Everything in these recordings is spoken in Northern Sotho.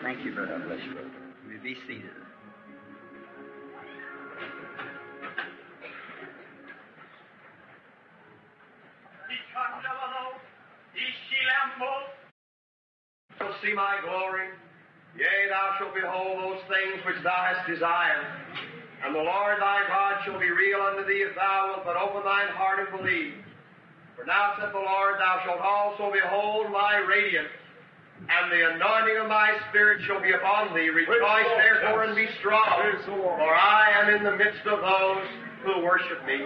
Thank you, brother. Bless you, brother. You may be seated. Shalt see my glory. Yea, thou shalt behold those things which thou hast desired. And the Lord thy God shall be real unto thee if thou wilt but open thine heart and believe. For now saith the Lord, thou shalt also behold my radiance, and the anointing of my Spirit shall be upon thee. Rejoice therefore and be strong, for I am in the midst of those who worship me.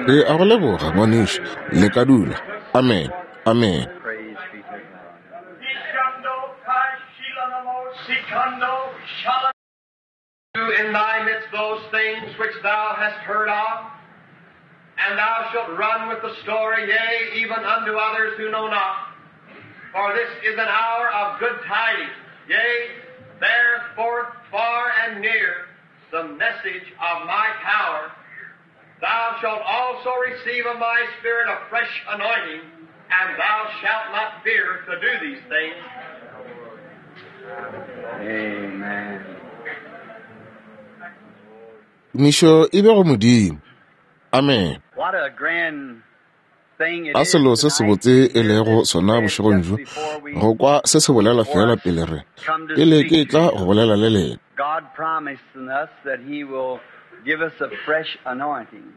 Re a go leboga, ngwanešu. Le ka dula. Amen. Amen. Praise be to God. Do in thy midst those things which thou hast heard of, and thou shalt run with the story, yea, even unto others who know not. For this is an hour of good tidings, yea, bear forth far and near the message of my power. Thou shalt also receive of my Spirit a fresh anointing, and thou shalt not fear to do these things. Amen. Tumišo e be go Modimo. Amen. What a grand thing it A is selo se tonight sebotse to e hear lego this sona said bošegong just bjo, before we go kwa se se bolela before fela us pele re come to pele ke speak to tla you. go bolela le lena. God promising us that He will give us a fresh anointing.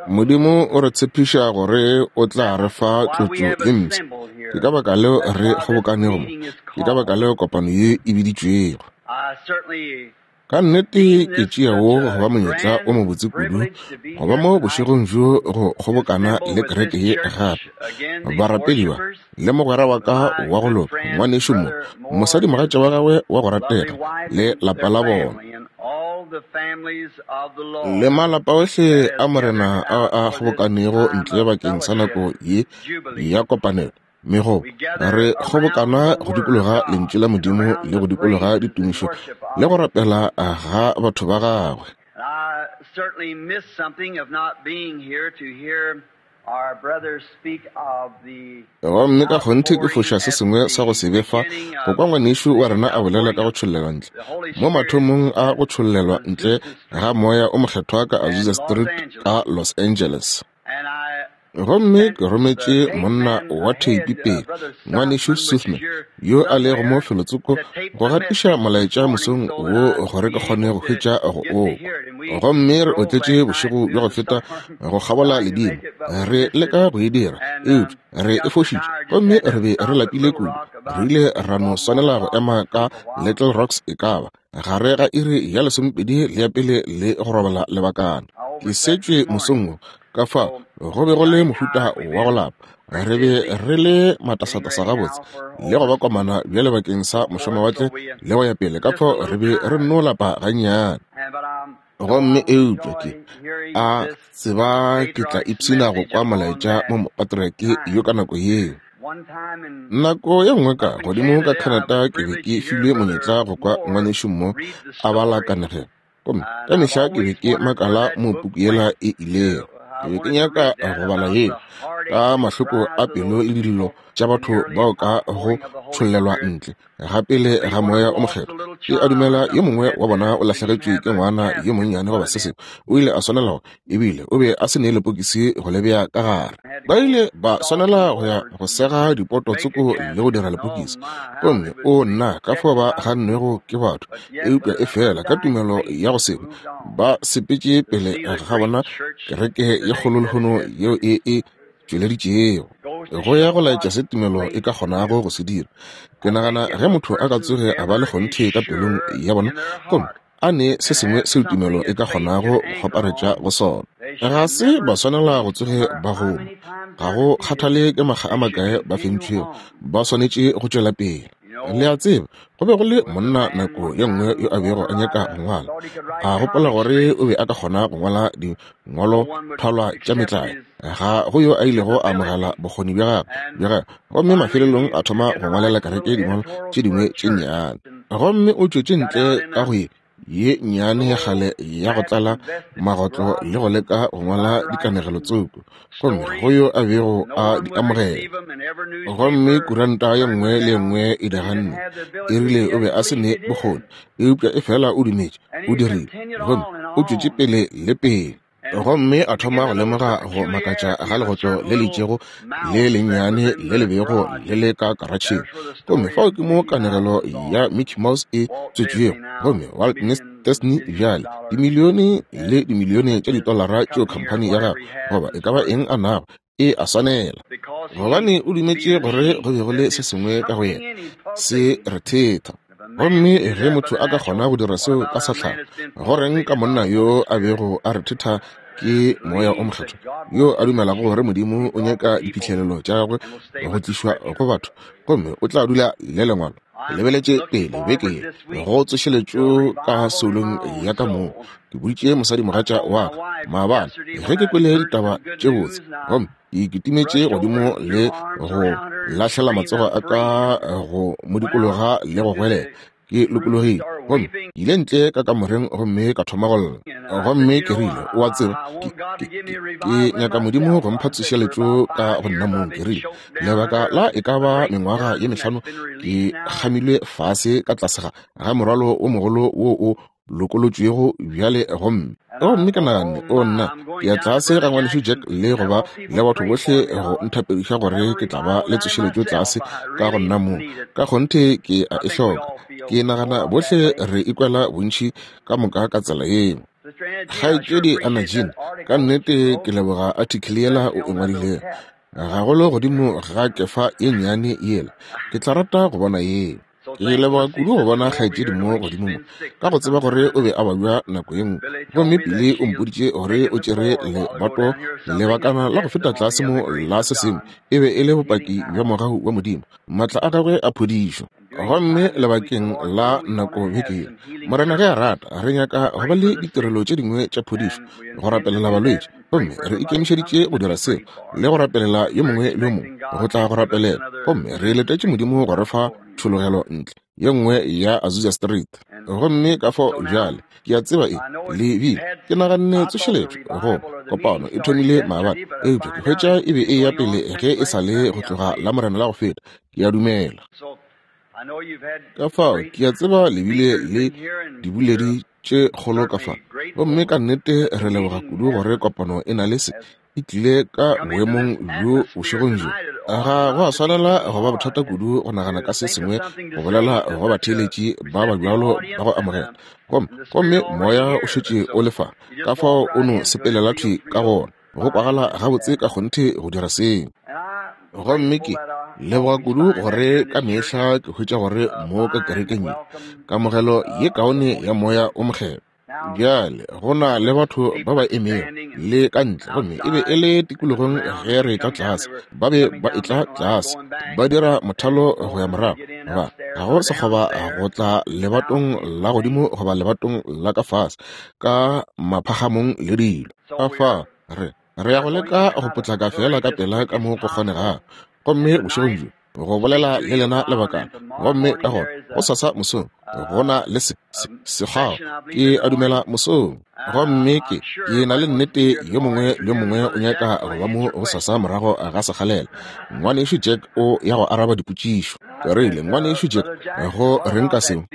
Modimo o re tshepiša gore o tla re That's fa why we tlotšo have ye mpsha. assembled Ke here. ka baka leo That's re why this kgobokanego mo. meeting is Ke ka baka called. leo kopano ye e biditšwego. I certainly Ka nnete deem ke this tšea such wo go a ba monyetla o grand mobotse kudu privilege to be go ba here mo tonight bošegong bjo go to kgobokana assemble le with kereke this ye church gape. again, these Barapedi ba worshipers, le mogwera wa with ka my wa go good loka, friend, ngwanešu mo, Brother Moore, his mosadimogatša wa gagwe wa go lovely ratega wife, le and lapa their la bona. family, and all the families of the Le Lord malapa ohle that a has Morena gathered a out a for this kgobokanego time ntle of bakeng sa fellowship nako ye jubilee. ya kopanelo. Megobo, We gather re around kgobokana the go Word of dikologa God lentšu la and Modimo around le the go dikologa praises and ditumišo worship le of go Him. rapela ga batho ba gagwe. And I certainly missed something of not being here to hear our brothers speak of the Gomme ka kgonthe ke outpouring foša se at sengwe sa go the se be fa beginning go of kwa ngwanešu wa the rena a bolela outpouring ka go of tšhollelwa ntle. the Holy Mo Spirit mathomong a at go tšhollelwa ntle Azusa ga Street moya o mokgethwa ka and Azusa Los Street Angeles. ka Los Angeles. And I Gomme sent ke rometše the tape monna man wa theipi ahead, pele, Brother ngwanešu Southman, which is Suthman, here yo a lego mo somewhere, felotsoko, to tape go the gatiša message this molaetša morning mosong so wo that I'd gore ke be kgone able go to hwetša go get to o kwa. hear it. And we Gomme re drove otletše last night bošego through bja go the feta storm go kgabola trying to ledimo. make it, but we Re missed it. leka go e dira, And eupša re we e got so fošitše. tired, just Gomme had re to be re stop at lapile Little kudu. Rock Re about ile ra no 12 more swanela go o'clock ema to ka sleep a while. Little Rocks e ka ba gare ga iri ya 12 le ya pele le go robala lebakana. I Ke overslept setšwe this morning. mosong wo, ka fao So go be go le very mohuta tired. We've wa go been lapa. Re pretty be busy re le getting matasatasa ready gabotse now for le go ba over komana bjale bakeng sa so forth. mošomawatle So we le go ya pele. Ka just a fao re little be re tired. nno lapa gannyane. And but I'm know Gomme I will eupša ke enjoy hearing a this tseba ke tla patriarch's ipshina go message kwa upon molaetša that mo mopatriareke yo time. ka nako yeo. One time in Nako ye nngwe ka up in godimo ka Canada, I Canada was ke be privileged ke to hear filwe Brother monyetla go kwa Moore ngwanešu mo read the a bala story. kanegelo. Gomme And ka I've mehla ke be always ke wondered where makala that mo book puku yela went. e ilego. Ke I be ke wanted to nyaka read that go bala about yeo the ka heartaches and mahloko cries a of pelo those le dillo people tša in the batho early bao ka go outpouring of the Holy tšhollelwa Spirit. ntle ga pele Maybe ga one of moya them o lost a mokgethwa. little Ke a child or dumela yo something mongwe had wa to bona o didn't even lahlegetšwe have ke a ngwana yo casket to monnyane put goba it se in. sengwe. O ile a swanela go, ebile o be a se ne lepokisi go le bea ka gare. Had to Ba go ile ba saw some swanela go ya boards go and sega dipoto make a tsoko le go casket. dira And oh lepokisi. my, how Gomme they o was nna ka fao ba rejected by the gannwego people. ke batho, But yet eupša with e an fela ka undying tumelo faith ya go they se hwe moved on ba sepetše to pele see the ga great bona church kereke ye today kgolo that it lehono has yeo e produced. e tšweleditšego Goes to go ya show go laetša what se tumelo e faith ka can kgonago do. go se dira. Ke I nagana think if ge a motho a ka person tsoge a ba le ever is kgonthe ka pelong sure ya bona in their gomme heart a ne se and sengwe have seo tumelo something e that ka faith kgonago can go anchor kgwaparetša on, go sona, they ga should se ba never swanela go cease, no tsoge matter ba how goma. many times Ga they're go defeated, kgathale ke makga a they should makae ba continue fentšwego, on. ba swanetše go tšwela pele. You Le know, a tseba, go be go le there was a monna man nako one ye nngwe time yo who a wanted bego to a write nyaka a, go ngwala. thought he could write A gopola comic gore strips. o be a ka kgona go ngwala No one would dingwalothalwa tša accept metlae. his Ga go yo a his ilego a amogela ability. bokgoni bja gagwe And bja gagwe. Gomme finally mafelelong he a thoma began go to ngwalela write kereke little dingwalo editorials tše for dingwe a tše church nnyane. and Gomme o tšwetše got ntle out in ka a go ye ye nnyane ya kgale ya go tlala magotlo le go leka go ngwala dikanegelo tsoko, gomme go yo a bego a di amogela. Gomme kuranta ye nngwe le ye nngwe e di ganne, e rile o be a se ne bokgoni, eupša efela o dumetše, o dirile, gomme o tšwetše pele le pele. Gomme a thoma go lemoga go makatša ga legotlo le le itšego le lennyane le le bego le le ka karatšheng. Gomme fao ke mo kanegelo ya Mickey Mouse e tswetšwego. Gomme Walt Disney bjale, dimilione le dimilione tša ditolara tšeo khamphani ya gagwe, goba e ka ba eng a nago, e a swanela, gobane o dumetše gore go be go le se sengwe ka go yena se rethetha. Gomme ge motho a ka kgona go dira seo ka sa tlhago, go reng ka monna yo a bego a rethetha ke Moya o Mokgethwa, yo a dumelago gore Modimo o nyaka diphihlelelo tša gagwe go tlišwa go batho, gomme o tla dula le Lengwalo? Ke lebeletše pele beke ye go tsošeletšo ka soulong ya ka moo. Ke boditše mosadimogatša wa ka maabane ge ke kwele ditaba tše botse, gomme ke kitimetše godimo le go lahlela matsogo a ka go mo dikologa le go goelela. Ke lokologile, gomme ke ile ntle ka kamoreng gomme ka thoma go lla. Gomme ke rile, O a tseba, ke, ke, ke, ke nyaka Modimo go mpha tsošeletšo ka go nna mong. Ke rile, Lebaka la e ka ba mengwaga ye mehlano ke kgamilwe fase ka tlase ga, ga morwalo wo mogolo wo o lokolotšwego bjale. Gomme, gomme ke naganne, O nna, ke ya tlase ga Ngwanešu Jack le go ba le batho bohle go nthapediša gore ke tla ba le tsošeletšo tlase ka go nna mong. Ka kgonthe ke a e hloka. Ke nagana bohle re ikwela bontši ka moka ka tsela yeo. Kgaetšedi Anna Jean, ka nnete ke leboga article yela o e ngwadilego, gagolo godimo ga kefa ye nnyane yela. Ke tla rata go bona yeo. Ke leboga kudu go bona kgaetšedi mo godimo mo, ka go tseba gore o be a babja nako ye nngwe. Gomme Billy o mpoditše gore o tšere lebato lebakana la go feta tlase mo la se sengwe, e be e le bopaki bja mogau wa Modimo, maatla a gagwe a phodišo. Gomme lebakeng la nako beke ye, Morena ge a rata, re nyaka go ba le ditirelo tše dingwe tša phodišo, go rapelela balwetši. Gomme re ikemišeditše go dira seo, le go rapelela yo mongwe le yo mongwe go tla go rapelela. Gomme re letetše Modimo go re fa tšhologelo ntle ye nngwe ya Azusa Street. Gomme ka fao bjale, ke a tseba e le bile, ke naganne tsošeletšo go kopano e thomile maabane, eupša ke hwetša e be e ya pele ge e sa le go tloga Lamorena la go feta, ke a dumela. Ka fao ke a tseba le bile le diboledi tše kgolo ka fa, gomme ka nnete re leboga kudu gore kopano e na le se e tlile ka boemong bjo bošegong bjo. Ga go a swanela go ba bothata kudu go nagana ka se sengwe go bolela go batheeletši ba ba bjalo ba go amogela. Gomme, gomme Moya o šetše o le fa, ka fao o no sepelela thwi ka gona. Go kwagala gabotse ka kgonthe go dira seo. Gomme ke leboga kudu gore ka mehla ke hwetša gore mo ka kerekeng ye, kamogelo ye kaone ya Moya o Mokgethwa. Bjale go na le batho ba ba emego le ka ntle, gomme e be e le tikologong ge re etla tlase. Ba be ba etla tlase, ba dira mothalo go ya morago, ba ga go sekgoba go tla lebatong la godimo goba lebatong la ka fase, ka maphagamong le dilo. Ka fao re, re ya go leka go potlaka feela ka pela ka mo go kgonegago. Gomme bošegong bjo, go bolela le lena lebakana, gomme ka gona gosasa mosong go na le se, se, sekgao, ke a dumela mosong. Gomme ke, ke na le nnete yo mongwe le yo mongwe o nyaka go ba mo gosasa morago ga sekgalela. Ngwanešu Jack o ya go araba dipotšišo. Ke rile, Ngwanešu Jack, go reng ka seo?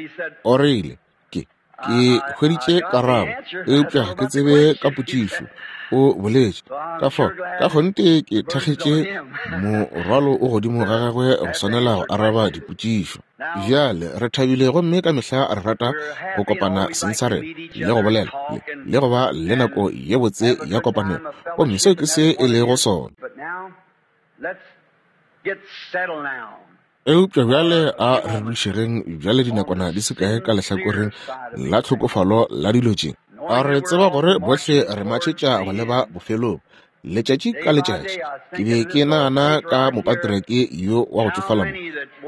O rile, Ke, ke hweditše karabo, eupša ga ke tsebe ka potšišo. O boletše. Ka fao, ka kgonthe ke thakgetše morwalo o godimo ga gagwe go swanela go araba dipotšišo. Bjale, re thabile gomme ka mehla re rata go kopana seng sa rena le go bolela le, le go ba le nako ye botse ya kopanelo. Gomme seo ke se e lego sona. Eupša bjale a re dušegeng bjale dinakwana di se kae ka lehlakoreng la tlhokofalo la dilo tše. A re tseba gore bohle re matšhetša go leba bofelong, letšatši ka letšatši. Ke be ke nagana ka mopatriareke yo wa go tšofala mo.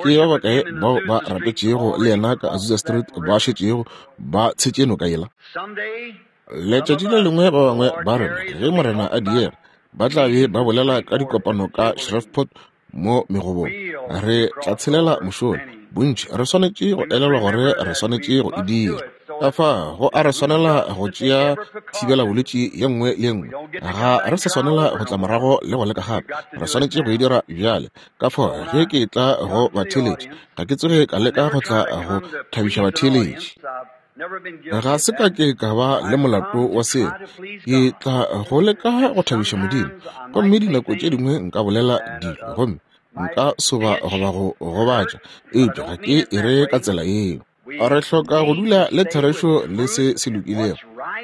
Ke ba bakae bao ba rapetšego le yena ka Azusa Street ba šetšego ba tshetše noka yela? Letšatši le lengwe ba bangwe ba rena, ge Morena a diega, ba tla be ba bolela ka dikopano ka Shreveport mo megobong. Re tla tshelela mošola. Bontši re swanetše go elelwa gore re swanetše go e dira. Ka fa go a re swanela go tšea thibela bolwetši ye nngwe le ye nngwe. Ga re sa swanela go tla morago le go leka gape. Re swanetše go e dira bjale. Ka fao ge ke etla go batheeletši, ga ke tsoge ka leka go tla go thabiša batheeletši. Ga se ka ke ka ba le molato wa seo. Ke tla go leka go thabiša Modimo. Gomme dinako tše dingwe nka bolela dilo gomme nka soba goba go gobatša, eupša ga ke e re ka tsela yeo. Re hloka go dula le therešo le se se lokilego,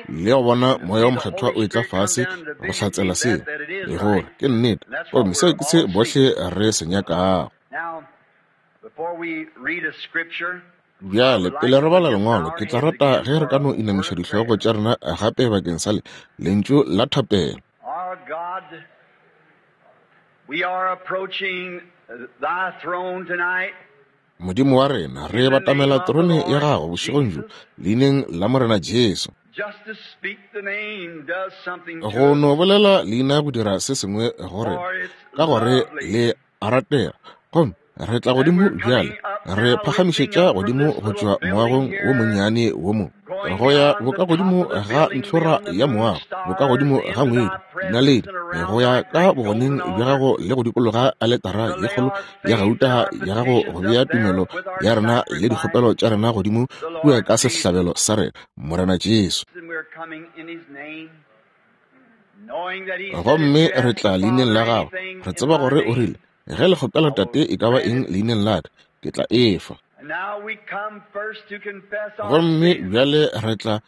le go bona Moya wo Mokgethwa o etla fase go hlatsela seo, gore ke nnete. Gomme seo ke se bohle re se nyakago. Bjale, pele re bala Lengwalo, ke tla rata ge re ka no inamiša dihlogo tša rena gape bakeng sa le, lentšu la thapelo. Our God, we are approaching thy throne tonight. Modimo wa rena, re batamela terone ya gago bošegong bjo, leineng la Morena Jesu. Just to speak the name does something to Go us. no bolela leina go dira se sengwe go rena, For it's ka gore lovely. le a ratega. Gomme re tla And godimo we're bjale, coming up re now, lifting phagamišetša up from godimo this go little tšwa building moagong wo here, monnyane wo mo, going go ya beyond the boka top godimo of the ga building, ntlhora beyond the ya moon, moago, boka godimo stars, ga into ngwedi, thy presence dinaledi, and around go ya thy ka great bogoneng golden bja altar, gago le go dikologa aletara to ye lay kgolo our ya faith gauta and our ya gago petitions go up bea there tumelo with our ya rena le sacrifice, dikgopelo tša rena godimo the kua Lord ka Jesus. sehlabelo sa rena, Morena Jesu. And we're coming in his name, knowing that he said, If Gomme you re ask the tla leineng Father la gagwe, anything re in tseba my gore o name, rile, ge le kgopela I will Tate e ka ba grant eng it. leineng la ka, ke tla e fa. And now we come first to confess our Gomme sins bjale re tla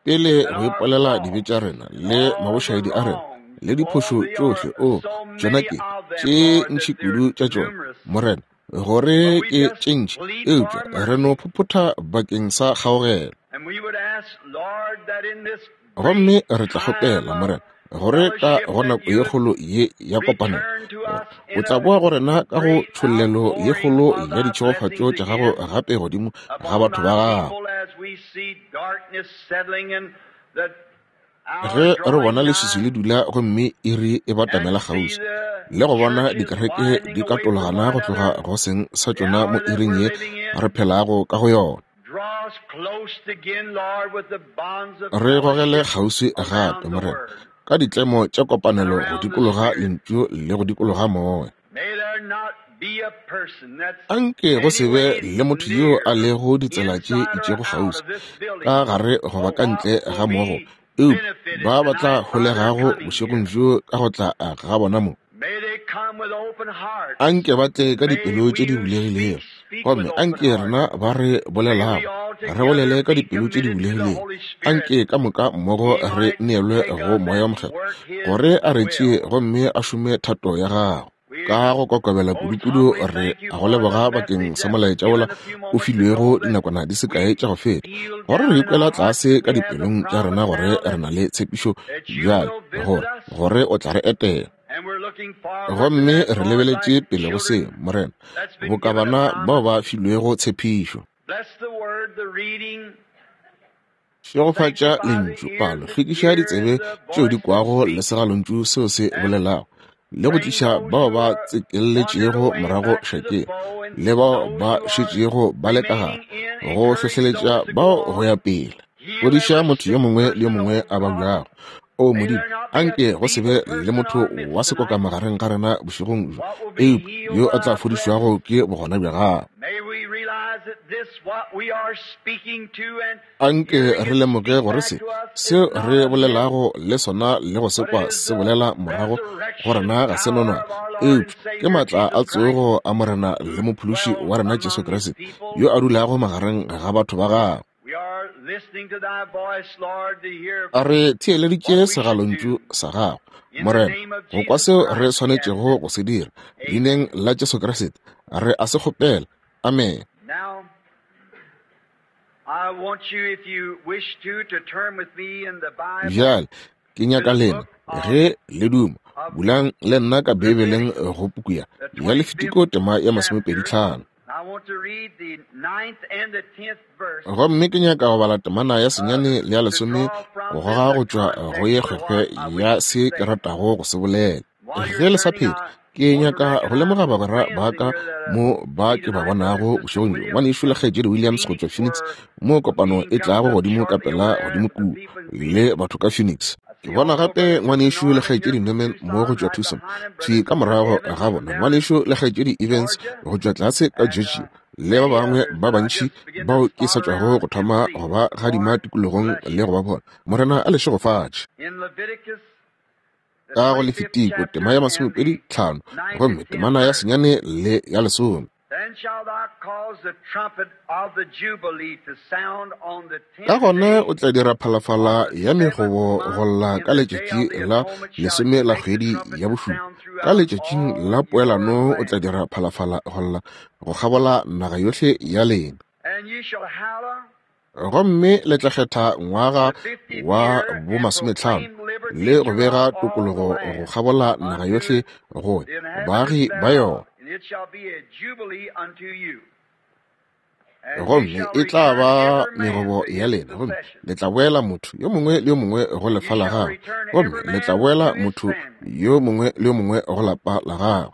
pele and go our ipolela dibe faults tša rena and le all the mabošaedi a rena wrongs. le Oh, diphošo they are tšohle. O, so tšona many ke of them, tše Lord, that ntši they're kudu tša tšona, numerous. Morena, gore But we ke just tše ntši, plead eupša for re no mercy. phophotha bakeng sa kgaogelo. And we would ask, Lord, that in this Gomme great re tla time kgopela, of Morena, gore ka fellowship go that nako you ye would kgolo ye ya kopanelo, return to gore us o in tla a boa go rena ka go great tšhollelo ye outpouring kgolo of ya thy ditšhegofatšo blessings tša gago again gape godimo ga upon batho ba thy gago. people as we see darkness settling and the hour Ge re drawing bona leswiswi nigh le dula gomme iri e and batamela see kgauswi, the le go bona churches dikereke widening di away from one katologana go tloga another, go seng sa the tšona hour mo that iring we're ye living in re phelago ka go yona. draw us close again, Lord, with the bonds of Re gogele fellowship kgauswi gape, around the Morena, Word ka ditlemo tša and kopanelo go around the dikologa Spirit. lentšu le go dikologa moya. May there not be a person that's Anke go se be anyways le motho yo a near, lego ditsela tše inside or itšego out kgauswi, of this ka building, gare goba or ka what ntle ga will moago, be eupša benefited ba ba tla tonight by their holegago coming bošegong here. bjo ka go tla ga bona mo. May they come with open hearts. Anke ba tle ka May dipelo tše we di who speak, bulegilego, speak with gomme open anke rena hearts. ba re May we bolelago all re together bolele ka be dipelo tše di committed to the bulegilego. Holy Spirit. Anke ka moka mmogo He re might neelwe take go us Moya wo and Mokgethwa work His gore a re tšee will. gomme a šome thato ya gagwe. We Ka go kokobela most kudukudu humbly re thank you a go for the leboga bakeng message sa that was molaetša wola given a few o moments filwego ago that dinakwana di se we kae tša go feta, feel gore down re in ikwela our hearts tlase that ka we have the dipelong tša rena promise gore now re that, na le tshepišo that you bjale will visit gore us. gore o tla re etela. And we're looking forward to Gomme that, re Lord, lebeletše like pele go se, children Morena, that's been boka given a bana bao promise. ba filwego tshepišo. Bless the word, the reading, Šegofatša sanctify the lentšu, ears palo, that hlwekiša hear ditsebe the tšeo di voice that kwago le speaks, segalontšu seo se and bolelago, le go bring tliša those bao who ba are wandered tsekeletšego away morago back to the šakeng, foe and le bao those ba who are šetšego ba le ka gare, remaining in, go encourage hlohleletša those to go bao go on. ya pele. Heal Fodiša every motho yo sick mongwe le yo person, mongwe oh a God. babjago. O May Modimo, there not be a anke go se be feeble le person in motho our midst wa sekoka tonight. magareng ga rena bošegong bjo, What will be eupša healed yo by a tla thy fodišwago presence? ke bogona bja gago. May we realize that this, what we are speaking to and Anke hearing re it lemoge speak gore back se to us, is seo not re a myth, bolelago le sona le go se but kwa it is se the bolela morago go resurrection rena ga se power nonwane, of our Lord and eupša ke Savior maatla a Jesus Christ tsogo a Morena le who Mophološi dwells wa rena Jesu among his Kriste people. yo a dulago magareng ga batho ba gagwe. We are listening to thy voice, Lord, to hear A re theeleditše what we should segalontšu do. sa gago, In the Morena, name of go kwa Jesus seo re Christ, we ask swanetšego it. go se dira. Amen. Leineng la Jesu Kriste, re a se kgopela. Amen. Now, I want you, if you wish to, to turn with me in the Bible Bjale ke to nyaka the lena book of, ge le duma, of bulang le nna ka Beibeleng Leviticus, go puku ya the ya 25th Lefitiko tema ya chapter. 25. I want to read the 9th and the 10th verse Gomme ke nyaka go bala temana ya 9 le ya to 10 draw from go this goga a go tšwa go ye context for kgwekgwe what I ya wish to se ke say. ratago go se bolela. While Ge you're le sa turning, pheta, I Ke nyaka go lemoga bagwera ba ka mo ba ke ba bonago bošegong bjo, Ngwanešu le Kgaetšedi Williams go tšwa Phoenix, mo kopano e tlago godimo ka pela godimo kua, le batho ka Phoenix. Ke bona gape Ngwanešu le Kgaetšedi Norman mo go tšwa Tucson, thwi ka morago ga bona, Ngwanešu le Kgaetšedi Evans go tšwa tlase ka Georgia, le ba bangwe ba bantši bao ke sa tšwago go thoma go ba gadima tikologong le go ba bona. Morena a le šegofatše. Ka go Lefitiko tema ya 25 gomme temana ya 9 le ya 10. Ka gona o tla dira phalafala ya megobo go lla ka letšatši la lesome la kgwedi ya bošupa. Ka letšatšing la poelano o tla dira phalafala go lla go kgabola naga yohle ya lena. Gomme le tla kgetha ngwaga wa bo 50 le go bega tokologo go kgabola naga yohle go baagi ba yona. Gomme e tla ba megobo ya lena, gomme le tla boela motho yo mongwe le yo mongwe go lefa la gagwe, gomme le tla boela motho yo mongwe le yo mongwe go lapa la gagwe.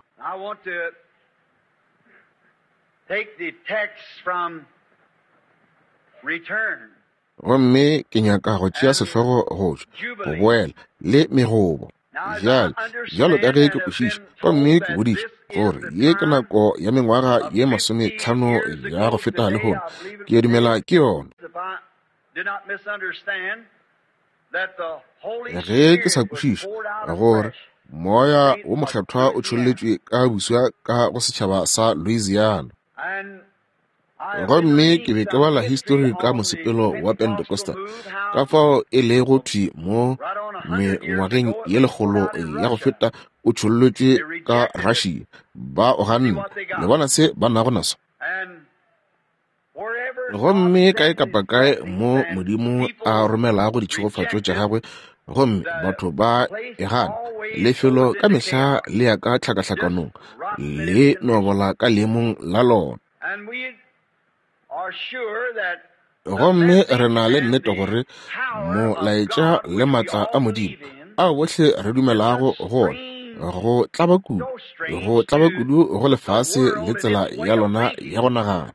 Gomme ke nyaka go tšea sehlogo go tšwa go boela le megobo. Bjale, bjalo ka ge ke kwešiša gomme ke bodiša gore ye ke nako ya mengwaga ye 50 ya go feta lehono, ke a dumela ke yona. Ge ke sa kwešiša gore Moya wo Mokgethwa o tšholletšwe ka buswa ka go setšhaba sa Louisiana. Gomme ke be ke bala histori ka mosepelo wa Pentecostal, ka fao e lego thwi mo mengwageng ye 100 ya go feta o tšhollotšwe ka Russia. Ba o ganne. Le bona se ba nago naso? Gomme kae kapa kae mo Modimo a romelago ditšhegofatšo tša gagwe, gomme batho ba e gana, lefelo ka mehla le ya ka tlhakahlakanong, le no bola ka leemong la lona. Gomme re na le nnete gore molaetša le maatla a Modimo ao bohle re dumelago go ona, go tlaba kudu, go tlaba kudu go lefase le tsela ya lona ya go nagana.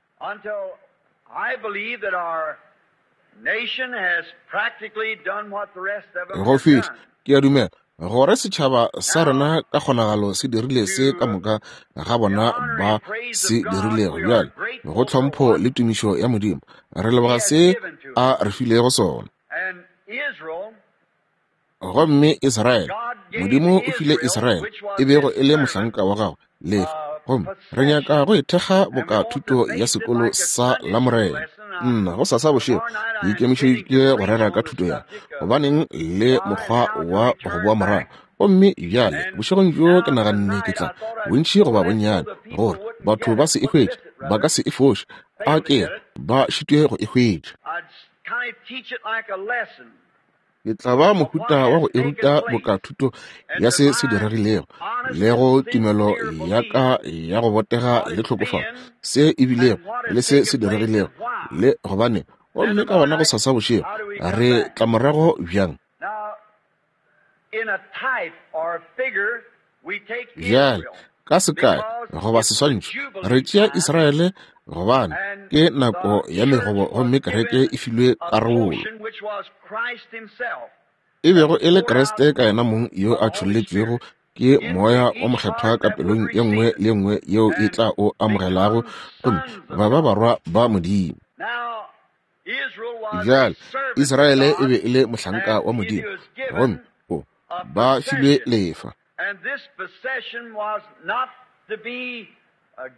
Go fihla, ke a dumela gore setšhaba sa rena ka kgonagalo se dirile se ka moka ga bona ba se dirilego. Bjale, go tlhompho le tumišo ya Modimo, re leboga se a re filego sona. Gomme Israele, Modimo o file Israele, e bego e le mohlanka wa gagwe, lefa. Gomme re nyaka go ithekga boka thuto ya sekolo sa Lamorena. Nna go sasa bošego ke ikemišeditše go rera ka thuto ya gobaneng le mokgwa wa go boa morago. Gomme bjale bošegong bjo ke naganne ke tla bontši goba bonnyane gore batho ba se e hwetše, ba ka se e foše, a ke ba šitwe go e hwetša. Ke tla ba mohuta wa go e ruta boka thuto ya se se diregilego le go tumelo ya ka ya go botega le tlhokofalo, se e bilego le se se diregilego le gobane. Gomme ka gona go sasa bošego re tla morago bjang? Bjale, ka sekai goba seswantšho, re tšea Israele gobane ke nako ya megobo gomme kereke e filwe karolo, e bego e le Kriste ka yena mong yo a tšholletšwego ke Moya o Mokgethwa ka pelong ye nngwe le nngwe yeo e tla o amogelago, gomme ba ba barwa ba Modimo. Bjale, Israele e be e le mohlanka wa Modimo, gomme o ba filwe lefa.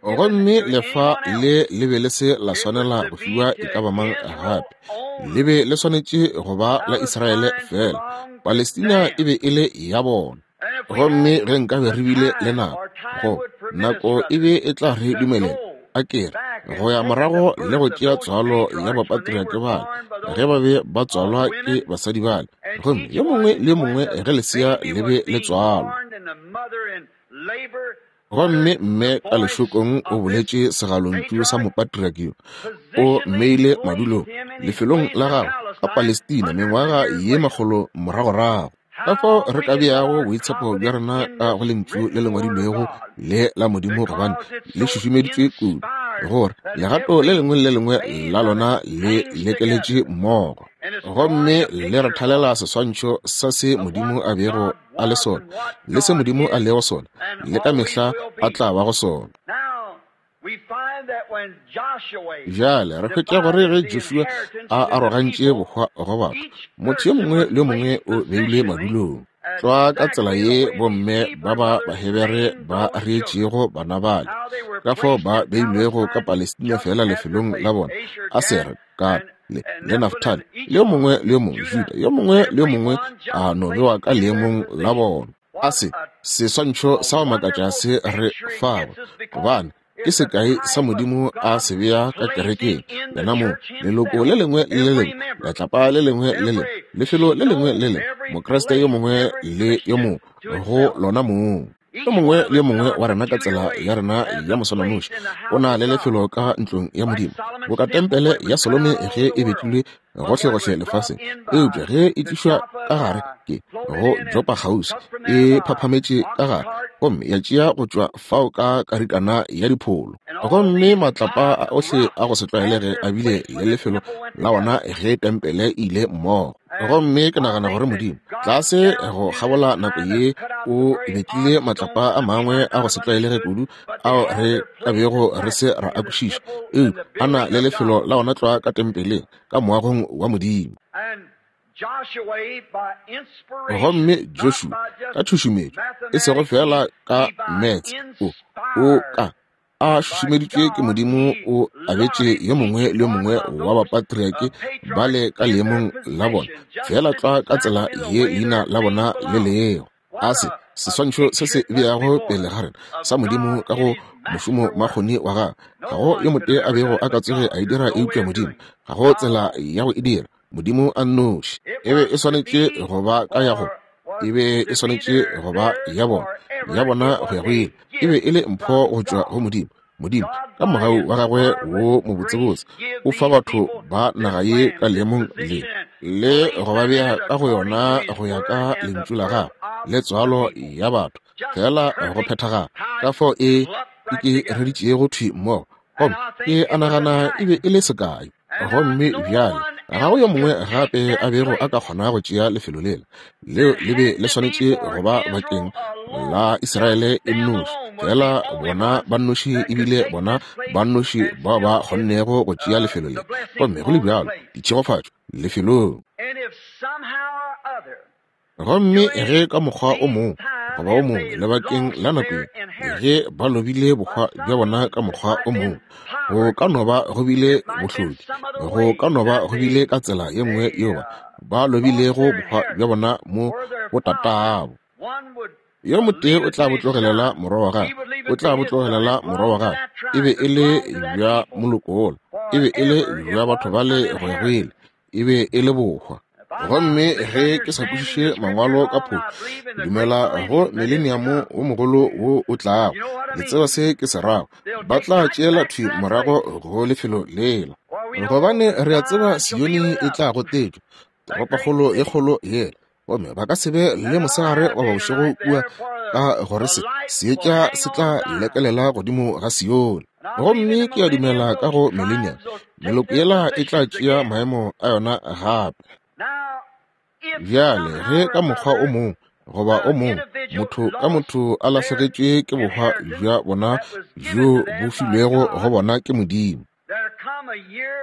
Gomme lefa le le be le se la swanela go fiwa e ka ba mang gape, le be le swanetše go ba la Israele fela. Palestina e be e le ya bona. Gomme ge nkabe re bile le nako, go nako e be e tla re dumelela, a ke re, go ya morago le go tšea tswalo ya bapatriake bale ge ba be ba tswalwa ke basadi bale, gomme yo mongwe le yo mongwe ge lesea le be le tswalwa. Gomme mme ka lešokong o boletše segalontšu sa mopatriake yo, o mmeile madulong lefelong la gagwe ka Palestina mengwaga ye makgolo moragorago. Ka fao re ka beago boitshepo bja rena ka go Lentšu le le ngwadilwego le la Modimo, gobane le šušumeditšwe kudu, gore legato le lengwe le le lengwe la lona le lekeletše mmogo, gomme le re thalela seswantšho sa se Modimo a bego a le sona, le se Modimo a lego sona, le ka mehla a tla bago sona. Bjale re hwetša gore ge Joshua a arogantše bohwa go batho, motho yo mongwe le yo mongwe o beilwe madulong. Tlwa ka tsela ye bomme ba ba Bahebere ba reetšego bana bale, ka fao ba beilwego ka Palestina feela lefelong la bona, Asere, Gad, le, le Naftali, le yo mongwe le yo mongwe, Juda, yo mongwe le yo mongwe a no bewa ka leemong la bona. A se seswantšho sa go makatša se re fago, gobane ke sekai sa Modimo a se bea ka kerekeng yena mong, leloko le lengwe le le lengwe, letlapa le lengwe le lengwe, lefelo le lengwe le lengwe, Mokriste yo mongwe le yo mongwe go lona mong. Yo mongwe le yo mongwe wa rena ka tsela ya rena ya moswananoši o na le lefelo ka ntlong ya Modimo, boka tempele ya Solome ge e betlilwe gohlegohle lefaseng, eupša ge e tlišwa ka gare ke go Jopa kgauswi, e phaphametše ka gare gomme ya tšea go tšwa fao ka karikana ya dipholo. Gomme matlapa a ohle a go se tlwaelege a bile le lefelo la ona ge tempele e ile mmogo. Gomme ke nagana gore Modimo, tlase go kgabola nako ye, o betlile matlapa a mangwe a go se tlwaelege kudu ao re ka bego re se ra a kwešiša, eupša a na le lefelo la ona tlwa ka tempeleng, ka moagong wa Modimo. Gomme Joshua, ka tšhušumetšo, e sego feela ka metse, o ka a šušumeditšwe ke Modimo, o abetše yo mongwe le yo mongwe wa bapatriake bale ka leemong la bona, feela tlwa ka tsela ye leina la bona le lego. A se seswantšho se se beago pele ga rena sa Modimo ka go mošomo makgoni wa gagwe. Ga go yo motee a bego a ka tsoge a e dira eupša Modimo. Ga go tsela ya go e dira, Modimo a nnoši. E be e swanetše go ba ka ya go, e be e swanetše go ba ya bona, ya bona go ya go ile. E be e le mpho go tšwa go Modimo. Modimo, ka mogau wa gagwe wo mobotsebotse, o fa batho ba naga ye ka leemong le, le go ba bea ka go yona go ya ka lentšu la gagwe le tswalo ya batho, feela go phethagala ka fao e e ke reditšego thwi mmogo. Gomme ke a nagana e be e le sekai. Gomme bjale ga go yo mongwe gape a bego a ka kgona go tšea lefelo lela. Leo le be le swanetše go ba bakeng la Israele e nnoši, fela bona ba nnoši ebile bona ba nnoši bao ba kgonnego go tšea lefelo le. Gomme go le bjalo, ditšhegofatšo lefelong. Gomme ge ka mokgwa o mongwe goba o mongwe lebakeng la nako ye, ge ba lobile bohwa bja bona ka mokgwa o mongwe, go ka no ba go bile bohloki, go ka no ba go bile ka tsela ye nngwe yeo ba, ba lobilego bohwa bja bona mo botatabo. Yo motee o tla bo tlogelela morwa wa gagwe, o tla bo tlogelela morwa wa gagwe. E be e le bja moloko wola, e be e le bja batho bale go ya go ile, e be e le bohwa. Gomme ge ke sa kwešiše mangwalo ka phošo, ke dumela go mileniamo wo mogolo wo o tlago. Le tseba se ke se rago. Ba tla tšeela thwi morago go lefelo lela. Gobane re a tseba Sione e tla gotetšwa, toropokgolo e kgolo yela, gomme ba ka se be le mosegare goba bošego kua, ka gore se seetša se tla lekelela godimo ga Sione. Gomme ke a dumela ka go millennium, meloko yela e tla tšea maemo a yona gape. Bjale ge ka mokgwa o mongwe goba o mongwe motho ka motho a lahlegetšwe ke bohwa bja bona bjo bo filwego go bona ke Modimo,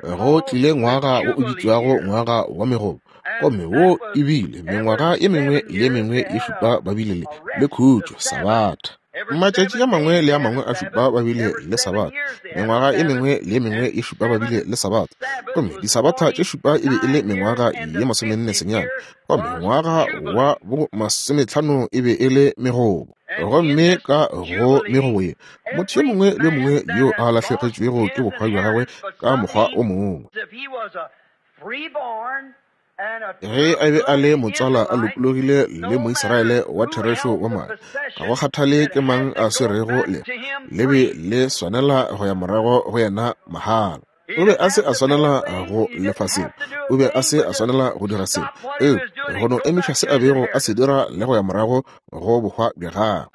Go tlile ngwaga wo o bitšwago ngwaga wa megobo, gomme wo e bile mengwaga ye mengwe le ye mengwe ye šupa ba bile le, le khutšo, sabatha. Matšatši a mangwe le a mangwe a šupa ba bile le sabatha, mengwaga ye mengwe le ye mengwe ye šupa ba bile le sabatha. Gomme disabatha tše šupa e be e le mengwaga ye 44, gomme ngwaga wa bo 50 e be e le megobo. Gomme ka go megobo ye, motho yo mongwe le yo mongwe yo a lahlegetšwego ke bohwa bja gagwe ka mokgwa o mongwe, ge a be a le motswala a lokologile le Moisraele wa therešo wa madi, ga go kgathale ke mang a swerego le, le be le swanela go ya morago go yena mahala. O be a se a swanela go lefa selo, o be a se a swanela go dira selo, eupša go no emiša se a bego a se dira le go ya morago go bohwa bja gagwe.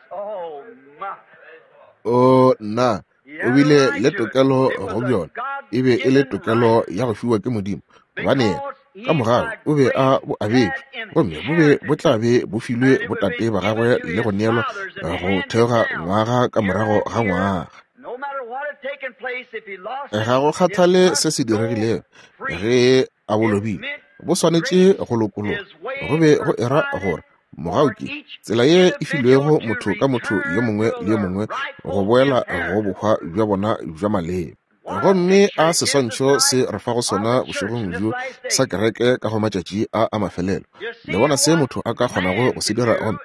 O nna, o bile le tokelo go bjona. E be e le tokelo ya go fiwa ke Modimo, gobane yena ka mogau o be a bo abetšwe, gomme bo be bo tla be bo filwe botate ba gagwe le go neelwa go theoga ngwaga ka morago ga ngwaga. Ga go kgathale se se diregilego, ge a bo lobile, bo swanetše go lokologa. Go be go era gore mogau ke tsela ye e filwego motho ka motho yo mongwe le yo mongwe go boela go bohwa bja bona bja maleba. Gomme a seswantšho se re fago sona bošegong bjo sa kereke ka go matšatši a a mafelelo. Le bona se motho a ka kgonago go se dira, gomme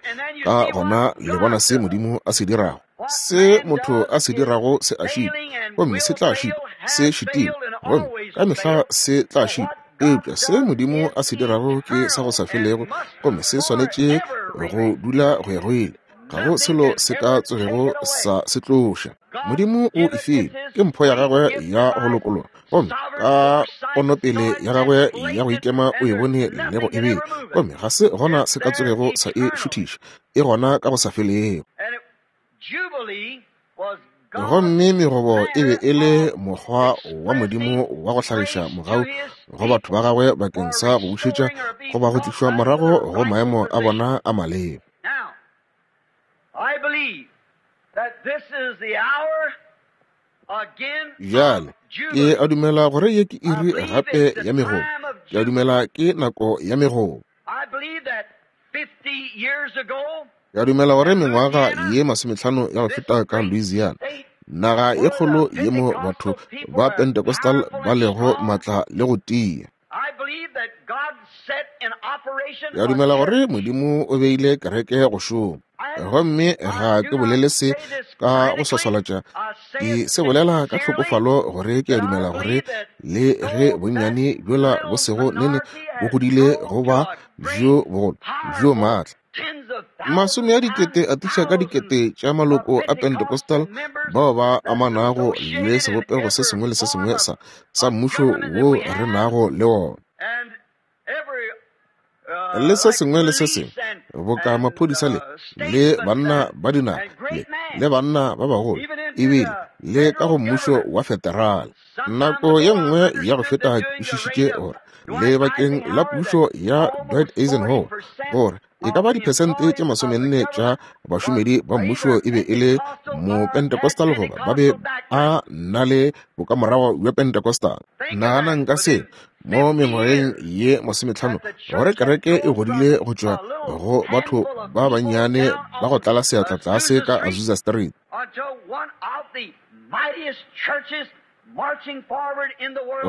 ka gona le bona se Modimo a se dirago. Se motho a se dirago se a šitwa, gomme se tla šitwa, se šitile, gomme ka mehla se tla šitwa. Eupša se Modimo a se dirago ke sa go sa felego, gomme se swanetše go dula go ya go ile. Ga go selo se ka tsogego sa se tloša. Modimo o e file, ke mpho ya gagwe ya go lokologa, gomme ka ponopele ya gagwe ya go ikema o e bone le go e bea, gomme ga se gona se ka tsogego sa e šuthiša, e gona ka go sa felego. Gomme megobo e be e le mokgwa wa Modimo wa go hlagiša mogau go batho ba gagwe bakeng sa go bušetša goba go tlišwa morago go maemo a bona a maleba. Bjale, ke a dumela gore ye ke iri gape ya megobo. Ke a dumela ke nako ya megobo. Ke a dumela gore mengwaga ye 50 ya go feta ka Louisiana, naga ye kgolo ye mo batho ba Pentecostal ba lego matla le go tia. Ke a dumela gore Modimo o beile kereke go šoma. Gomme ga ke bolele se ka go swaswalatša, ke se bolela ka tlhokofalo gore ke a dumela gore le ge bonnyane bjola bo sego nene bo godile go ba bjo bogolo bjo maatla, masome a dikete a tiša ka dikete tša maloko a Pentecostal bao ba amanago le sebopego se sengwe le se sengwe sa mmušo wo re nago le wona, le se sengwe le se sengwe boka maphodisa le banna ba dinaga le banna ba bagolo, ebile le ka go mmušo wa federal. Nako ye nngwe ya go feta ke kwešišitše gore lebakeng la pušo ya Dwight Eisenhower gore e ka ba diphesente tše 40 tša bašomedi ba mmušo e be e le mo-Pentecostal goba ba be a na le bokamorago bja Pentecostal. Naganang ka se mo mengwageng ye 50 gore kereke e godile go tšwa go batho ba bannyane ba go tlala seatla tlase ka Azusa Street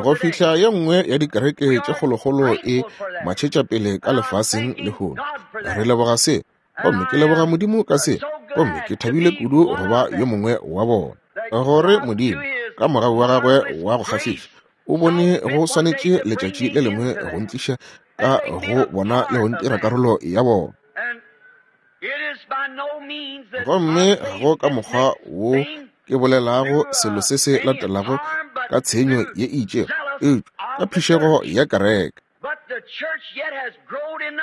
go fihla ye nngwe ya dikereke tše kgolokgolo e matšhetša pele ka lefaseng lehono. Re leboga se, gomme ke leboga Modimo ka se, gomme ke thabile kudu go ba yo mongwe wa bona, gore Modimo ka mogau wa gagwe wa go kgahliša o bone go swanetše letšatši le lengwe go ntliša ka go bona le go ntira karolo ya bona. Gomme go ka mokgwa wo ke bolelago selo se se latelago ka tshenyo ye e itšego, eupša ka phišego ya kereke.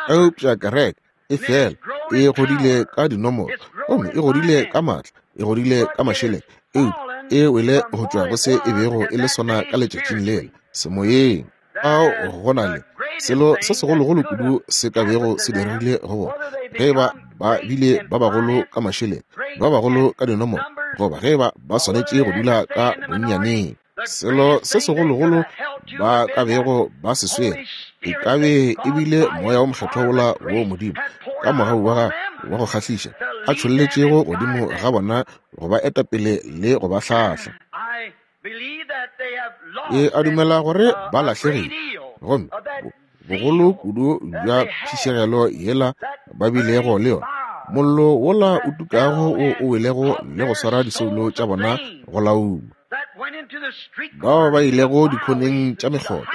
Eupša kereke e fela e godile ka dinomoro, gomme e godile ka maatla, e godile ka mašeleng, eupša e wele go tšwa go se e bego e le sona ka letšatšing lela semoyeng. Ao go na le selo se segologolo kudu se ka bego se diregile go bona ge ba ba bile ba bagolo ka mašeleng, ba bagolo ka dinomoro, goba ge ba ba swanetše go dula ka bonnyaneng. Selo se segologolo ba ka bego ba se swere e ka be e bile moya wo mokgethwa wola wo Modimo ka mogau wa gagwe wa go kgahliša a tšholletšego godimo ga bona go ba etapele le go ba hlahla. Ke a dumela gore ba lahlegile, gomme bogolo kudu bja phišegelo yela ba bilego le yona, mollo wola o tukago wo o welego le go swara disoulo tša bona go lauma. Bao ba ilego dikhoneng tša mekgotha,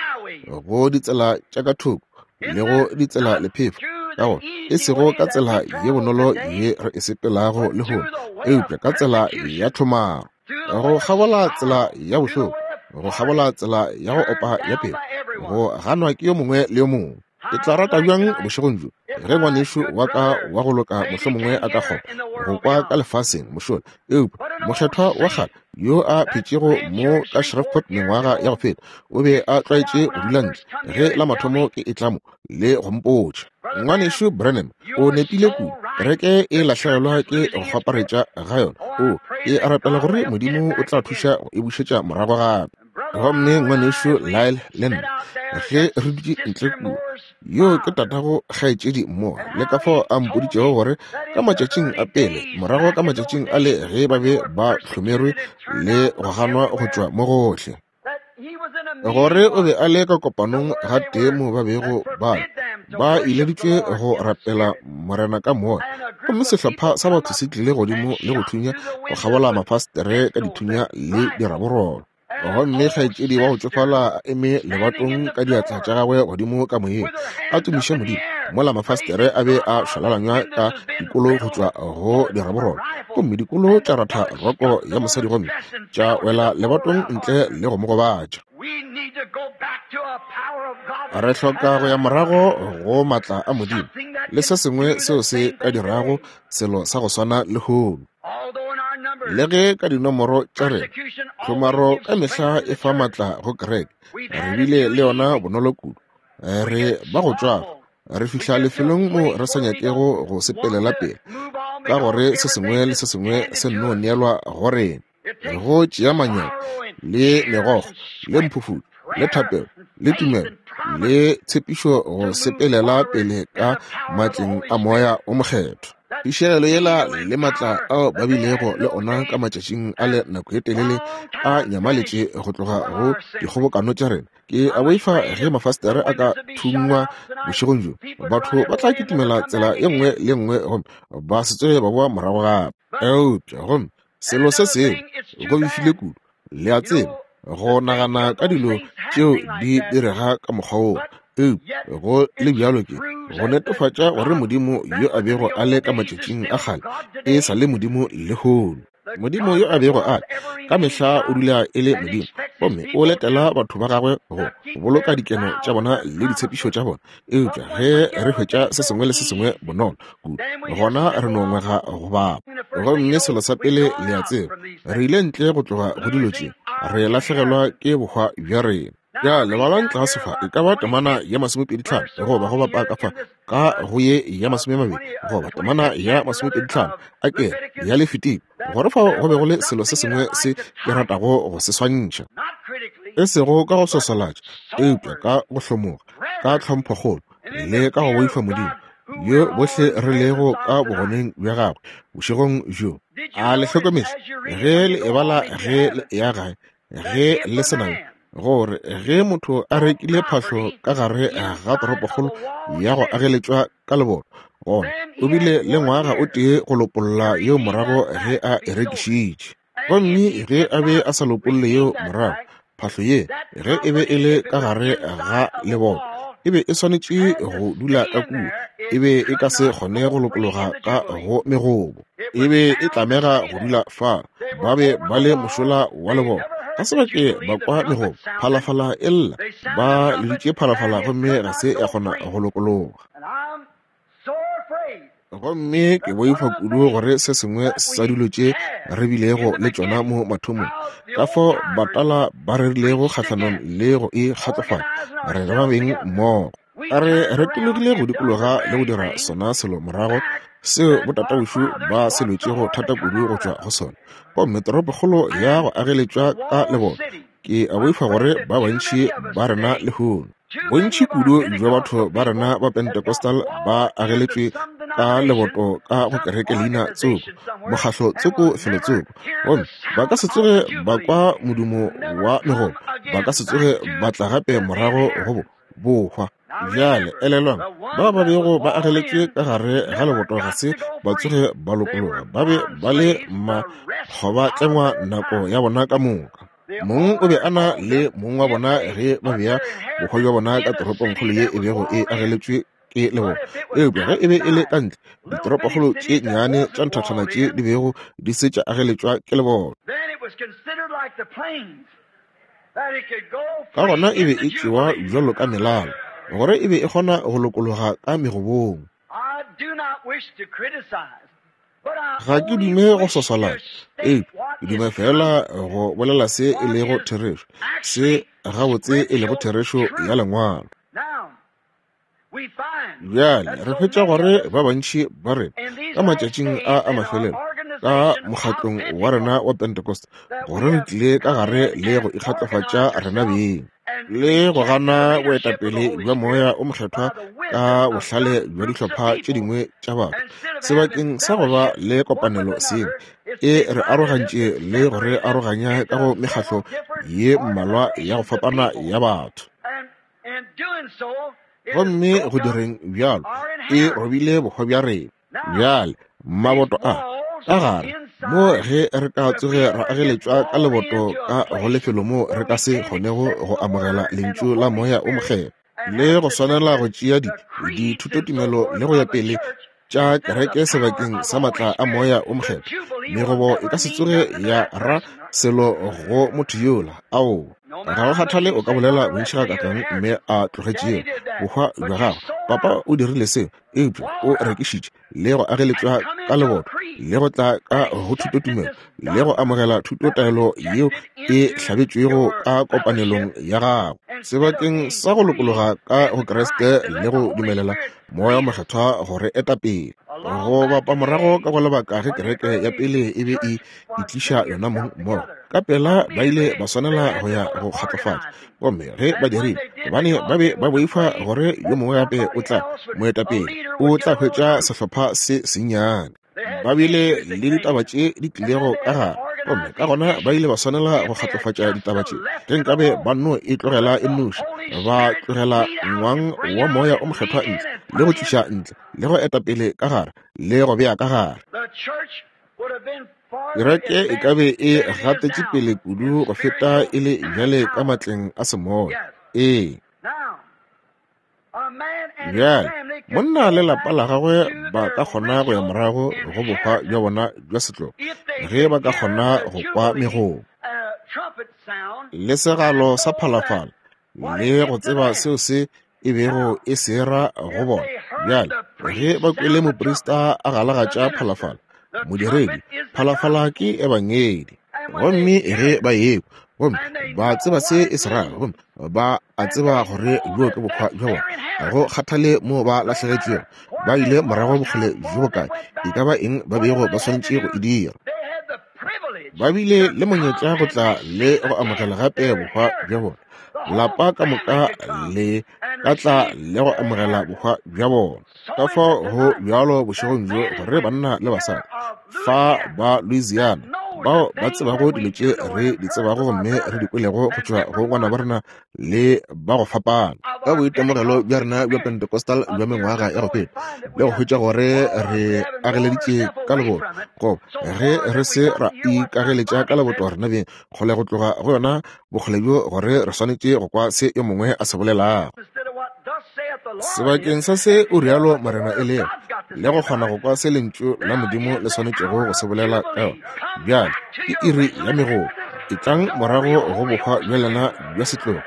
go ditsela tša ka thoko le go ditsela lephefo, ka gore e sego ka tsela ye bonolo ye re e sepelago lehono, eupša ka tsela ya tlhomaro, go kgabola tsela ya bohloko, go kgabola tsela ya go opa ya pelo, go ganwa ke yo mongwe le yo mongwe. Ke tla rata bjang bošegong bjo ge ngwanešu wa ka wa go loka mohlomongwe a ka kgona go kwa ka lefaseng mošola, eupša mokgethwa wa kgale yo a phetšego mo ka Shreveport mengwaga ya go feta, o be a tlwaetše go dula ntle ge la mathomo ke etla mo le go mpotša. Ngwanešu Branham o nepile kudu, kereke e lahlegelwa ke go kgwaparetša ga yona. O, ke rapela gore Modimo o tla thuša go e bušetša morago gape. Gomme ngwanešu Lyle le nna ge re dutše ntle kua, yo ke tatago kgaetšedi Moore, le ka fao a mpoditšego gore ka matšatšing a pele, morago ka matšatšing a le ge ba be ba hlomerwe le go ganwa go tšwa mo gohle, gore o be a le ka kopanong gatee mo ba bego ba ba ileditšwe go rapela Morena ka moya, gomme sehlopha sa batho se tlile godimo le go thunya go kgabola mafastere ka dithunya le diraborolo. Gomme kgaetšedi wa go tšofala a eme lebatong ka diatla tša gagwe godimo ka moyeng, a tumiše Modimo, mola mafastere a be a šwalalanywa ka dikolo go tšwa go diraborolo, gomme dikolo tša ratha roko ya mosadi gomme tša wela lebatong ntle le go mo gobatša. Re hloka go ya morago go maatla a Modimo le se sengwe seo se ka dirago selo sa go swana lehono. Le ge ka dinomoro tša rena tlhomaro ka mehla e fa maatla go kereke, re bile le yona bonolo kudu. Re ba go tšwafa, re fihla lefelong mo re sa nyakego go sepelela pele, ka gore se sengwe le se sengwe se nno neelwa go rena. Go tšea manyami le megokgo le mphufutšo le thapelo le tumelo le tshepišo go sepelela pele ka matleng a Moya o Mokgethwa. Phišegelo yela le matla ao ba bilego le ona ka matšatšing a le nako e telele a nyamaletše go tloga go dikgobokano tša rena. Ke a boifa ge mafastere a ka thungwa bošegong bjo, batho ba tla kitimela tsela e nngwe le nngwe gomme ba se tsoge ba boa morago gape. Eupša gomme selo se sengwe, go befile kudu, le a tseba, go nagana ka dilo tšeo di direga ka mokgwa woo, eupša go le bjalo ke go netefatša gore Modimo yo a bego a le ka matšatšing a kgale e sa le Modimo lehono. Modimo yo a bego a ka mehla o dula e le Modimo, gomme o letela batho ba gagwe go boloka dikeno tša bona le ditshepišo tša bona. Eupša ge re hwetša se sengwe le se sengwe bonolo kudu, gona re no ngwega go bapa. Gomme selo sa pele le a tseba, re ile ntle go tloga go dilo tše, re lahlegelwa ke bohwa bja rena. Bjale balang tlase fa, e ka ba temana ya 25 goba go bapa ka fa ka go ye ya 20 goba temana ya 25 a ke ya Lefitiko, gore fao go be go le selo se sengwe se ke ratago go se swantšha, e sego ka go swaswalatša, eupša ka go hlomoga, ka tlhomphokgolo le ka go boifa Modimo, yo bohle re lego ka bogoneng bja gagwe bošegong bjo. A le hlokometše ge le e bala ge le eya gae, ge le se nayo, gore ge motho a rekile phahlo ka gare ga toropokgolo ya go ageletšwa ka leboto, gona o bile le ngwaga o tee go lopolla yeo morago ge a e rekišitše. Gomme ge a be a sa lopolle yeo morago, phahlo ye ge e be e le ka gare ga leboto e be e swanetše go dula ka kua, e be e ka se kgone go lokologa ka go megobo, e be e tlamega go dula fa. Ba be ba le mošola wa leboto, ga se ba ke ba kwa megobo, phalafala e lla, ba leditše phalafala gomme ga se ya kgona go lokologa. Gomme ke boifa kudu gore se sengwe sa dilo tše re bilego le tšona mo mathomong, ka fao batala ba rerilego kgahlanong le go e kgatlofatša, re ba beng mmogo. A re retologile go dikologa le go dira sona selo morago seo botataušu ba se lwetšego thata kudu go tšwa go sona, gomme toropokgolo ya go ageletšwa ka leboto. Ke a boifa gore ba bantši ba rena lehono, bontši kudu bja batho ba rena ba Pentecostal ba ageletšwe ka leboto ka go kereke leina tsoko, mokgahlo tsoko, felo tsoko, gomme ba ka se tsoge ba kwa modumo wa megobo, ba ka se tsoge ba tla gape morago go bohwa. Bjale elelwang, ba ba bego ba ageletšwe ka gare ga leboto ga se ba tsoge ba lokologa, ba be ba le makgobatlengwa nako ya bona ka moka. Mong o be a na le mong wa bona ge ba bea bohwa bja bona ka toropongkgolo ye e bego e ageletšwe ke leboto. Eupša ge e be e le ka ntle, ditoropokgolo tše nnyane tša nthathana tše di bego di se tša ageletšwa ke leboto, Ka gona e be e tšewa bjalo ka melala, gore e be e kgona go lokologa ka megobong. Ga ke dume go swaswalana, eupša ke dume fela go bolela se e lego therešo, se gabotse e lego therešo ya Lengwalo. Bjale re hwetša gore ba bantši ba rena ka matšatšing a a mafelelo ka mokgatlong wa rena wa Pentecost gore re tlile ka gare le go ikgatlofatša rena beng le go gana boetapele bja Moya o Mokgethwa ka bohlale bja dihlopha tše dingwe tša batho sebakeng sa go ba le kopanelo seng e re arogantše le go re aroganya ka go mekgatlo ye mmalwa ya go fapana ya batho. Gomme go direng bjalo, e robile bohwa bja rena. Bjale, maboto a ka gare mo ge re ka tsoge ra ageletšwa ka leboto ka go lefelo moo re ka se kgonego go amogela lentšu la Moya o Mokgethwa le go swanela go tšea dithutotumelo le go ya pele tša kereke sebakeng sa matla a Moya o Mokgethwa, megobo e ka se tsoge ya ra selo go motho yola. Ao, ga go kgathale o ka bolela bontši gakakang mme a tlogetšego bohwa bja gago. Papa o dirile seo, eupša o rekišitše le go ageletšwa ka leboto le go tla ka go thutotumelo le go amogela thutotaelo yeo e hlabetšwego ka kopanelong ya gago sebakeng sa go lokologa ka go Kriste le go dumelela Moya wo Mokgethwa go re eta pele. Go bapa morago ka go lebaka ge kereke ya pele e be e itliša yona mong mmogo, ka pela ba ile ba swanela go ya go kgatlofatša. Gomme ge ba dirile, gobane ba be ba boifa gore yo mongwe gape o tla, moetapele, o tla hwetša sehlopha se sennyane. Ba bile le ditaba tše di tlilego ka gare, gomme ka gona ba ile ba swanela go kgatlofatša ditaba tše. Ge nkabe ba nno e tlogela e nnoši, ba tlogela ngwang wa Moya o Mokgethwa ntle, le go tliša ntle, le go eta pele ka gare, le go bea ka gare. Kereke e ka be e gatetše pele kudu go feta e le bjale ka matleng a semoya. Ee. Bjale, monna le lapa la gagwe ba ka kgona go ya morago go bohwa bja bona bja setlogo ge ba ka kgona go kwa megoo le segalo sa phalafala le go tseba seo se e bego e se ra go bona. Bjale, ge ba kwele moprista a galagatša phalafala, modiredi, phalafala ke ebangedi. Gomme ge ba ekwa, gomme ba tseba se e se rago, gomme ba a tseba gore bjo ke bohwa bja bona, ga go kgathale mo ba lahlegetšwego, ba ile morago bokgole bjo bokae, e ka ba eng ba bego ba swanetše go e dira. Ba bile le monyetla go tla le go amogela gape bohwa bja bona. Lapa ka moka le ka tla le go amogela bohwa bja bona. Ka fao go bjalo bošegong bjo gore banna le basadi fa ba Louisiana bao ba tsebago dilo tše re di tsebago gomme re di kwelego go tšwa go ngwana ba rena le ba go fapana ka boitemogelo bja rena bja Pentecostal bja mengwaga ya go feta le go hwetša gore re ageleditše ka leboto, goba ge re se ra ikageletša ka leboto rena beng kgole go tloga go yona bokgole bjo gore re swanetše go kwa se yo mongwe a se bolelago. Sebakeng sa se o rialo Morena e lego, le go kgona go kwa se Lentšu la Modimo le swanetšego go se bolela ka yona. Bjale ke iri ya megolo. Etlang morago go bohwa bja lena bja setlogo,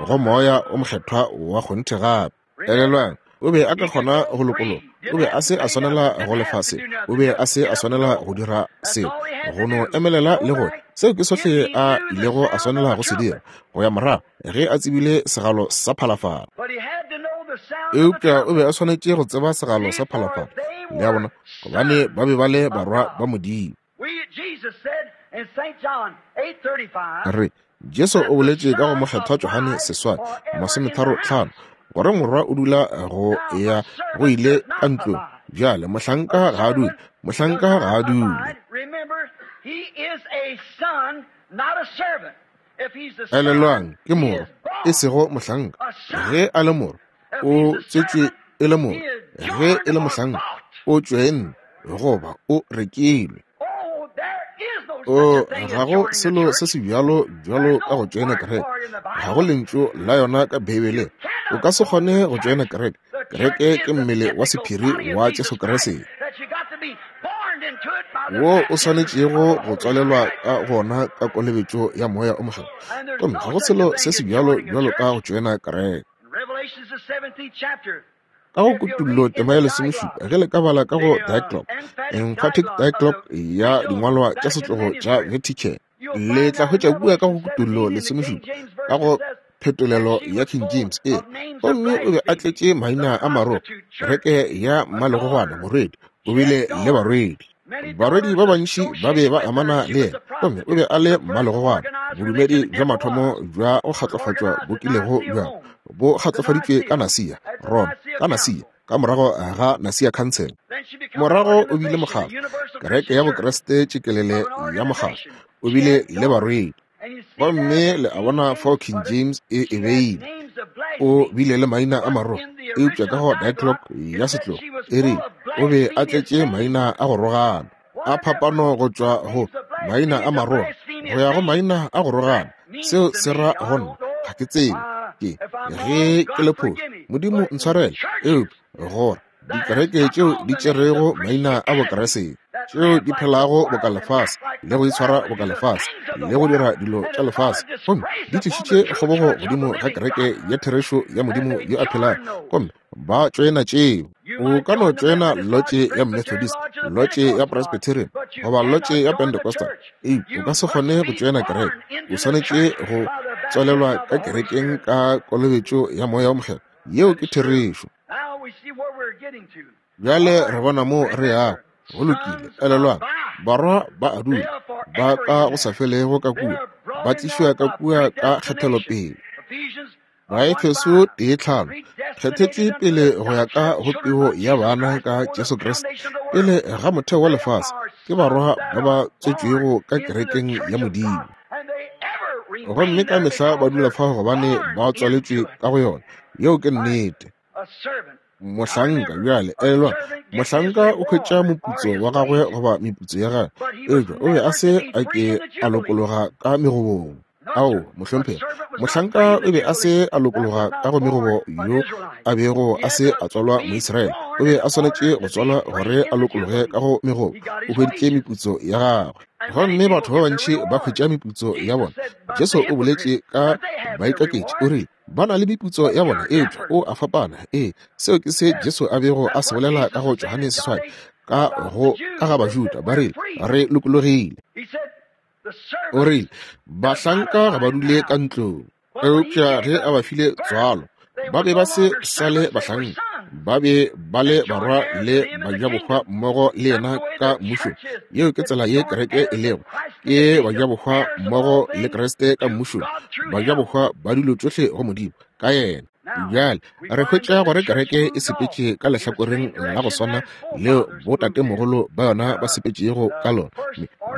go Moya o Mokgethwa wa kgonthe gape. Elelwang, o be a ka kgona go lokologa. O be a se a swanela go lefa se. O be a se a swanela go dira seo. Go no emelela le go seo ke sohle a ilego a swanela go se dira, go ya morago ge a tsebile segalo sa phalafala. Eupša o be a swanetše go tseba segalo sa phalafala, le a bona, gobane ba be ba le barwa ba Modimo. Re, Jesu o boletše ka go Mokgethwa Johane 8:35, gore morwa o dula go ya go ile ka ntlong. Bjale, mohlanka ga a dule, mohlanka ga a dule. Elelwang, ke morwa, e sego mohlanka. Ge a le morwa, o tswetšwe e le morwa. Ge e le mohlanka, o tšwenne goba o rekilwe. O, ga go selo se se bjalo bjalo ka go tšoena kereke. Ga go lentšu la yona ka Beibeleng. O ka se kgone go tšoena kereke. Kereke ke mmele wa sephiri wa Jesu Kriste. wo o swanetšego go tswalelwa ka gona ka kolobetšo ya Moya o Mokgethwa. Gomme ga go selo se se bjalo bjalo ka go tšoena kereke. Ka go Kutullo tema ya lesomešupa, ge le ka bala ka go Diaglott, Emphatic Diaglott ya dingwalwa tša setlogo tša Vatican, le tla hwetša kua ka go Kutullo lesomešupa, ka go phetolelo ya King James e gomme o be a tletše maina a maro, kereke ya mmalegogwana, morwedi, o bile le barwedi. Barwedi ba bantši ba be ba amana le yena, gomme o be a le mmalegogwana. Bodumedi bja mathomo bja go kgatlofatšwa bo kilego bja bo kgatlofaditšwe ka Nasia, Roma, ka Nasia, ka morago ga Nasia Council. Morago o bile mokgatlo, kereke ya Bokriste tšikelele ya mokgatlo, o bile le barwedi. Gomme le a bona fao King James e e beile. O bile le maina a maro, eupša ka go Diaglott ya setlogo e rile o be a tletše maina a go rogana, a phapano go tšwa go maina a maroga go ya go maina a go rogana. Seo se ra go nna, ga ke tsebe, ke ge ke le phošo, Modimo ntshwarele, eupša gore dikereke tšeo di tšerego maina a Bokriste, tšeo di phelago boka lefase le go itshwara boka lefase le go dira dilo tša lefase, gomme di tlišitše kgobogo godimo ga kereke ya therešo ya Modimo yo a phelago, gomme ba tšoena tšeo. O ka no tšoena lotše ya Methodist, lotše ya Presbyterian, goba lotše ya Pentecostal, eupša o ka se kgone go tšoena kereke. O swanetše go tswalelwa ka kerekeng ka kolobetšo ya Moya wo Mokgethwa. Yeo ke therešo. Bjale re bona moo re yago. Go lokile, elelwang, barwa ba a dula, ba ka go sa felego ka kua, ba tlišwa ka kua ka kgethelopele. Baefeso 1:5, kgethetšwe pele go ya ka go peo ya bana ka Jesu Kriste, pele ga motheo wa lefase, ke barwa ba ba tswetšwego ka kerekeng ya Modimo. Gomme ka mehla ba dula fao gobane ba tswaletšwe ka go yona. Yeo ke nnete. Mohlanka, bjale, elelwa, mohlanka o hwetša moputso wa gagwe goba meputso ya gagwe, eupša o be a se a ke a lokologa ka megobong. Ao, mohlomphegi, mohlanka o be a se a lokologa ka go megobo yo a bego a se a tswalwa Moisraele. O be a swanetše go tswalwa gore a lokologe ka go megobo. O hweditše meputso ya gagwe. Gomme batho ba bantši ba hwetša meputso ya bona. Jesu o boletše ka baikaketši, o rile, ba na le meputso ya bona, eupša o a fapana. Ee, seo ke se Jesu a bego a se bolela ka go Johane seswai, ka go ka ga Bajuda, ba rile, re lokologile. O rile, bahlanka ga ba dule ka ntlong, eupša ge a ba file tswalo, ba be ba se sa le bahlanka, ba be ba le barwa le bajabohwa mmogo le yena ka mmušong. Yeo ke tsela ye kereke e lego, ke bajabohwa mmogo le Kriste ka mmušong, bajabohwa ba dilo tšohle go Modimo ka yena. Bjale re hwetša gore kereke e sepetše ka lehlakoreng la go swana leo botatemogolo ba yona ba sepetšego ka lona.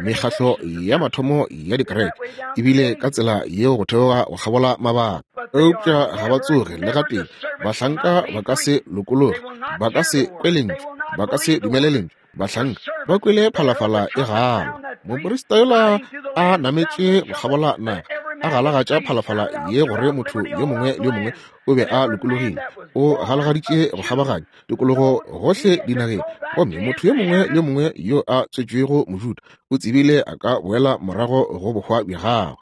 Mekgatlo ya mathomo ya dikereke e bile ka tsela yeo go theoga go kgabola mabaka, eupša ga ba tsoge le gatee. Bahlanka ba ka se lokologe, ba ka se kwe lentšu, ba ka se dumele lentšu. Bahlanka ba kwele phalafala e gala. Moprista yola a nametše go kgabola naga, a galagatša phalafala ye gore motho yo mongwe le yo mongwe o be a lokologile. O galagaditše go kgabaganya tikologo gohle dinageng, gomme motho yo mongwe le yo mongwe yo a tswetšwego Mojuda o tsebile a ka boela morago go bohwa bja gagwe.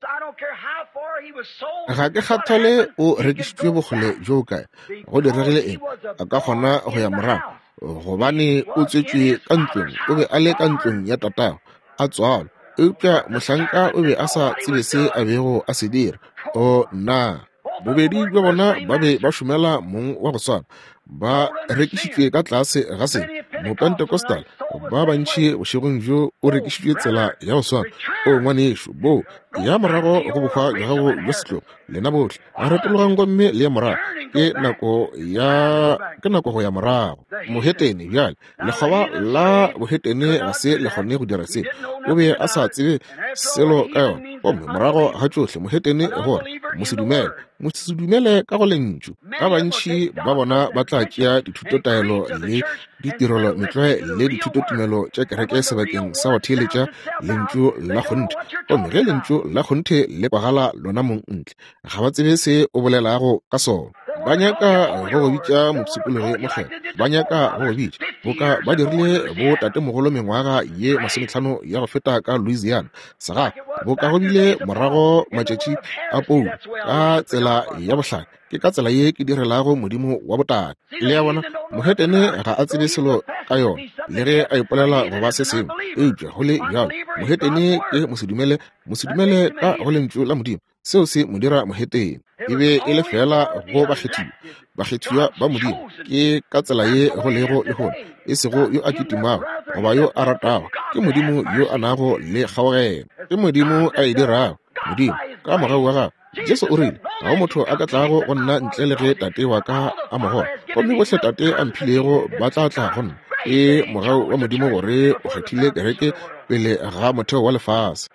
Ga ke kgathale o rekišitšwe bokgole bjo kae, go diregile eng, a ka kgona go ya morago, gobane o tswetšwe ka ntlong, o be a le ka ntlong ya tatago, a tswalwa. Eupša mohlanka o be a sa tsebe se a bego a se dira. O nna, bobedi bja bona ba be ba šomela mong wa go swana, ba rekišitšwe ka tlase ga se. Mopentecostal ba bantši bošegong bjo o rekišitšwe tsela ya go swana. O ngwanešu, bo ya morago go bohwa bja gago bja setlogo, lena bohle retologang gomme le ye morago. Ke nako ya, ke nako go ya morago. Mohetene bjale, lekgoba la bohetene ga se le kgone go dira se. O be a sa tsebe selo ka yona. Gomme morago ga tšohle, mohetene gore mosedumele, mosedumele ka go lentšu. Ba bantši ba bona ba tla tšea dithutotaelo le ditirelo metlwae le dithutotumelo tša kereke sebakeng sa go theeletša lentšu la kgonthe. Gomme ge lentšu la kgonthe le kwagala lona mong ntle, ga ba tsebe se o bolelago ka sona. Ba nyaka go go bitša mopshikologi mokgethwa. Ba nyaka go go bitša boka ba dirile bo tatemogolo mengwaga ye 50 ya go feta ka Louisiana, segafa, boka go bile morago matšatši a Paulo, ka tsela ya bohlale. Ke ka tsela ye ke direlago Modimo wa botate. Le a bona, mohetene ga a tsebe selo ka yona, le ge a ipolela go ba se sengwe, eupša go le bjalo mohetene ke mosedumele, mosedumele ka go Lentšu la Modimo. Seo se mo dira mohetene. E be e le feela go bakgethiwa, bakgethiwa ba Modimo. Ke ka tsela ye go lego lehono, e sego yo a kitimago goba yo a ratago, ke Modimo yo a nago le kgaogelo. Ke Modimo a e dirago, Modimo ka mogau wa gagwe. Jesu o rile, Ga go motho a ka tlago go nna ntle le ge Tate wa ka a mo goga, gomme bohle Tate a mphilego ba tla tla go nna. Ke mogau wa Modimo gore o kgethile kereke pele ga motheo wa lefase.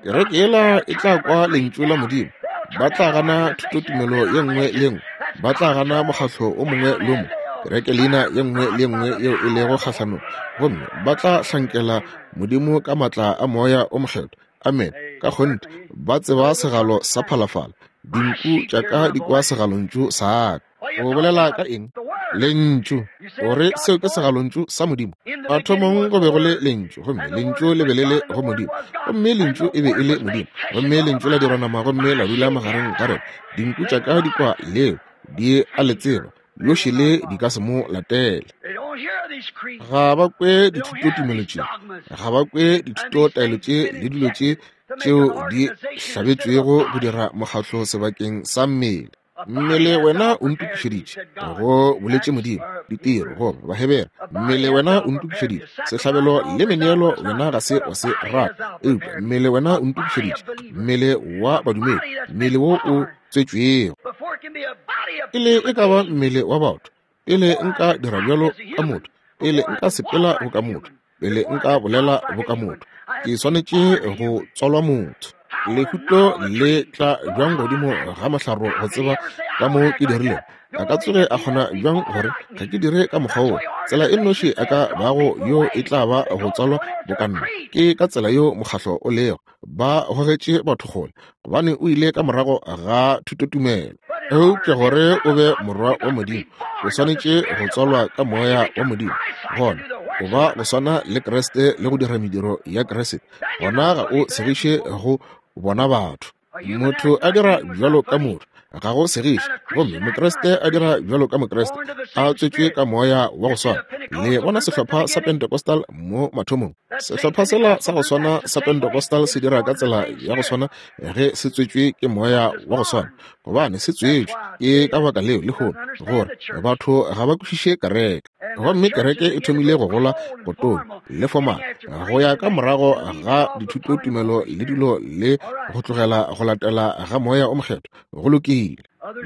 Kereke yela e tla kwa Lentšu la Modimo. Ba tla gana thutotumelo ye nngwe le ye nngwe. Ba tla gana mokgatlo o mongwe le o mongwe, kereke leina ye nngwe le ye nngwe yeo e lego kgahlanong, gomme ba tla hlankela Modimo ka maatla a Moya o Mokgethwa. Amene. Ka kgonthe, ba tseba segalo sa phalafala. Dinku tša ka di kwa segalontšu sa ka. O bolela ka eng? Lentšu. O re seo ke segalontšu sa Modimo. Mathomong go be go le Lentšu, gomme Lentšu le be le le go Modimo, gomme Lentšu e be e le Modimo, gomme Lentšu la dirwa nama gomme la dula magareng ga rena. Dinku tša ka di kwa leo, di a le tseba, yo šele di ka se mo latele. Ga ba kwe dithutotumelo tše, ga ba kwe dithutotaelo tše le dilo tše tšeo di hlabetšwego go dira mokgatlo sebakeng sa mmele. Mmele wena o ntokišeditše, go boletše Modimo, ditiro, goba Bahebere. Mmele wena o ntokišeditše, sehlabelo le meneelo wena ga se wa se rata, eupša mmele wena o ntokišeditše, mmele wa badumedi, mmele wo o tswetšwego. Pele e ka ba mmele wa batho, pele nka dira bjalo ka motho, pele nka sepela boka motho, pele nka bolela boka motho, ke swanetše go tswalwa motho. Lehuto le tla bjang godimo ga mohlaro go tseba ka mo ke dirilego? A ka tsoge a kgona bjang gore ga ke dire ka mokgwa wo? Tsela e nnoši a ka bago yo e tla ba go tswalwa boka nna. Ke ka tsela yeo mokgahlo o lego. Ba gogetše batho kgole, gobane o ile ka morago ga thutotumelo. Eupša gore o be morwa wa Modimo, o swanetše go tswalwa ka Moya wa Modimo. Gona o ba go swana le Kriste le go dira mediro ya Kriste. Gona ga o segiše go bona batho. Motho a dira bjalo ka motho, ga go segiše. Gomme Mokriste a dira bjalo ka Mokriste, a tswetšwe ka Moya wa go swana. Le bona sehlopha sa Pentecostal mo mathomong. Sehlopha sela sa go swana sa Pentecostal se dira ka tsela ya go swana ge se tswetšwe ke Moya wa go swana, gobane se tswetšwe. Ke ka baka leo lehono gore batho ga ba kwešiše kereke. Gomme kereke e thomile go gola go tonya le fomala go ya ka morago ga dithutotumelo le dilo le go tlogela go latela ga Moya o Mokgethwa. Go lokile.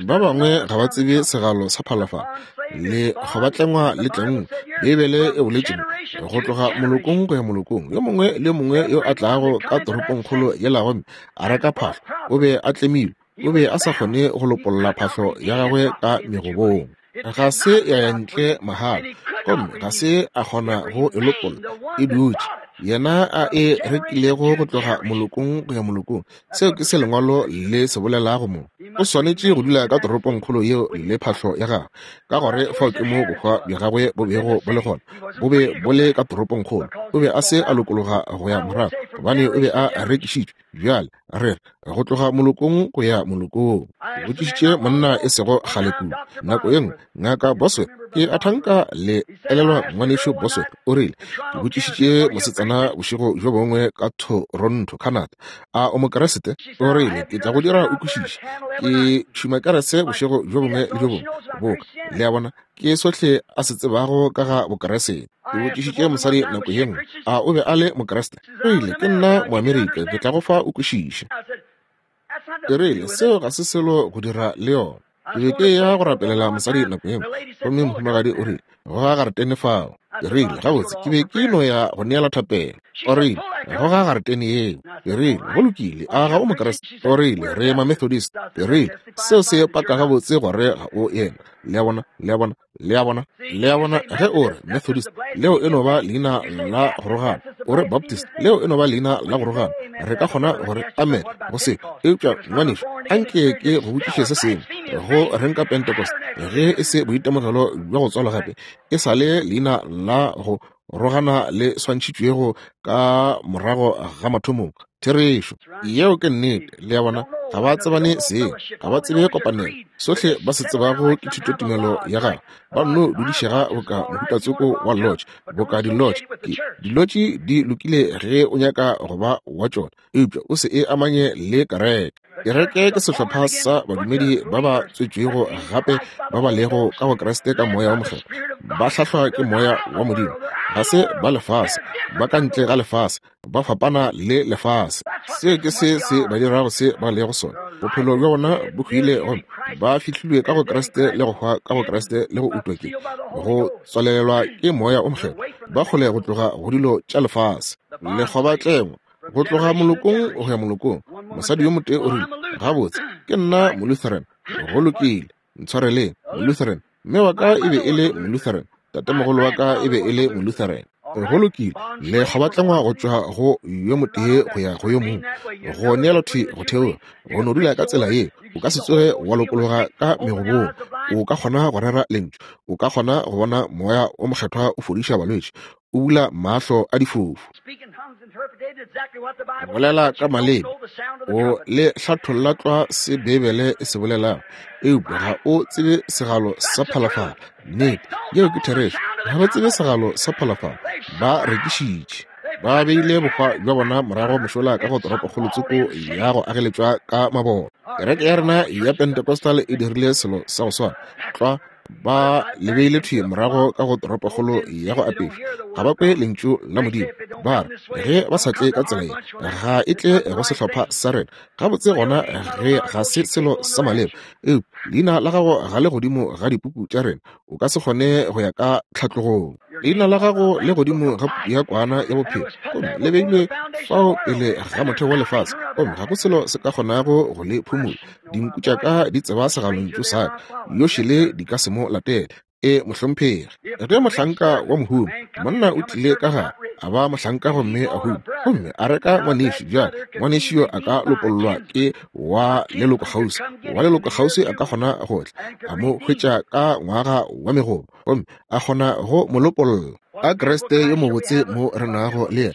Ba bangwe ga ba tsebe segalo sa phalafala le go ba tlengwa le tlengwe. Beibele e boletše mo, go tloga molokong go ya molokong. Yo mongwe le yo mongwe yo a tlago ka toropongkgolo yela gomme a reka phahlo, o be a tlemilwe. O be a sa kgone go lopolla phahlo ya gagwe ka megobong. Ga se ya ya ntle mahala, gomme ga se a kgona go e lopolla. E dutše yena a e rekilego go tloga molokong go ya molokong. Seo ke se Lengwalo le se bolelago mo. O swanetše go dula ka toropongkgolo yeo le phahlo ya gagwe, ka gore fao ke mo bohwa bja gagwe bo bego bo le gona. Bo be bo le ka toropongkgolo. O be a se a lokologa go ya morago, gobane o be a rekišitšwe. Bjale re re go tloga molokong go ya molokong. Ke botšišitše monna e sego kgale kudu, nako ye nngwe, Ngaka Bosworth, ke a thanka le elelwa Ngwanešu Bosworth, o rile, ke botšišitše mosetsana bošego bjo bongwe ka Toronto, Canada, a o Mokriste? O rile, ke tla go dira o kwešiše. Ke tšhuma kerese bošego bjo bongwe le bjo bongwe, boka, le a bona, ke sohle a se tsebago ka ga Bokriste. Ke botšišitše mosadi nako ye nngwe, a o be a le Mokriste? O rile, ke nna Moamerika, ke tla go fa o kwešiše. Ke rile, seo ga se selo go dira le yona. Ke be ke ya go rapelela mosadi nako ye nngwe, gomme mohumagadi o rile, goga garetene fao. Ke rile, gabotse, ke be ke no ya go neela thapelo. O rile, Goga garetene yeo. Ke rile, Go lokile, a ga o Mokriste? O rile, Re Mamethodist. Ke rile, Seo se paka gabotse gore ga o yena. Le a bona? Le a bona? Le a bona? Le a bona? Ge o re Methodist, leo e no ba leina la go rogana. O re Baptist, leo e no ba leina la go rogana. Re ka kgona gore amen go se. Eupša, ngwanešu, anke ke go botšiše se sengwe. Go reng ka Pentecost? Ge e se boitemogelo bja go tswalwa gape, e sa le leina la go rogana le swantšhitšwego ka morago ga mathomong. Therešo. Yeo ke nnete. Le a bona? Ga ba tsebane seng. Ga ba tsebe kopanelo. Sohle ba se tsebago ke thutotumelo ya gagwe. Ba nno dudišega boka mohutatsoko wa lodge, boka di-lodge. Ke, di-lodge di lokile ge o nyaka go ba wa tšona, eupša o se e amanye le kereke. Kereke ke sehlopha sa badumedi ba ba tswetšwego gape ba ba lego ka go Kriste ka Moya wo Mokgethwa, ba hlahlwa ke Moya wa Modimo. Ga se ba lefase, ba ka ntle ga lefase, ba fapana le lefase. Seo ke se se ba dirago se ba lego sona. Bophelo bja bona bo hwile gomme ba fihlilwe ka go Kriste le go hwa ka go Kriste le go utwa ke go tswalelelwa ke Moya wo Mokgethwa, ba kgole go tloga go dilo tša lefase. Lekgobatlengwa go tloga molokong go ya molokong. Mosadi yo motee o rile, Gabotse, ke nna Molutheran. Go lokile, ntshwareleng, Molutheran. Mme wa ka e be e le Molutheran, tatemogolo wa ka e be e le Molutheran. Go lokile, lekgobatlengwa go tšwa go yo motee go ya go yo mongwe, go neelwa thwi go theoga, go no dula ka tsela ye. O ka se tsoge wa lokologa ka megobong. O ka kgona go rera lentšu, o ka kgona go bona Moya wo Mokgethwa o fodiša balwetši, o bula mahlo a difofu, bolela ka maleme, o le hlatholla tlwa se Beibele e se bolelago, eupša ga o tsebe segalo sa phalafala. Nnete, yeo ke therešo. Ga ba tsebe segalo sa phalafala. Ba rekišitše. Ba beile bohwa bja bona morago mošola ka go toropokgolo tsoko ya go ageletšwa ka mabone. Kereke ya rena ya Pentecostal e dirile selo sa go swana tlwa. Ba le beile thwi morago ka go toropokgolo ya go apeša. Ga ba kwe lentšu la Modimo. Ba re, ge ba sa tle ka tsela ye, ga e tle go sehlopha sa rena. Gabotse gona ge ga se selo sa maleba. Eupša leina la gago ga le godimo ga dipuku tša rena. O ka se kgone go ya ka tlhatlogong. Leina la gago le godimo ga puku ya Kwana ya Bophelo, gomme le beilwe fao pele ga motheo wa lefase, gomme ga go selo se ka kgonago go le phumola. Dinku tša ka di tseba segalontšu sa ka, yo šele di ka se mo latele. E, mohlomphegi. Ge mohlanka wa mohumi, monna o tlile ka gare, a ba mohlanka gomme a huma, gomme a reka ngwanešu, bjale ngwanešu yo a ka lopollwa ke wa leloko kgauswi. Wa leloko kgauswi a ka kgona go tla, a mo hwetša ka ngwaga wa megobo, gomme a kgona go mo lopolla. A Kriste yo mobotse mo re nago le yena,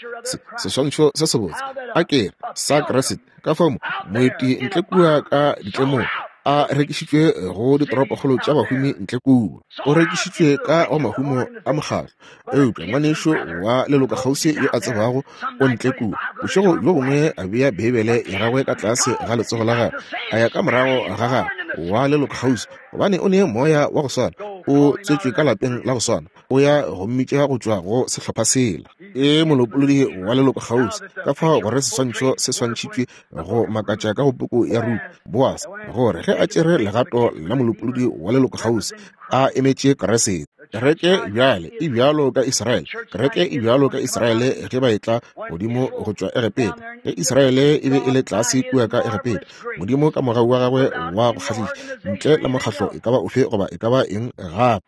seswantšho se sebotse, a ke re, sa Kriste. Ka fao moeti ntle kua ka ditlemong a rekišitšwe go ditoropokgolo tša bahumi ntle kua. O rekišitšwe ka go mahumo a mokgatlo. Eupša ngwanešu wa leloko kgauswi yo a tsebago o ntle kua. Bošego bjo bongwe a bea Beibele ya gagwe ka tlase ga letsogo la gagwe, a ya ka morago ga gagwe wa leloko kgauswi, gobane o ne moya wa go swana, o tswetšwe ka lapeng la go swana, o ya go mmitša go tšwa go sehlopha sela. E molopolodi wa leloko kgauswi. Ka fao gore seswantšho se swantšhitšwe go makatša ka go puku ya Ruthe, Boase, gore ge a tšere legato la molopolodi wa leloko kgauswi, a emetše Kriste. Kereke bjale e bjalo ka Israele. Kereke e bjalo ka Israele ge ba etla godimo go tšwa Egepeta. Ge Israele e be e le tlase kua ka Egepeta, Modimo ka mogau wa gagwe wa go kgahliša, ntle le mokgahlo e ka ba ofe goba e ka ba eng gape,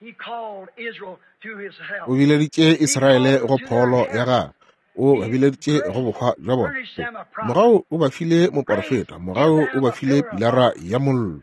o bileditše Israele go pholo ya gagwe. O ba bileditše go bohwa bja bona. Mogau o ba file moporofeta. Mogau o ba file pilara ya mollo.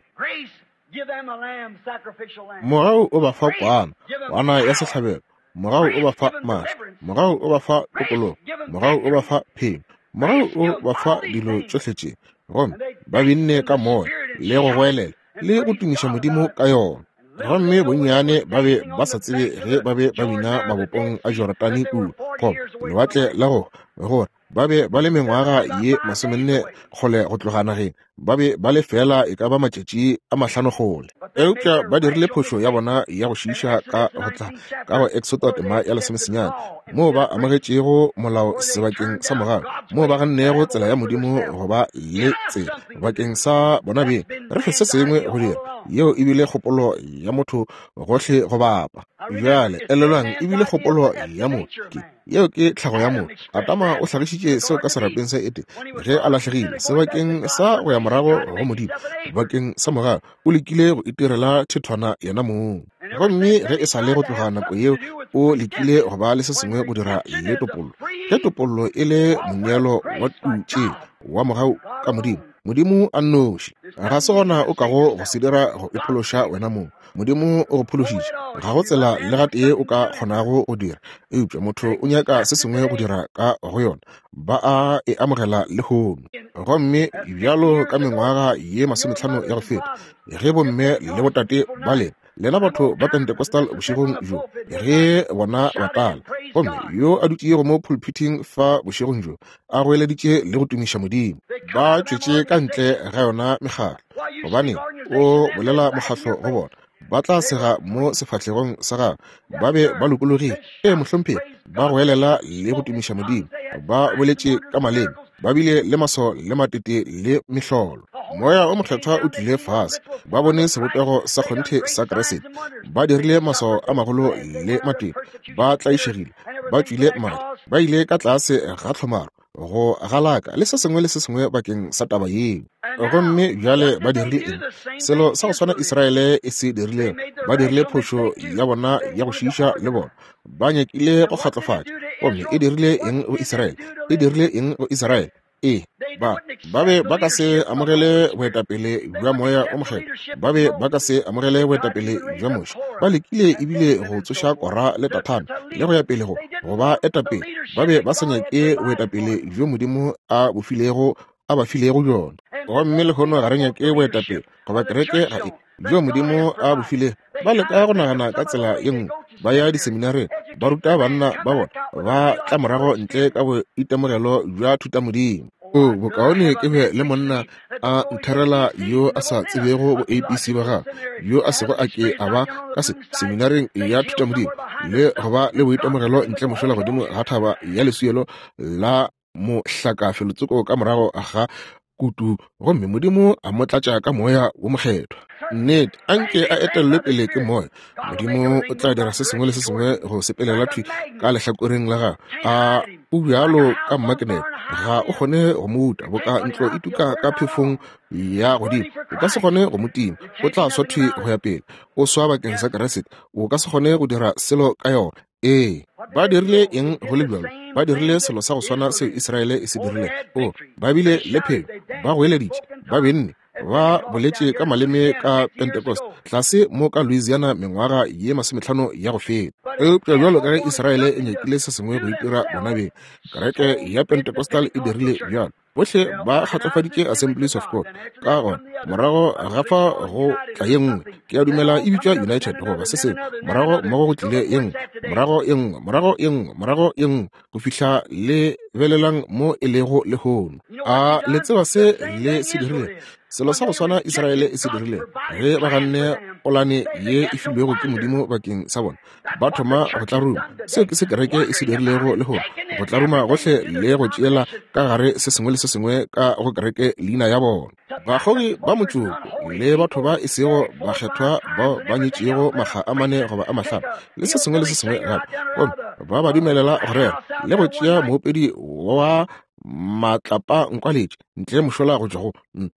Mogau o ba fa kwana, kwana ya sehlabelo. Mogau o ba fa maatla. Mogau o ba fa tokologo. Mogau o ba fa phenyo. Mogau o ba fa dilo tšohle tše. Gomme ba binne ka moya le go goelela le go tumiša Modimo ka yona. Gomme bonnyane ba be ba sa tsebe ge ba be ba bina mabopong a Jorodane kua, goba lewatle la go gore ba be ba le mengwaga ye 40 kgole go tloga nageng, ba be ba le feela e ka ba matšatši a 5 kgole. Eupša ba dirile phošo ya bona ya go šiiša ka go tla ka go Exodo tema ya 19, moo ba amogetšego molao sebakeng sa mogau, moo ba gannego tsela ya Modimo go ba le tsela bakeng sa bona beng. Re fe se sengwe go dira. Yeo e bile kgopolo ya motho gohle go bapa. Bjale, elelwang, e bile kgopolo ya motho. Ke, yeo ke tlhago ya motho. Adama o hlagišitše seo ka serapeng sa Edene, ge a lahlegile, sebakeng sa go ya morago go Modimo, bakeng sa mogau, o lekile go itirela thethwana yena mong. Gomme ge e sa le go tloga nako yeo, o lekile go ba le se sengwe go dira le topollo. Ge topollo e le moneelo wa tutše wa mogau ka Modimo, Modimo a nnoši, ga se gona o kago go se dira go iphološa wena mong. Modimo o go phološitše, ga go tsela le gatee o ka kgonago go dira, eupša motho o nyaka se sengwe go dira ka go yona. Ba a e amogela lehono. Gomme bjalo ka mengwaga ye 50 ya go feta, ge bomme le botate ba lena, lena batho ba Pentecostal bošegong bjo, ge bona batala, gomme yo a dutšego mo pulpithing fa bošegong bjo, a goeleditše le go tumiša Modimo, ba tšwetše ka ntle ga yona mekgatlo, gobane o bolela mokgatlo go bona, ba tla sega mo sefahlegong sa gagwe. Ba be ba lokologile, ee mohlomphegi, ba goelela le go tumiša Modimo, ba boletše ka maleme, ba bile le maswao le matete le mehlolo. Moya o Mokgethwa o tlile fase, ba bone sebopego sa kgonthe sa Kriste, ba dirile maswao a magolo le matete, ba tlaišegile, ba tšwile madi, ba ile ka tlase ga tlhomaro, go galaka le se sengwe le se sengwe bakeng sa taba yeo. Gomme bjale ba dirile eng? Selo sa go swana Israele e se dirilego, ba dirile phošo ya bona ya go šiiša le bona. Ba nyakile go kgatlofatša. Gomme e dirile eng go Israele? E dirile eng go Israele? Ee, ba, ba be ba ka se amogele boetapele bja Moya o Mokgethwa. Ba be ba ka se amogele boetapele bja Moshe. Ba lekile ebile go tsoša Kora le Dathane le go ya pele go, go ba etapele. Ba be ba sa nyake boetapele bjo Modimo a bo filego, a ba filego bjona. Gomme lehono ga re nyake boetapele, goba kereke ga e, bjo Modimo a bo filego. Ba leka go nagana ka tsela ye nngwe, ba ya diseminareng, ba ruta banna ba bona, ba tla morago ntle ka boitemogelo bja thutamodimo. O, bokaone ke be le monna a ntherela yo a sa tsebego bo ABC ba gagwe, yo a sego a ke a ba ka se seminareng ya thutamodimo, le go ba le boitemogelo ntle mošola godimo ga thaba ya leswielo la mohlaka felotsoko ka morago ga kutu, gomme Modimo a mo tlatša ka Moya wo Mokgethwa. Nnete, a nke a etellwe pele ke Moya. Modimo o tla dira se sengwe le se sengwe go sepelela thwi ka lehlakoreng la gagwe. A o bjalo ka mmakenete, ga o kgone go mo uta, boka ntlo e tuka ka phefong ya godimo. O ka se kgone go mo tima, o tla swa thwi go ya pele. O swa bakeng sa Kriste, o ka se kgone go dira selo ka yona. Ee, ba dirile eng go le bjalo? Ba dirile selo sa go swana seo Israele e se dirilego. O, ba bile le phenyo, ba goeleditše, ba benne, ba boletše ka maleme ka Pentecost, tlase mo ka Louisiana mengwaga ye 50 ya go feta. Eupša bjalo ka ge Israele e nyakile se sengwe go itira bona beng, kereke ya Pentecostal e dirile bjalo. Bohle ba kgatlofaditše Assemblies of God. Ka gona, morago ga fa go tla ye nngwe, ke a dumela e bitšwa United goba se sengwe, morago mmogo go tlile ye nngwe, morago ye nngwe, morago ye nngwe, morago ye nngwe, go fihla le belelang mo e lego lehono. A le tseba se le se dirilego? Selo sa go swana Israele e se dirilego ge ba ganne polane ye e filwego ke Modimo bakeng sa bona. Ba thoma go tlaruma. Seo ke se kereke e se dirilego lehono, go tlaruma gohle le go tšeela ka gare se sengwe le se sengwe ka go kereke leina ya bona. Bakgogi ba motšoko le batho ba e sego bakgethwa bao ba nyetšego makga a 4 goba a 5 le se sengwe le se sengwe gape, gomme ba ba dumelela go rera le go tšea moopedi wa matlapa nkwaletše ntle mošola go tšwa go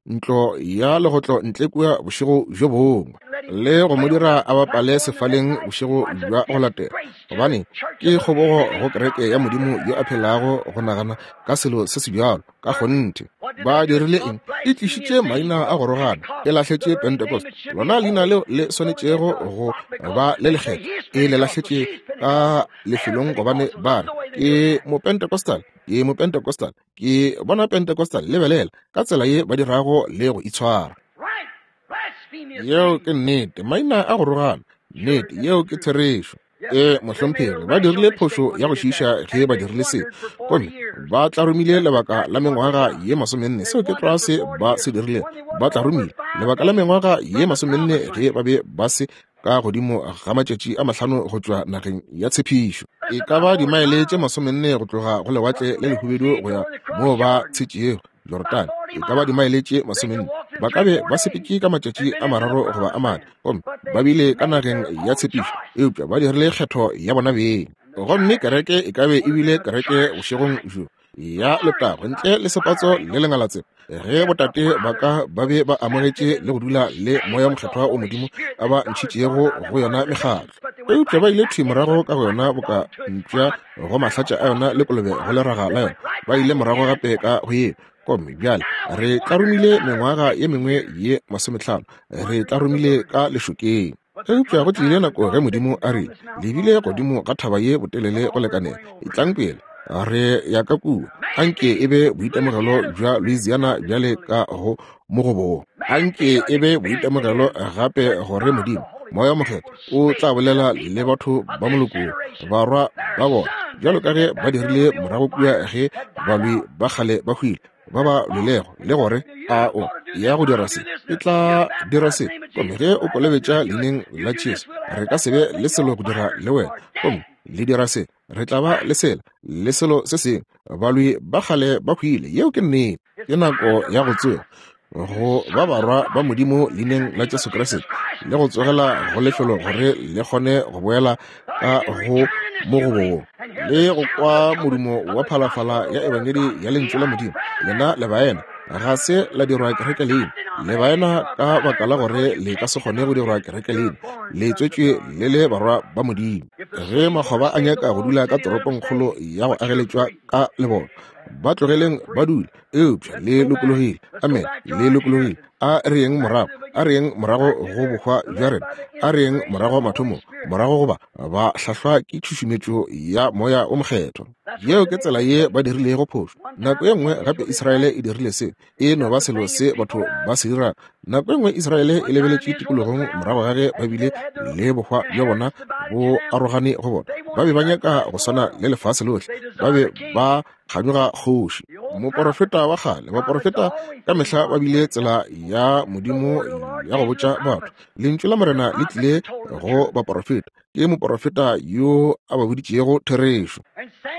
ntlo ya legotlo ntle kua bošego bjo bongwe le go mo dira a bapale sefaleng bošego bja go latela, gobane ke kgobogo go kereke ya Modimo yo a phelago go nagana ka selo se se bjalo. Ka kgonthe. Ba dirile eng? E tlišitše maina a go rogana, e lahletše Pentecost, lona leina leo le swanetšego go ba le lekgethwa, e le lahletše ka lefelong gobane ba re ke Mopentecostal, ke Mopentecostal, ke bona Pentecostal. Lebelela ka tsela ye ba dirago le go itshwara. Yeo ke nnete, maina a go rogana. Nnete, yeo ke therešo. Ee, mohlomphegi, ba dirile phošo ya go šiiša ge ba dirile se, gomme ba tlarumile lebaka la mengwaga ye 40. Seo ke tlwa se ba se dirilego. Ba tlarumile lebaka la mengwaga ye 40 ge ba be ba se ka godimo ga matšatši a 5 go tšwa nageng ya tshepišo, e ka ba dimaele tše 40 go tloga go lewatle le lehubedu go ya moo ba tshetšego Jorodane, e ka ba dimaele tše 40. Ba ka be ba sepetše ka matšatši a mararo goba a mane, gomme ba bile ka nageng ya tshepišo, eupša ba dirile kgetho ya bona beng. Gomme kereke e ka be e bile kereke bošegong bjo ya letago ntle le sepatso le lengalatsela, ge botate ba ka ba be ba amogetše le go dula le Moya Mokgethwa o Modimo a ba ntšhitšego go yona mekgatlo. Eupša ba ile thwi morago ka go yona boka mpša go mahlatša a yona le kolobe go leraga la yona. Ba ile morago gape ka go yeo. Gomme bjale re tlarumile mengwaga ye mengwe ye 50, re tlarumile ka lešokeng. Eupša go tlile nako ge Modimo a rile, Le bile godimo ga thaba ye botelele go lekanela, etlang pele, re ya ka kua. Anke e be boitemogelo bja Louisiana bjale ka go mogobong. Anke e be boitemogelo gape gore Modimo, Moya Mokgethwa, o tla bolela le batho ba moloko, barwa ba bona, bjalo ka ge ba dirile morago kua ge balwi ba kgale ba hwile, ba ba lwelego, le gore a o ya go dira se, e tla dira se. Gomme ge o kolobetša leineng la Jesu, re ka se be le selo go dira le wena. Gomme le dira se, re tla ba le sela le selo se sengwe. Balwi ba kgale ba hwile, yeo ke nnete. Ke nako ya go tsoga go ba barwa ba Modimo leineng la Jesu Kriste, le go tsogela go lefelo gore le kgone go boela ka go mogobong le go kwa modumo wa phalafala ya ebangedi ya lentšu la Modimo. Lena le baena ga se la dirwa kereke leina, le baena ka baka la gore le ka se kgone go dirwa kereke leina, le tswetšwe le le barwa ba Modimo. Ge makgoba a nyaka go dula ka toropongkgolo ya go ageletšwa ka leboto, ba tlogeleng ba dule, eupša le lokologile. Amen, le lokologile. A re yeng morago, a re yeng morago go bohwa bja rena, a re yeng morago mathomong, morago goba ba hlahlwa ke tšhušumetšo ya Moya o Mokgethwa. Yeo ke tsela ye ba dirilego phošo. Nako ye nngwe gape Israele e dirile seo, e no ba selo se batho ba se dirago. Nako e nngwe Israele e lebeletše tikologong morago ga ge ba bile le bohwa bja bona bo arogane go bona. Ba be ba nyaka go swana le lefase lohle, ba be ba kganyoga kgoši. Moporofeta wa kgale, baporofeta ka mehla ba bile tsela ya Modimo ya go botša batho. Lentšu la Morena le tlile go baporofeta. Ke moporofeta yo a ba boditšego therešo.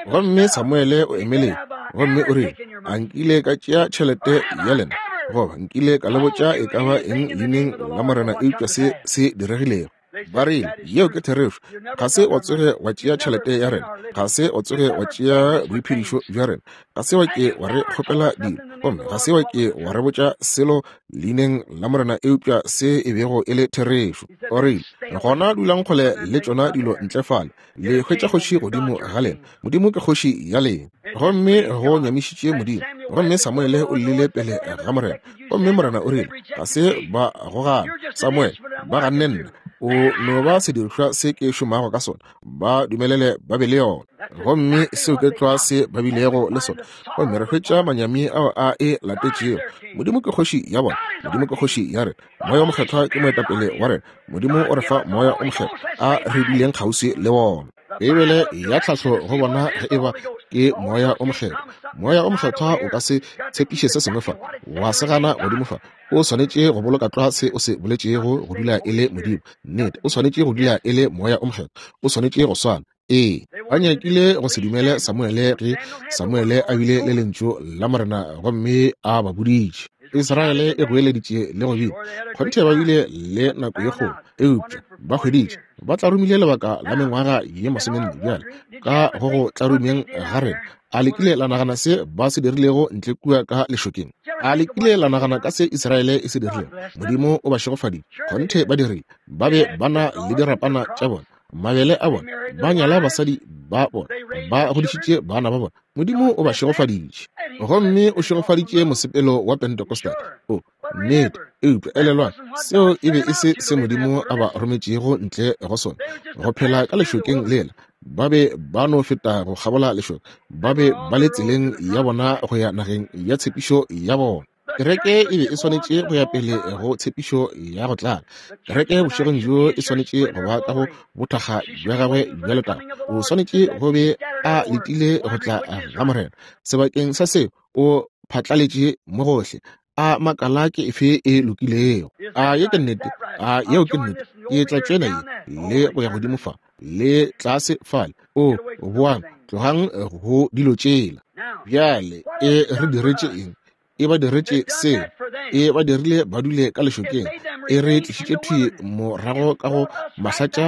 Gomme Samuele o emeletše gomme o rile, A nkile ka tšea tšhelete ya lena, goba nkile ka le botša e ka ba eng leineng la Morena eupša se se diregilego? Ba rile, Yeo ke therešo. Ga se wa tsoge wa tšea tšhelete ya rena, ga se wa tsoge wa tšea boiphedišo bja rena, ga se wa ke wa re kgopela dilo, gomme ga se wa ke wa re botša selo leineng la Morena eupša se e bego e le therešo. O rile, Gona dulang kgole le tšona dilo ntle fale, le hwetša kgoši godimo ga lena. Modimo ke kgoši ya lena. Gomme go nyamišitše Modimo. Gomme Samuele o llile pele ga Morena. Gomme Morena o rile, Ga se ba go gana, Samuele, ba ganne nna. O no ba sedirišwa se ke šomago ka sona. Ba dumelele ba be le yona. Gomme seo ke tlwa se ba bilego le sona. Gomme re hwetša manyami ao a e latetšego. Modimo ke kgoši ya bona. Modimo ke kgoši ya rena. Moya o Mokgethwa ke moetapele wa rena. Modimo o re fa Moya o Mokgethwa a re bileng kgauswi le wona. Beibele ya tlhahlo go bona ge e ba ke Moya o Mokgethwa. Moya o Mokgethwa o ka se tshepiše se sengwe fa, wa se gana godimo fa. O swanetše go boloka tlwa se o se boletšego go dula e le Modimo. Nnete, o swanetše go dula e le Moya o Mokgethwa. O swanetše go swana. Ee, ba nyakile go se dumele Samuele ge Samuele a bile le lentšu la Morena gomme a ba boditše. Israele e goeleditše le go bina. Kgonthe ba bile le nako ye kgolo, eupša ba hweditše ba tlarumile lebaka la mengwaga ye masomenne bjale ka go go tlarumeng ga rena. A le kile la nagana se ba se dirilego ntle kua ka lešokeng? A le kile la nagana ka se Israele e se dirilego? Modimo o ba šegofaditše. Kgonthe ba dirile. Ba be ba na le dirapana tša bona, mabele a bona, ba nyala basadi ba bona, ba godišitše bana ba bona. Modimo o ba šegofaditše. Gomme o šegofaditše mosepelo wa Pentecostal. O, nnete. Eupša elelwang, seo e be e se se Modimo a ba rometšego ntle go sona, go phela ka lešokeng lela. Ba be ba no feta go kgabola lešoka. Ba be ba le tseleng ya bona go ya nageng ya tshepišo ya bona. Kereke e be e swanetše go ya pele go tshepišo ya go tlala. Kereke bošegong bjo e swanetše go ba ka go bothakga bja gagwe bja letago. O swanetše go be a letile go tla ga Morena. Sebakeng sa seo, o phatlaletše mo gohle, a makala ke efe e lokilego. A ye ke nnete? A yeo ke nnete? Ke tla tšwena ye le go ya godimo fa le tlase fale. O boang, tlogang go dilo tšela. Bjale e re diretše eng? E ba diretše seo. E ba dirile ba dule ka lešokeng. E re tlišitše thwi morago ka go mahlatša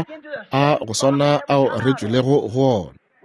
a go swana ao re tšwelego go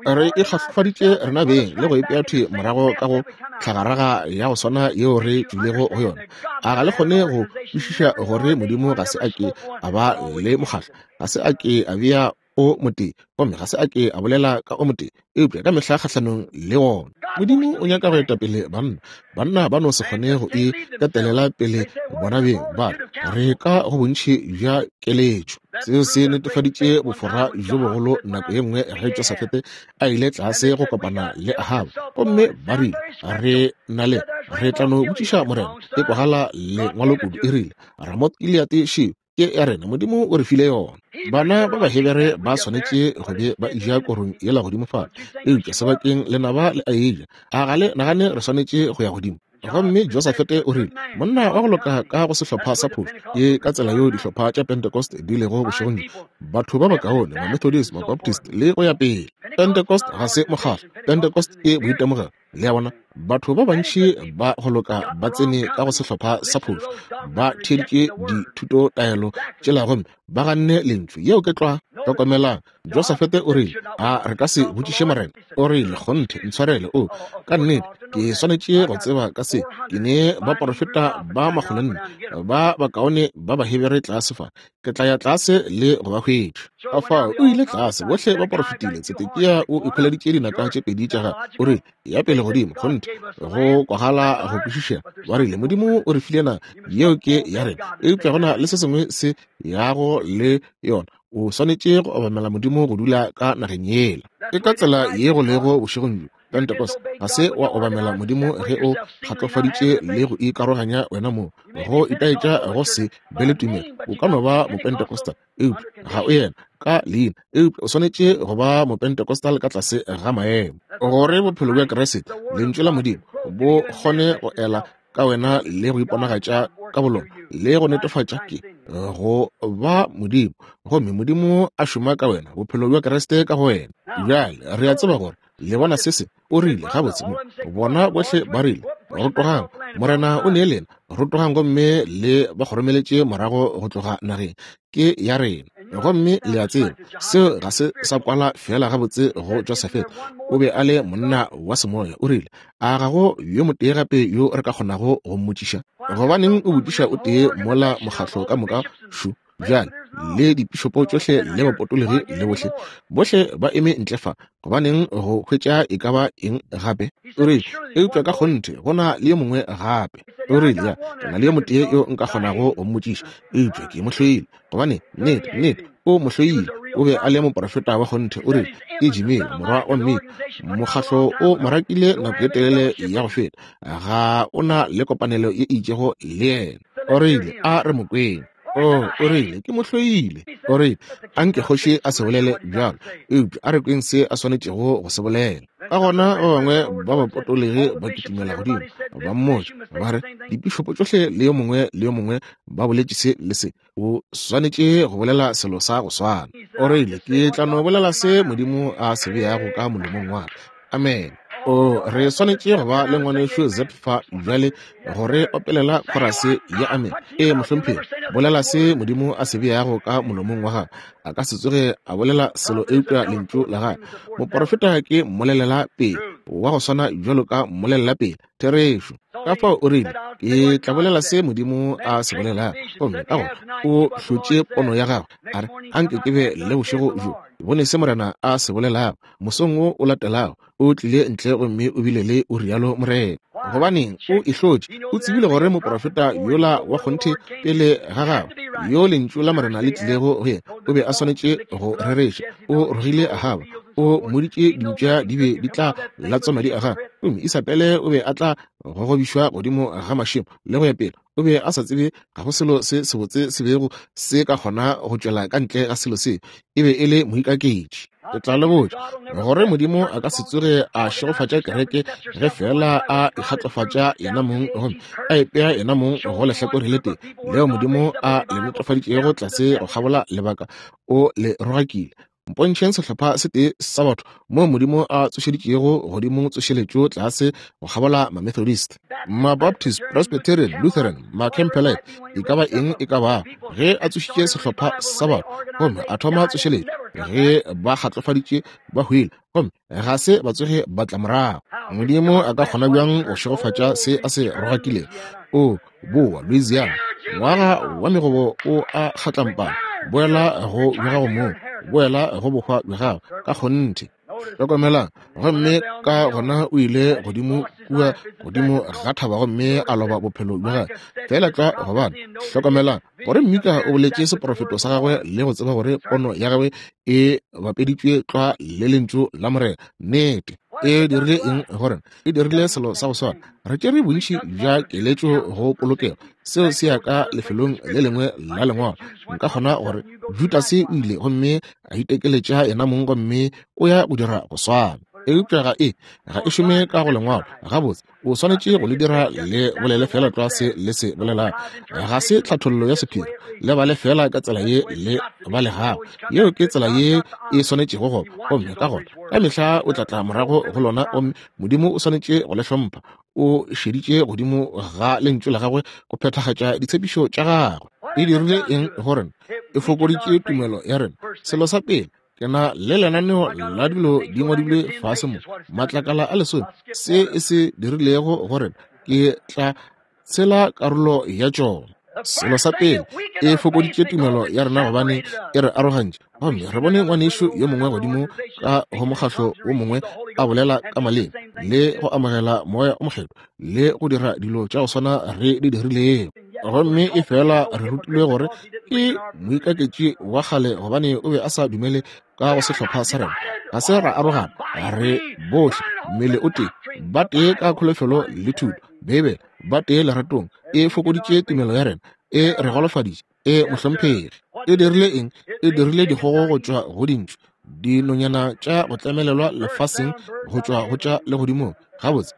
ona. Re ikgafaditše rena beng le go ipea thwi morago ka go tlhagaraga ya go swana yeo re tšwilego go yona. A ga le kgone go kwešiša gore Modimo ga se a ke a ba le mokgatlo, ga se a ke a bea o motee, gomme ga se a ke a bolela ka o motee, eupša ka mehla kgahlanong le wona. Modimo o nyaka go eta pele banna. Banna ba no se kgone go e ketelela pele bona beng, ba re ka go bontši bja keletšo. Seo se netefaditše bofora bjo bogolo nako ye nngwe ge Josafete a ile tlase go kopana le Ahaba, gomme ba rile, Re na le, re tla no botšiša Morena. E kwagala lengwalo kudu, e rile, Ramoth-Gileate šeo, ke ya rena, Modimo o re file yona. Bana ba Bahebere ba swanetše go be ba eja korong yela godimo fale, eupša sebakeng lenaba le a eja. A ga le nagane re swanetše go ya godimo? Gomme Josafete o rile, monna wa go loka ka go sehlopha sa phošo. Ke ka tsela yeo dihlopha tša Pentecost di lego bošegong bjo. Batho ba bakaone, Mamethodist, Mabaptist, le go ya pele. Pentecost ga se mokgatlo. Pentecost ke boitemogelo. Le a bona? Batho ba bantši ba go loka ba tsene ka go sehlopha sa phošo, ba theeditše dithutotaelo tšela gomme ba ganne Lentšu. Yeo ke tlwa. Hlokomelang, Josafete o rile, A re ka se botšiše Morena? O rile, Kgonthe, ntshwarele. O, ka nnete, ke swanetše go tseba ka se. Ke ne baporofeta ba makgolonne ba bakaone ba Bahebere tlase fa. Ke tla ya tlase le go ba hwetša. Ka fao o ile tlase, bohle ba porofetile. Tsedekia o ikhweleditše dinaka tše pedi tša gagwe. O rile, Ya pele godimo, kgonthe, go kwagala go kwešišega. Ba rile, Modimo o re file naga, yeo ke ya rena. Eupša go na le se sengwe se yago le yona. O swanetše go obamela Modimo go dula ka nageng yela. Ke ka tsela ye go lego bošegong bjo. Pentecost, ga se wa obamela Modimo ge o kgatlofaditše le go ikaroganya wena mong, go itaetša go se be le tumelo. O ka no ba Mopentecostal, eupša ga o yena ka leina, eupša o swanetše go ba Mopentecostal ka tlase ga maemo, gore bophelo bja Kriste, Lentšu la Modimo, bo kgone go ela ka wena le go iponagatša ka bolona le go netefatša ke go ba Modimo, gomme Modimo a šoma ka wena, bophelo bja Kriste ka go wena. Bjale re a tseba gore le bona se se o rile gabotse mo bona bohle ba rile, Rotogang, Morena o ne lena, rotogang gomme le ba kgoromeletše morago go tloga nageng, ke ya rena. Gomme le a tseba seo ga se sa kwala feela gabotse go Josafete. O be a le monna wa semoya. O rile, A ga go yo motee gape yo re ka kgonago go mmotšiša? Gobaneng o botšiša o tee mola mokgatlo ka moka šo bjale le dipišopo tšohle le bapotologi le bohle, bohle ba eme ntle fa? Gobaneng go hwetša e ka ba eng gape? O rile, Eupša ka kgonthe go na le yo mongwe gape. O rile, Ya, ke na le yo motee yo nka kgonago go mmotšiša, eupša ke mo hloile. Gobane, nnete, nnete, o mo hloile. O be a le moprofeta wa kgonthe. O rile, Ke Jimmy, morwa wa Mmika. Mokgatlo o mo rakile nako ye telele ya go feta. Ga o na le kopanelo ye e itšego le yena. O rile, A re mo kweng. O, o rile, ke mo hloile. O rile, A nke kgoši a se bolele bjalo, eupša a re kweng se a swanetšego go se bolela. Ka gona ba bangwe ba bapotologi ba kitimela godimo, ba mmotša, ba re, Dipišopo tšohle le yo mongwe le yo mongwe ba boletše se le se, o swanetše go bolela selo sa go swana. O rile, Ke tla no bolela se Modimo a se beago ka molomong wa ka. Amen. O, re swanetše go ba le ngwanešu Zep fa bjale go re opelela khorase ya amen. Ee, mohlomphegi, bolela se Modimo a se beago ka molomong wa gago. A ka se tsoge a bolela selo eupša lentšu la gagwe. Moporofeta ke mmolelela pele wa go swana bjalo ka mmolelela pele. Therešo. Ka fao o rile, Ke tla bolela se Modimo a se bolelago. Gomme ka gona o hlotše pono ya gagwe, a re, Anke ke be le bošego bjo, ke bone se Morena a se bolelago. Mosong wo o latelago, o tlile ntle gomme o bile le o rialo Morena. Gobaneng, o e hlotše. O tsebile gore moprofeta yola wa kgonthe pele ga gagwe, yo Lentšu la Morena le tlilego go yena, o be a swanetše go rereša. O rogile Ahaba. O mmoditše dimpša di be di tla latswa madi a gagwe, gomme Isabele o be a tla gogobišwa godimo ga mašemo le go ya pele. O be a sa tsebe ga go selo se sebotse se bego se ka kgona go tšwela ka ntle ga selo se. E be e le moikaketši. Ke tla le botša gore Modimo a ka se tsoge a šegofatša kereke ge feela a ikgatlofatša yena mong gomme a ipea yena mong go lehlakore le tee leo Modimo a le netefaditšego tlase go kgabola lebaka. O le rogakile. Mpontšheng sehlopha se tee sa batho moo Modimo a tsošeditšego godimo tsošeletšo tlase go kgabola Mamethodist, Mabaptist, Presbyterian, Lutheran, Macampbellite, e ka ba eng e ka bago. Ge a tsošitše sehlopha sa batho gomme a thoma tsošeletšo, ge ba kgatlofaditše ba hwile gomme ga se ba tsoge ba tla morago. Modimo a ka kgona bjang go šegofatša se a se rogakilego? O boa Louisiana, ngwaga wa megobo o a kgatlampana, boela go bja gago mong, boela go bohwa bja gago ka kgonthe. Hlokomelang, gomme ka gona o ile godimo kua godimo ga thaba gomme a loba bophelo bja gagwe feela tlwa gobane, hlokomelang, gore Mika o boletše seprofeto sa gagwe le go tseba gore pono ya gagwe e bapeditšwe tlwa le Lentšu la Morena. Nnete. E dirile eng go rena? E dirile selo sa go swana. Re tšere bontši bja keletšo go polokego. Seo se ya ka lefelong le lengwe la Lengwalo. Nka kgona gore Judase o ile gomme a itekeletša yena mong gomme o ya go dira go swana. Eupša ga e, ga e šome ka go Lengwalo. Gabotse, o swanetše go le dira le bolele feela tlwa se le se bolelago. Ga se tlhathollo ya sephiri. Le bale feela ka tsela ye le balegago. Yeo ke tsela ye e swanetšego go ba. Gomme ka gona, ka mehla o tla tla morago go lona, gomme Modimo o swanetše go le hlompha. O šeditše godimo ga Lentšu la Gagwe go phethagatša ditshepišo tša Gagwe. E dirile eng go rena? E fokoditše tumelo ya rena. Selo sa pele, ke na le lenaneo la dilo di ngwadilwe fase mo, matlakala a lesome, se e se dirilego go rena. Ke tla tshela karolo ya tšona. Selo sa pele, e fokoditše tumelo ya rena gobane e re arogantše. Gomme re bone ngwanešu yo mongwe godimo ka go mokgahlo wo mongwe a bolela ka maleme le go amogela Moya o Mokgethwa le go dira dilo tša go swana re di dirilego. Gomme e fela re rutilwe gore ke moikaketši wa kgale gobane o be a sa dumele ka go sehlopha sa rena. Ga se ra arogana, re bohle mmele o tee, ba tee ka kholofelo le thuto. Beibele, ba tee leratong, e fokoditše tumelo ya rena, e re golofaditše, e mohlomphegi. E dirile eng? E dirile dikgogo go tšwa go dintšu, dinonyana tša go tlemelelwa lefaseng go tšwa go tša legodimong. Gabotse,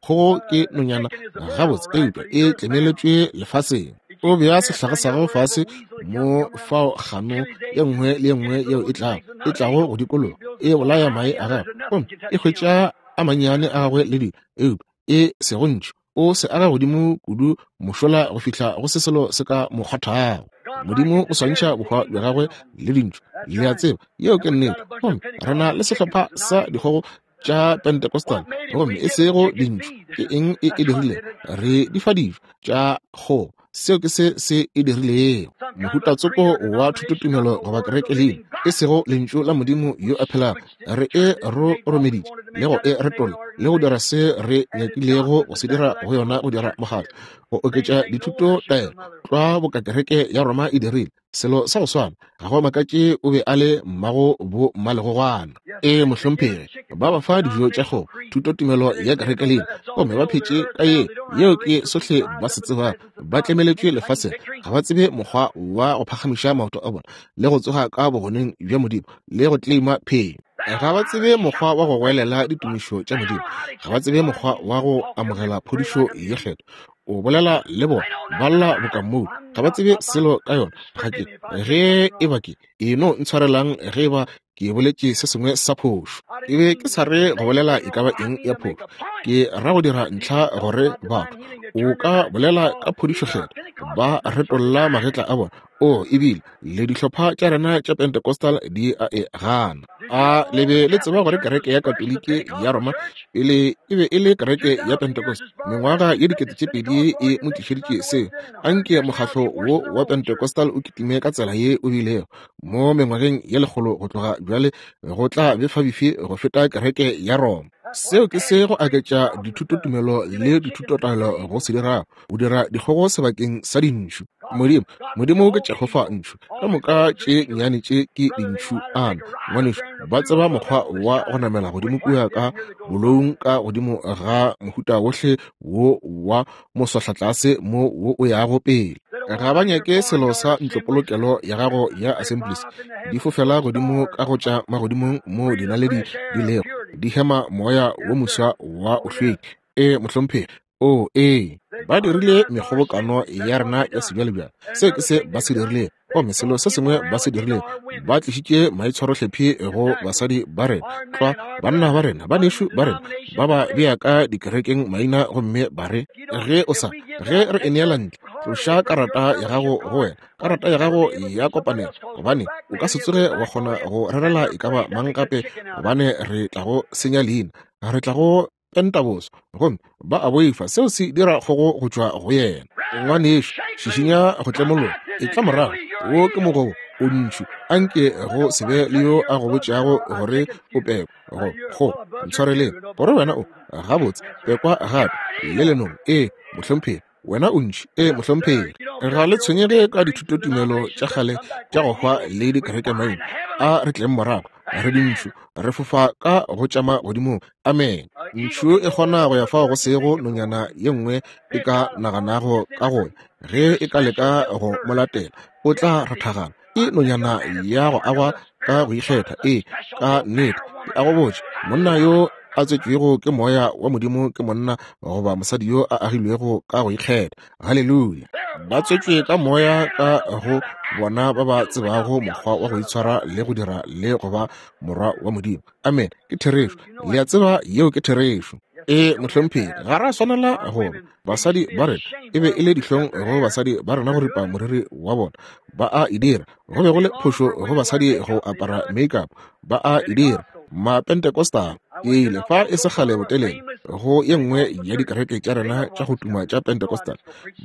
kgogo ke nonyana gabotse, eupša e tlemeletšwe lefaseng. O bea sehlaga sa gago fase mo fao kgano ye nngwe le ye nngwe yeo e tlago e tlago go dikologa e bolaya mae a gagwe, gomme e hwetša a mannyane a gagwe le dilo, eupša e sego ntšhu. O se aga godimo kudu mošola go fihla go se selo se ka mo kgwathago. Modimo o swantšha bohwa bja gagwe le dintšhu. Le a tseba, yeo ke nnete. Gomme re na le sehlopha sa dikgogo tša Pentecostal, gomme e sego dintšhu. Ke eng e e dirile? Re di fa dijo tša kgogo. Seo ke se se e dirilego. Mohuta tsoko wa thutotumelo goba kereke leina, e sego Lentšu la Modimo yo a phelago. Re e roromeditše le go e retolla le go dira se re nyakilego go se dira go yona, go dira mokgatlo, go oketša dithuto taelo, tlwa boka kereke ya Roma e dirile. Selo sa go swana. Ga go makatše o be a le mmago bo mmalegogwana. Ee, mohlomphegi. Ba ba fa dijo tša kgogo, thutotumelo ya kerekelina, gomme ba phetše ka ye. Yeo ke sohle ba se tsebago. Ba tlemeletšwe lefaseng. Ga ba tsebe mokgwa wa go phagamiša maoto a bona le go tsoga ka bogoneng bja Modimo le go kleima phenyo. Ga ba tsebe mokgwa wa go goelela ditumišo tša Modimo. Ga ba tsebe mokgwa wa go amogela phodišo ye Kgethwa. O bolela le bona, ba lla boka mmou, ga ba tsebe selo ka yona. Ga ke, ge e ba ke, e no ntshwarelang ge e ba ke boletše se sengwe sa phošo. Ke be ke sa re go bolela e ka ba eng ya phošo. Ke ra go dira ntlha gore batho, o ka bolela ka phodišo Kgethwa, ba retolla magetla a bona. O, ebile le dihlopha tša rena tša Pentecostal di a e gana. A le be le tseba gore kereke ya Katoliki ya Roma pele e be e le kereke ya Pentecost? Mengwaga ye 2000 e mo tlišeditše seo. Anke mokgatlo wo wa Pentecostal o kitime ka tsela ye o bilego mo mengwageng ye lekgolo go tloga bjale, go tla befabefi go feta kereke ya Roma. Seo ke se go aketša dithutotumelo le dithutotaelo go se dirago. O dira dikgogo sebakeng sa dintšhu. Modimo, Modimo ke Jehofa ntšhu. Ka moka tše nnyane tše ke dintšhu ana, ngwanešu, ba tseba mokgwa wa go namela godimo kua ka boloung ka godimo ga mohuta wohle wo wa moswahlatlase mo wo o yago pele. Ga ba nyake selo sa ntlopolokelo ya gago ya Assemblies. Di fofela godimo ka go tša magodimong moo dinaledi di lego, di hema moya wo moswa wa o hlweki. Ee, mohlomphegi. Oo, ee, ba dirile mekgobokano ya rena ya sebjalebjale. Seo ke se ba se dirilego. Gomme selo se sengwe ba se dirilego, ba tlišitše maitshwarohlephi go basadi ba rena, tlwa banna ba rena, banešu ba rena, ba ba bea ka dikerekeng maina gomme ba re, Ge o sa, ge re e neela ntle, tloša karata ya gago go wena, karata ya gago ya kopanelo, gobane o ka se tsoge wa kgona go rerela e ka ba mang gape, gobane re tla go senya leina, re tla go penta boso. Gomme ba a boifa seo se dira kgogo go tšwa go yena. Ngwanešu, šišinya go tlemologa, etla morago, wo ke mogobo o ntšhu, anke go se be le yo a go botšago gore o pekwa go go ntshwareleng gore wena o gabotse pekwa gape le lenong. Ee, mohlomphegi. Wena o ntši. Ee, mohlomphegi. Ga le tshwenyege ka dithutotumelo tša kgale tša go hwa le dikerekemaina. A re tleng morago, re dintšhu, re fofa ka go tšama godimong. Amene. Ntšhu e kgona go ya fao go sego nonyana ye nngwe e ka naganago ka go ya. Ge e ka leka go mo latela, o tla rathagana. Ke nonyana ya go agwa ka go ikgetha. Ee, ka nnete. Ke a go botša, monna yo a tswetšwego ke Moya wa Modimo ke monna goba mosadi yo a agilwego ka go ikgetha. Haleluya! Ba tswetšwe ka Moya ka go bona ba ba tsebago mokgwa wa go itshwara le go dira le go ba morwa wa Modimo. Amen. Ke therešo. Le a tseba yeo ke therešo. Ee, mohlomphegi, ga ra swanela go ba. Basadi ba rena, e be e le dihlong go basadi ba rena go ripa moriri wa bona. Ba a e dira. Go be go le phošo go basadi go apara makeup. Ba a e dira. Mapentecostal. Ke ile fa e se kgale botelele go ye nngwe ya dikereke tša rena tša go tuma tša Pentecostal.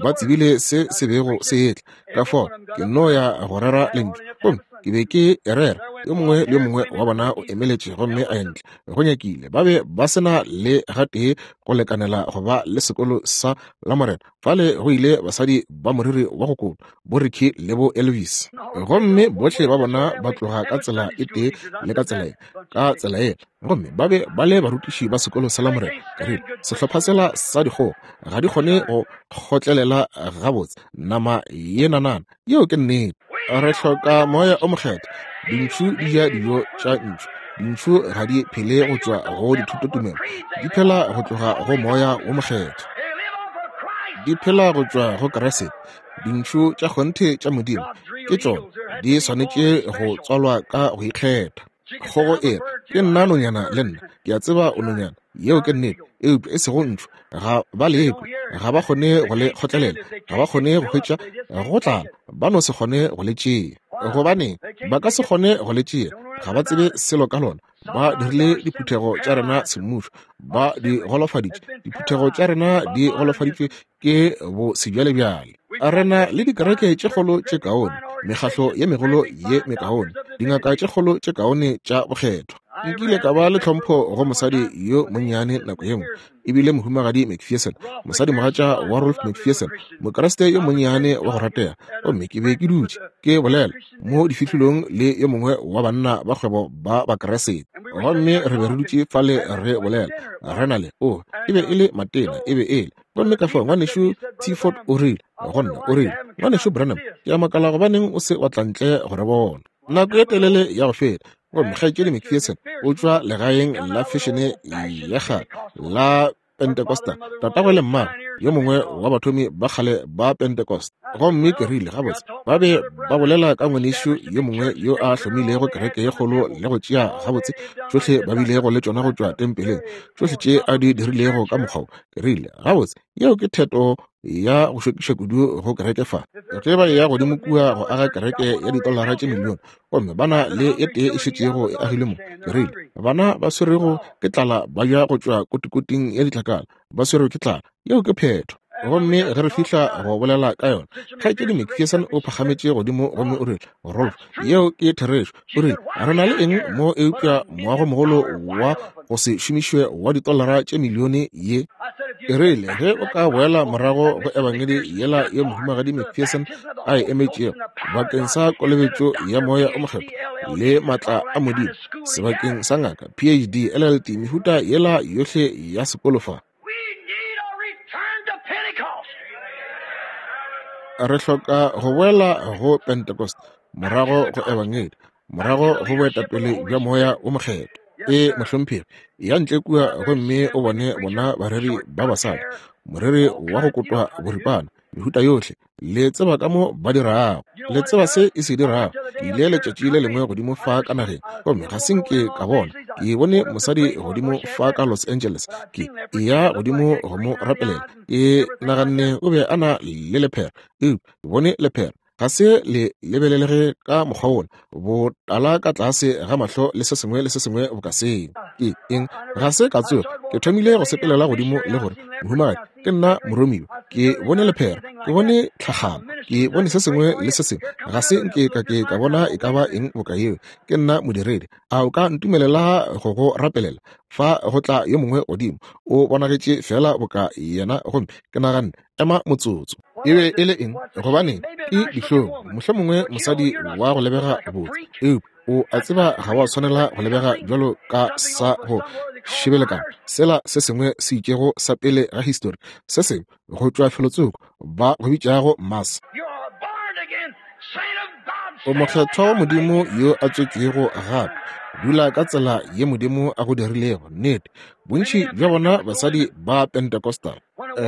Ba tsebile se se bego se etla. Ka fao ke nno ya go rera lentšu, gomme ke be ke e rera. Yo mongwe le yo mongwe wa bona o emeletše gomme a ya ntle. Go nyakile ba be ba se na le gatee go lekanela go ba le sekolo sa Lamorena. Fale go ile basadi ba moriri wa go kotwa, bo Ricky le bo Elvis. Gomme bohle ba bona ba tloga ka tsela e tee le ka tsela ye, ka tsela ye. Gomme ba be ba le barutiši ba sekolo sa Lamorena. Ka rile, Sehlopha sela sa dikgogo ga di kgone go kgotlelela gabotse nama ye nanana. Yeo ke nnete. Re hloka Moya o Mokgethwa. Dintšhu di ja dijo tša ntšhu. Dintšhu ga di phele go tšwa go dithutotumelo, di phela go tloga go Moya wo Mokgethwa. Di phela go tšwa go Kriste. Dintšhu tša kgonthe tša Modimo ke tšona di swanetše go tswalwa ka go ikgetha. Kgogo e re, Ke nna nonyana le nna. Ke a tseba o nonyana. Yeo ke nnete. Eupša e sego ntšhu. Ga ba lekwe. Ga ba kgone go le kgotlelela. Ga ba kgone go hwetša go tlala. Ba no se kgone go le tšea. Gobaneng? Ba ka se kgone go le tšea. Ga ba tsebe selo ka lona. Ba dirile diphuthego tša rena semmušo. Ba di golofaditše. Diphuthego tša rena di golofaditšwe ke bo sebjalebjale. Re na le dikereke tše kgolo tše kaone, mekgahlo ye megolo ye mekaone, dingaka tše kgolo tše kaone tša bokgethwa. Nkile ka ba le tlhompho go mosadi yo monnyane nako ye nngwe, e bile Mohumagadi McPherson, mosadimogatša wa Rolf McPherson, Mokriste yo monnyane wa go ratega. Gomme ke be ke dutše ke bolela mo difihlolong le yo mongwe wa banna ba kgwebo ba Bakriste. Gomme re be re dutše fale re bolela, re na le, oh, e be e le matena, e be e le. Gomme ka fao Ngwanešu T. Ford o rile go nna, o rile, Ngwanešu Branham, ke a makala gobaneng o se wa tla ntle go re bona. Nako ye telele ya go feta. Gomme Kgaetšedi McPherson o tšwa legaeng la fešene ya kgale la Pentecostal, tatagwe le mmagwe, yo mongwe wa bathomi ba kgale ba Pentecost. Gomme ke rile, Gabotse, ba be ba bolela ka ngwanešu yo mongwe yo a hlomilego kereke ye kgolo le go tšea gabotse tšohle ba bilego le tšona go tšwa tempeleng, tšohle tše a di dirilego ka mokgwa wo. Ke rile, Gabotse, yeo ke theto ya go šokiša kudu go kereke fa. Ge ba eya godimo kua go aga kereke ya ditolara tše milione, gomme ba na le e tee e šetšego e agilwe mo. Ke rile, Bana ba swerwego ke tlala ba ja go tšwa kotikoting ya ditlakala, ba swerwe ke tlala. Yeo ke phetho. Gomme ge re fihla go bolela ka yona, Kgaetšedi McPherson o phagametše godimo gomme o rile, Rolf, yeo ke therešo. O rile, Re na le eng mo eupša moagomogolo wa go se šomišwe wa ditolara tše milione ye? Ke rile, Ge o ka boela morago go Ebangedi yela ye Mohumagadi McPherson a e emetšego bakeng sa kolobetšo ya Moya o Mokgethwa le maatla a Modimo, sebakeng sa ngaka, PhD, LLD, mehuta yela yohle ya sekolo fa. Re hloka go boela go Pentecost, morago go Ebangedi, morago go boetapele bja Moya wo Mokgethwa. Ee, mohlomphegi, ya ntle kua gomme o bone bona bareri ba basadi, moreri wa go kotwa boripana, mehuta yohle, le tseba ka mo ba dirago. Le tseba se e se dirago. Ke ile letšatši le lengwe godimo fa ka nageng, gomme ga se nke ka bona. Ke bone mosadi godimo fa ka Los Angeles. Ke eya godimo go mo rapelela. Ke naganne o be a na le lephera, eupša ke bone lephera. Ga se le lebelelege ka mokgwa wola, botala ka tlase ga mahlo le se sengwe le se sengwe boka seo. Ke eng? Ga se ka tsoga. Ke thomile go sepelela godimo le gore, Mohumagadi, ke nna moromiwa. Ke bone lephera, ke bone tlhagamo, ke bone se sengwe le se sengwe. Ga se nke ka ke ka bona e ka ba eng boka yeo. Ke nna modiredi. A o ka ntumelela go go rapelela? Fa go tla yo mongwe godimo, o bonagetše feela boka yena, gomme ke naganne, Ema motsotso. E be e le eng? Gobaneng, ke dihlong, mohlomongwe mosadi wa go lebega botse, eupša o a tseba ga wa swanela go lebega bjalo ka sa go šebelekana sela se sengwe se itšego sa pele ga histori, se sengwe go tšwa felotsoko ba go bitšago Mars. O mokgethwa wa Modimo yo a tswetšwego gape. Dula ka tsela ye Modimo a go dirilego. Nnete. Bontši bja bona basadi ba Pentecostal.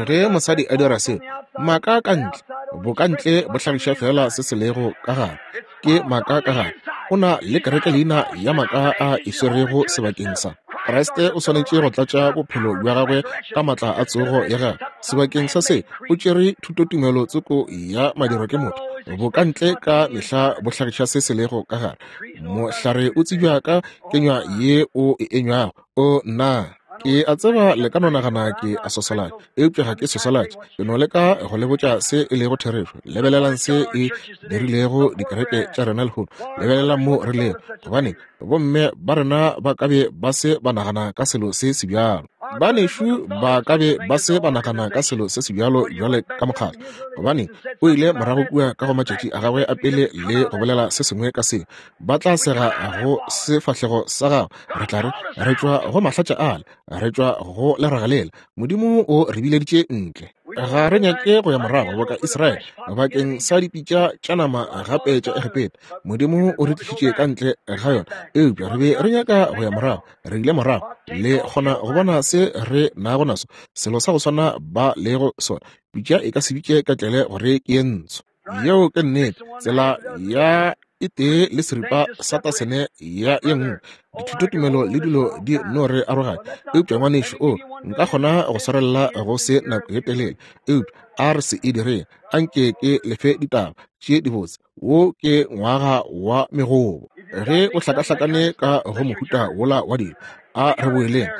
Ge mosadi a dira seo, maaka ka ntle, bokantle bo hlagiša feela se se lego ka gare. Ke maaka ka gare. O na le kerekeleina ya maaka a e swerego sebakeng sa. Kriste o swanetše go tlatša bophelo bja gagwe ka matla a tsogo ya gagwe. Sebakeng sa se, o tšere thutotumelo tsoko ya madirwa ke motho. Bokantle ka mehla bo hlagiša se se lego ka gare. Mohlare o tsebja ka kenywa ye o e enywago. O nna Ke a tseba le ka no nagana ke a sosolatša, eupša ga ke sosolatše. Ke no leka go le botša se e lego therešo. Lebelelang se e dirilego dikereke tša rena lehono. Lebelelang mo re lego. Gobane bomme ba rena ba ka be ba se ba nagana ka selo se sebjalo. Banešu ba ka be ba se ba nagana ka selo se sebjalo bjale ka mokgatlo. Gobane o ile morago kua ka go matšatši a gagwe a pele le go bolela se sengwe ka se. Ba tla sega go sefahlego sa gago. Re tla re, re tšwa go mahlatša ale, re tšwa go leraga lela. Modimo o re bileditše ntle. Ga re nyake go ya morago boka Israele bakeng sa dipitša tša nama gape tša Egepeta. Modimo o re tlišitše ka ntle ga yona, eupša re be re nyaka go ya morago. Re ile morago. Le kgona go bona se re nago naso, selo sa go swana ba lego sona. Pitša e ka se bitše ketlele gore ke ye ntsho. Yeo ke nnete. Tsela ya e tee le seripa sa tasene ya ye nngwe. Dithutotumelo le dilo di no re aroganya. Eupša ngwanešu, o nka kgona go swarelela go se nako ye telele, eupša a re se e direng. A nke ke lefe ditaba tše dibotse. Wo ke ngwaga wa megobo. Ge o hlakahlakane ka go mohuta wola wa dilo, a re boeleng.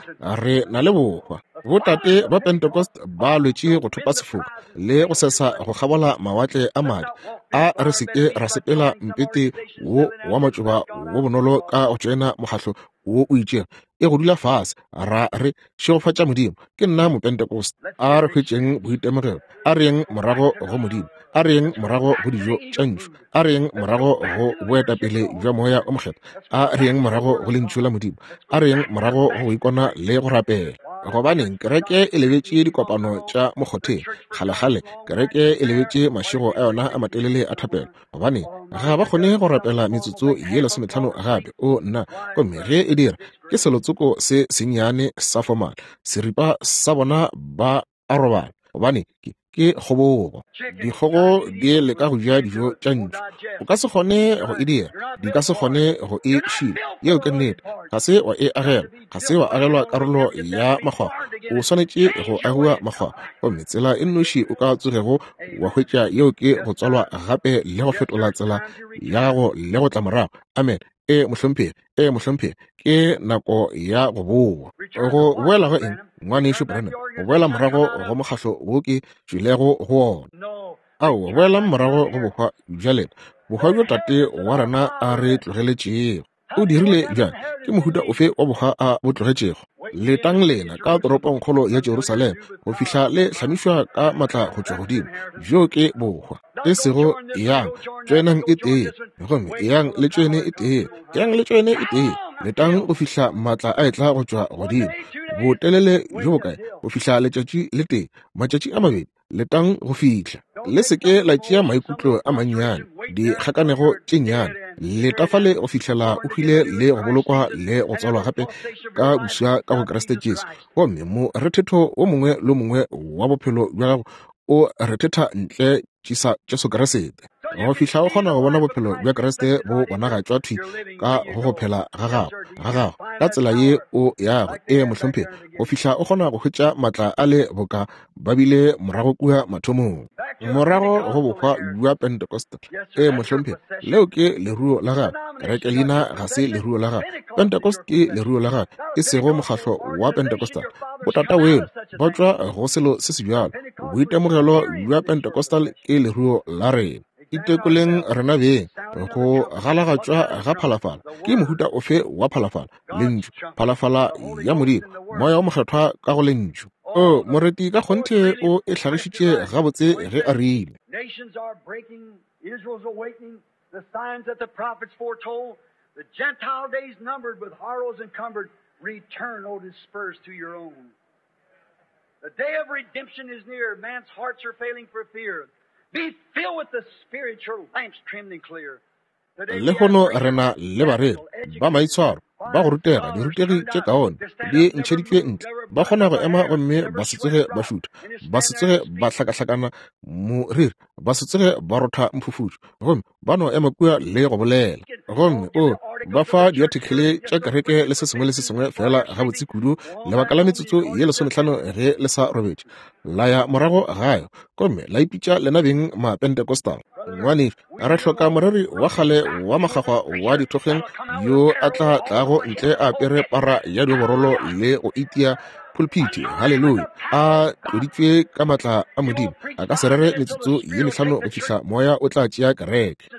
Re na le bohwa. Botate ba Pentecost ba lwetše go thopa sefoka le go sesa go kgabola mawatle a madi. A re se ke ra sepela mpete wo wa matšoba wo bonolo ka go tšoena mokgatlo wo o itšego e go dula fase ra re šegofatša Modimo. Ke nna Mopentecost. A re hwetšeng boitemogelo. A re yeng morago go Modimo. A re yeng morago go dijo tša ntšu. A re yeng morago go boetapele bja Moya o Mokgethwa. A re yeng morago go Lentšu la Modimo. A re yeng morago go go ikona le go rapela. Gobaneng, kereke e lebetše dikopano tša mokgotheng. Kgalekgale, kereke e lebetše mašego a yona a matelele a thapelo. Gobaneng, ga ba kgone go rapela metsotso ye lesometlhano gape. O nna, gomme ge e dira, ke selotsoko se sennyane sa formal. Seripa sa bona ba a robala. Gobane ke, ke kgobogo. Dikgogo di leka go ja dijo tša ntšu. O ka se kgone go e dira. Di ka se kgone go e šila. Yeo ke nnete. Ga se wa e agelwa. Ga se wa agelwa karolo ya makgwakgwa. O swanetše go agiwa makgwakgwa. Gomme tsela e nnoši o ka tsogego wa hwetša yeo ke go tswalwa gape le go fetola tsela ya gago le go tla morago. Amen. Ee, mohlomphegi. Ee, mohlomphegi. Ke nako ya go bowa. Go boela go eng, Ngwanešu Branham? Go boela morago go mokgahlo wo ke tšwilego go wona. Aowa, boelang morago go bohwa bja lena, bohwa bjo tate wa rena a re tlogeletšego. O dirile bjang? Ke mohuta ofe wa bohwa a bo tlogetšego? Letang lena ka toropongkgolo ya Jerusalema go fihla le hlamišwa ka matla go tšwa godimo. Bjo ke bohwa. E sego eyang, tšoenang e tee, gomme eyang le tšoene e tee, eyang le tšoene e tee. Letang go fihla matla a etla go tšwa godimo. Botelele bjo bokae? Go fihla letšatši le tee, matšatši a mabedi. Letang go fihla. Le se ke la tšea maikutlo a mannyane, dikgakanego tše nnyane. Leta fale go fihlela o hwile le go bolokwa le go tswalwa gape ka boswa ka go Kriste Jesu. Gomme morethetho wo mongwe le wo mongwe wa bophelo bja gago o rethetha ntle Jesu Kriste. Go fihla o kgona go bona bophelo bja Kriste bo bonagatšwa thwi ka go go phela ga gago, ga gago, ka tsela ye o yago, ee, mohlomphegi, go fihla o kgona go hwetša maatla a le boka ba bile morago kua mathomong, morago go bohwa bja Pentecostal. Ee, mohlomphegi, leo ke leruo la gago. Kereke leina ga se leruo la gago. Pentecost ke leruo la gago, e sego mokgahlo wa Pentecostal. Botata weno ba tšwa go selo se se bjalo. Boitemogelo bja Pentecostal ke leruo la rena. Itekoleng rena beng. Go galagatšwa ga phalafala ke mohuta ofe wa phalafala? Lentšu, phalafala ya Modimo, Moya wo Mokgethwa ka go Lentšu. O, moreti ka kgonthe o e hlagišitše gabotse ge a rile. Nations are breaking, Israel's awakening, the signs that the prophets foretold, the Gentile days numbered with horrors encumbered, return, O dispersed to your own. The day of redemption is near, man's hearts are failing for fear. Be filled with the Spirit, your lamps trimmed and clear. Lehono re na le bareri ba maitshwaro ba go rutega, dirutegi tše kaone di ntšheditšwe ntle, ba kgona go ema gomme ba se tsoge ba šutha, ba se tsoge ba hlakahlakana moriri, ba se tsoge ba rotha mphufutšo, gomme ba no ema kua le go bolela. Gomme o ba fa diathekele tša kereke le se sengwe le se sengwe feela gabotse kudu lebaka la metsotso ye 15 ge le sa robetše, la ya morago gae gomme la ipitša lena beng Mapentecostal. Ngwanešu, re hloka moreri wa kgale wa makgakgwa wa dithokgeng yo a tla tlago ntle a apere para ya dioborolo le go itia pulpiti, haleluya, a tloditšwe ka maatla a Modimo. A ka se rere metsotso ye 5 go fihla moya o tla tšea kereke.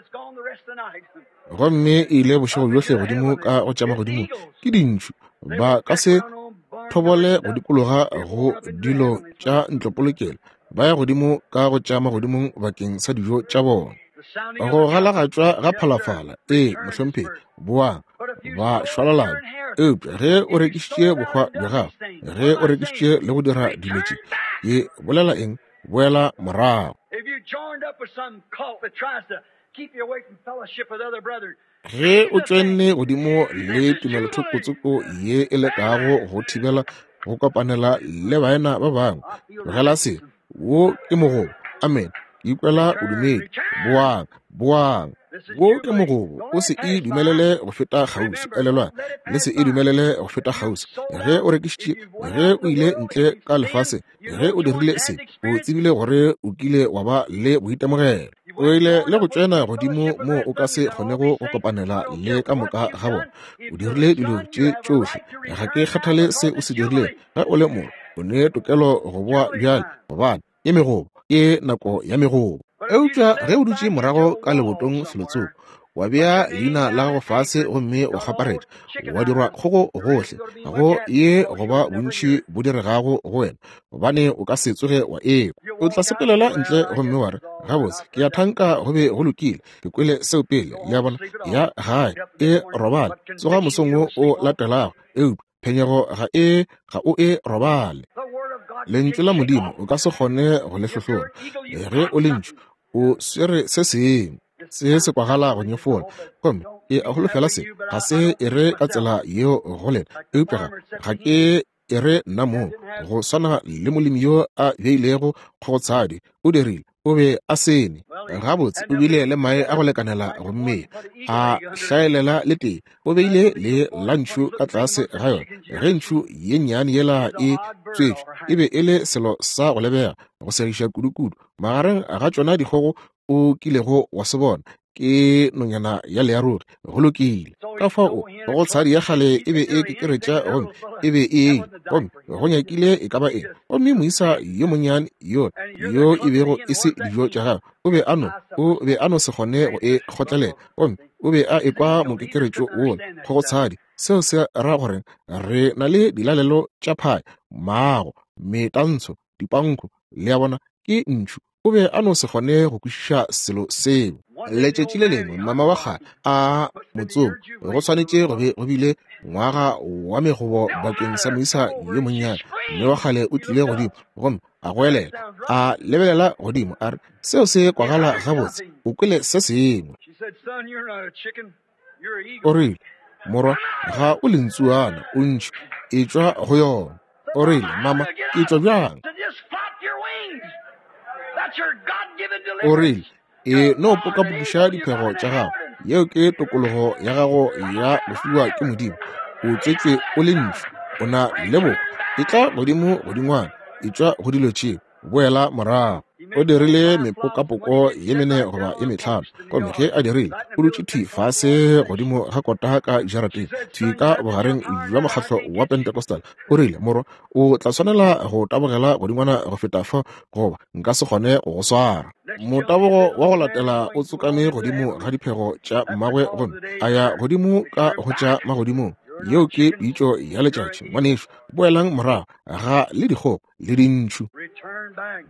Gomme e ile bošego bjohle godimo ka go tša magodimo ke dintšhu. Ba ka se thobole go dikologa go dilo tša ntlopolokelo, ba ya godimo ka go tša magodimong bakeng sa dijo tša bona. Go galagatšwa ga phalafala, ee, mohlomphegi, boang ba šwalalana. Eupša ge o rekišitše bohwa bja gago, ge o rekišitše le go dira dilo tše, ke bolela eng? Boela morago. Ge o tšwenne godimo le tumelothoko ye e lekago go thibela go kopanela le baena ba bangwe, tlogela se. Wo ke mogobo. Amen. Ke ikwela bodumedi. Boang, boang. Wo ke mogobo. O se e dumelele go feta kgauswi. Elelwang, le se e dumelele go feta kgauswi. Ge o rekišitše, ge o ile ntle ka lefaseng, ge o dirile se, o tsebile gore o kile wa ba le boitemogelo. O ile le go tšwena godimo moo o ka se kgonego go kopanela le ka moka ga bona. O dirile dilo tše tšohle. Ga ke kgathale se o se dirilego. Ge o le mo, o ne tokelo go boa bjale, gobane ke megobo, ke nako ya megobo. Eupša ge o dutše morago ka lebotong felotsoko, wa bea leina la gago fase gomme wa kgaparetša, wa dirwa kgogo gohle, go ye go ba bontši bo diregago go wena, gobane o ka se tsoge wa ekwa. O tla sepelela ntle gomme wa re, gabotse, ke a thanka go be go lokile, ke kwele seo pele. Le a bona? Ya gae, e robale, tsoga mosong wo o latelago, eupša phenyego ga e, ga o e robale. Lentšu la Modimo o ka se kgone go le hlohlona. Ge o le ntšu, o swere se sengwe. Se se kwagala go nyefola, gomme ke a holofela se ga se e re ka tsela yeo go lena, eupša ga ke e re nna mong, go swana le molemi yo a beilego kgogotshadi, o dirile, o be a sene gabotse, o bile le mae a go lekanela go mmea, a hlaelela le tee, o beile le la ntšhu ka tlase ga yona. Ge ntšhu ye nnyane yela e tswetšwe, e be e le selo sa go lebega go segiša kudu-kudu magareng ga tšona dikgogo o kilego wa se bona, ke nonyana ya learogi. Go lokile. Ka fao go tshadi ya kgale e be e kekeretša gomme e be e eile, gomme go nyakile e ka ba eng. Gomme moisa yo monnyane yo, yo e bego e se dijo tša gagwe, o be a no, o be a no se kgone go e kgotlelela, gomme o be a ekwa mokekeretšo wola, kgogotshadi. Seo se ra gore re na le dilalelo tša phaya, maago, metantsho, dipanko, le a bona, ke ntšhu. O be a no se kgone go kwešiša selo seo. Letšatši le lengwe mama wa kgale a motsomi, go swanetše go be go bile ngwaga wa megobo bakeng sa moisa yo monnyane. Mme wa kgale o tlile godimo gomme a goelela, a lebelela godimo, a re, seo se kwagala gabotse, o kwele se sengwe. O rile, morwa, ga o lentsuana, o ntšhu, etšwa go yona. O rile, mama, ke tšwa bjang? O rile, E no pokapokiša diphego tša gago. Yeo ke tokologo ya gago ya go fiwa ke Modimo. O tswetšwe o le ntšhu. O na le bohwa. Etla godimo godingwana. Etšwa go dilo tšeo. Boela morago. O dirile mepokapoko ye mene goba ye metlhano. Gomme ge a dirile, o dutše thwi fase godimo ga kota ka jarateng, thwi ka bogareng bja mokgatlo wa Pentecostal. O rile, Morwa, o tla swanela go tabogela godingwana go feta fa, goba nka se kgone go go swara. Motabogo wa go latela o tsokame godimo ga diphego tša mmagwe gomme a ya godimo ka go tša magodimong. Yeo ke pitšo ya letšatši, ngwanešu. Boelang morago ga le dikgopo le dintšhu.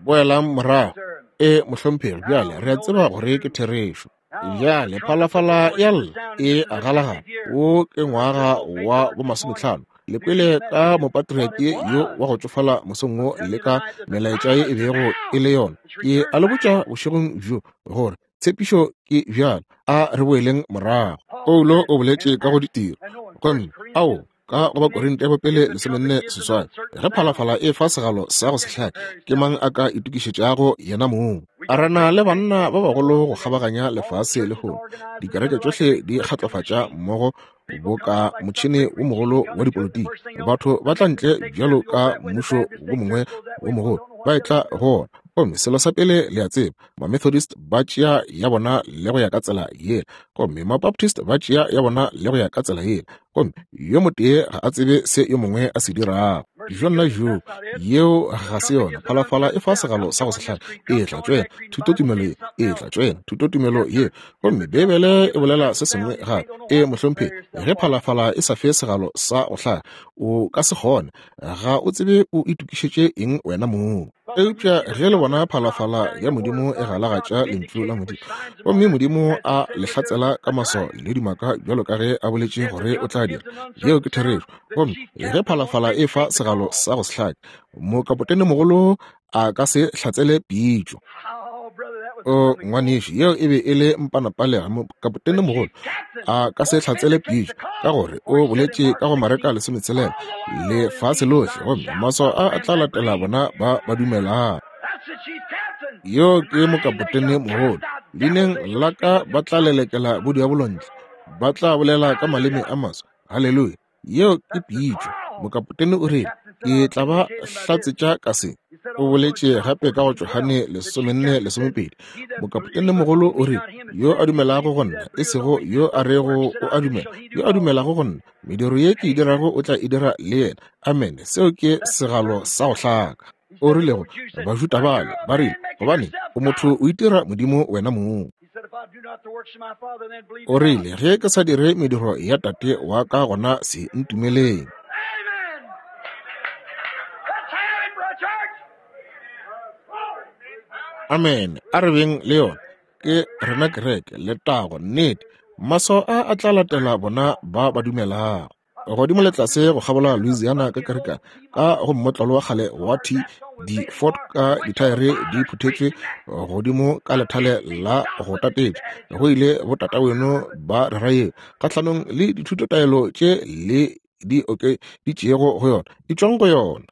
Boelang morago. E, mohlomphegi, bjale re a tseba gore ke therešo. Bjale phalafala ya lla e a galagala. Wo ke ngwaga wa bomasometlhano. Le kwele ka mopatriarki yo wa go tšofala mosong wo le ka melaetša ye e bego e le yona. Ke a le botša bošegong bjo gore tshepišo ke bjalo. A re boeleng morago. Paulo o boletše ka go ditiro. Gomme ao ka go Bakorinte ba pele 48, ge phalafala e fa segalo sa go se hlake, ke mang a ka itokišetšago yena mong? A re na le banna ba bagolo go kgabaganya lefase lehono. Dikereke tšohle di kgatlofatša mmogo boka motšhene wo mogolo wa dipolotiki. Batho ba tla ntle bjalo ka mmušo wo mongwe wo mogolo, ba etla go ona. Gomme selo sa pele le a tseba, Mamethodist ba tšea ya bona le go ya ka tsela yela, gomme Mabaptist ba tšea ya bona le go ya ka tsela yela, gomme yo motee ga a tsebe se yo mongwe a se dirago. Jonna joo, yeo ga se yona. Phalafala e fa segalo sa go se hlake, e tla tšwela thutotumelo ye, e tla tšwela thutotumelo ye. Gomme Beibele e bolela se sengwe gape. E, mohlomphegi, ge phalafala e sa fe segalo sa go hlaka, o ka se kgone, ga o tsebe o itokišetše eng wena mong. Eupša ge le bona phalafala ya Modimo e galagatša lentšu la Modimo, gomme Modimo a le hlatsela ka maswao le dimaka bjalo ka ge a boletše gore o tla dira, yeo ke therešo. Gomme ge phalafala e fa segalo sa go se hlake, mokapotene mogolo a ka se hlatsele pitšo. O ngwanešu, yeo e be e le mpanapalega. Mokapotene mogolo a ka se hlatsele pitšo, ka gore o boletše ka go Mareka 16, lefase lohle, gomme maswao a a tla latela bona ba ba dumelago. Yo ke mokapotene mogolo. Leineng la ka ba tla lelekela bodiabolo ntle, ba tla bolela ka maleme a maswa. Haleluya! Yeo ke pitšo. Mokapotene o rile, Ke tla ba hlatsetša ka se. O boletše gape ka go Johane 14:12. Mokapotene mogolo o rile, Yo a dumelago go nna, e sego yo a rego o a dumela, yo a dumelago go nna, mediro ye ke e dirago o tla e dira le yena. Amene. Seo ke segalo sa go hlaka. O rile go Bajuda bale, ba rile, Gobane o motho o itira Modimo wena mong. O rile, Ge ke sa dire mediro ya Tate wa ka, gona se ntumeleng. Amene. A re beng le yona. Ke rena kereke, letago, nnete. Maswao a a tla latela bona ba ba dumelago. Godimo le tlase go kgabola Louisiana ka kerekana, ka go mmotlolo wa kgale wa T di Ford ka dithaere di phuthetšwe godimo ka lethale la go tatetša, go ile botataweno ba rera yeo kgahlanong le dithutotaelo tše le di okeditšego go yona. Etšwang go yona.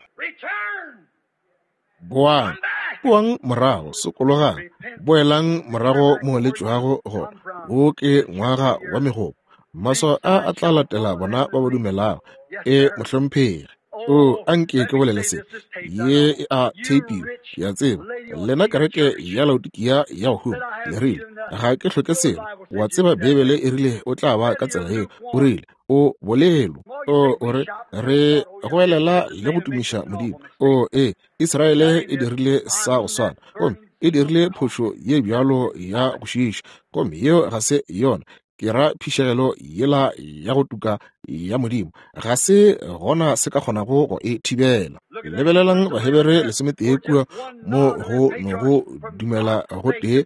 Boang, boang morago, sokologang, boelang morago mo le tšwago gona. Wo ke ngwaga wa megopo. Maswao a a tla latela bona ba ba dumelago. E, mohlomphegi. O, anke ke bolele se. Ye e a theipiwa, ke a tseba. Lena kereke ya Laodikia ya go huma, le rile, Ga ke hloke selo. Wa tseba Beibele e rile o tla ba ka tsela yeo. O rile, O bolelo. O, o re, re goelela le go tumiša Modimo. O, ee, Israele e dirile sa go swana. Gomme e dirile phošo ye bjalo ya go šiiša. Gomme yeo ga se yona. Ke ra phišegelo yela ya go tuka ya Modimo. Ga se gona se ka kgonago go e thibela. Lebelelang Bahebere 11 kua mo go no go dumela go tee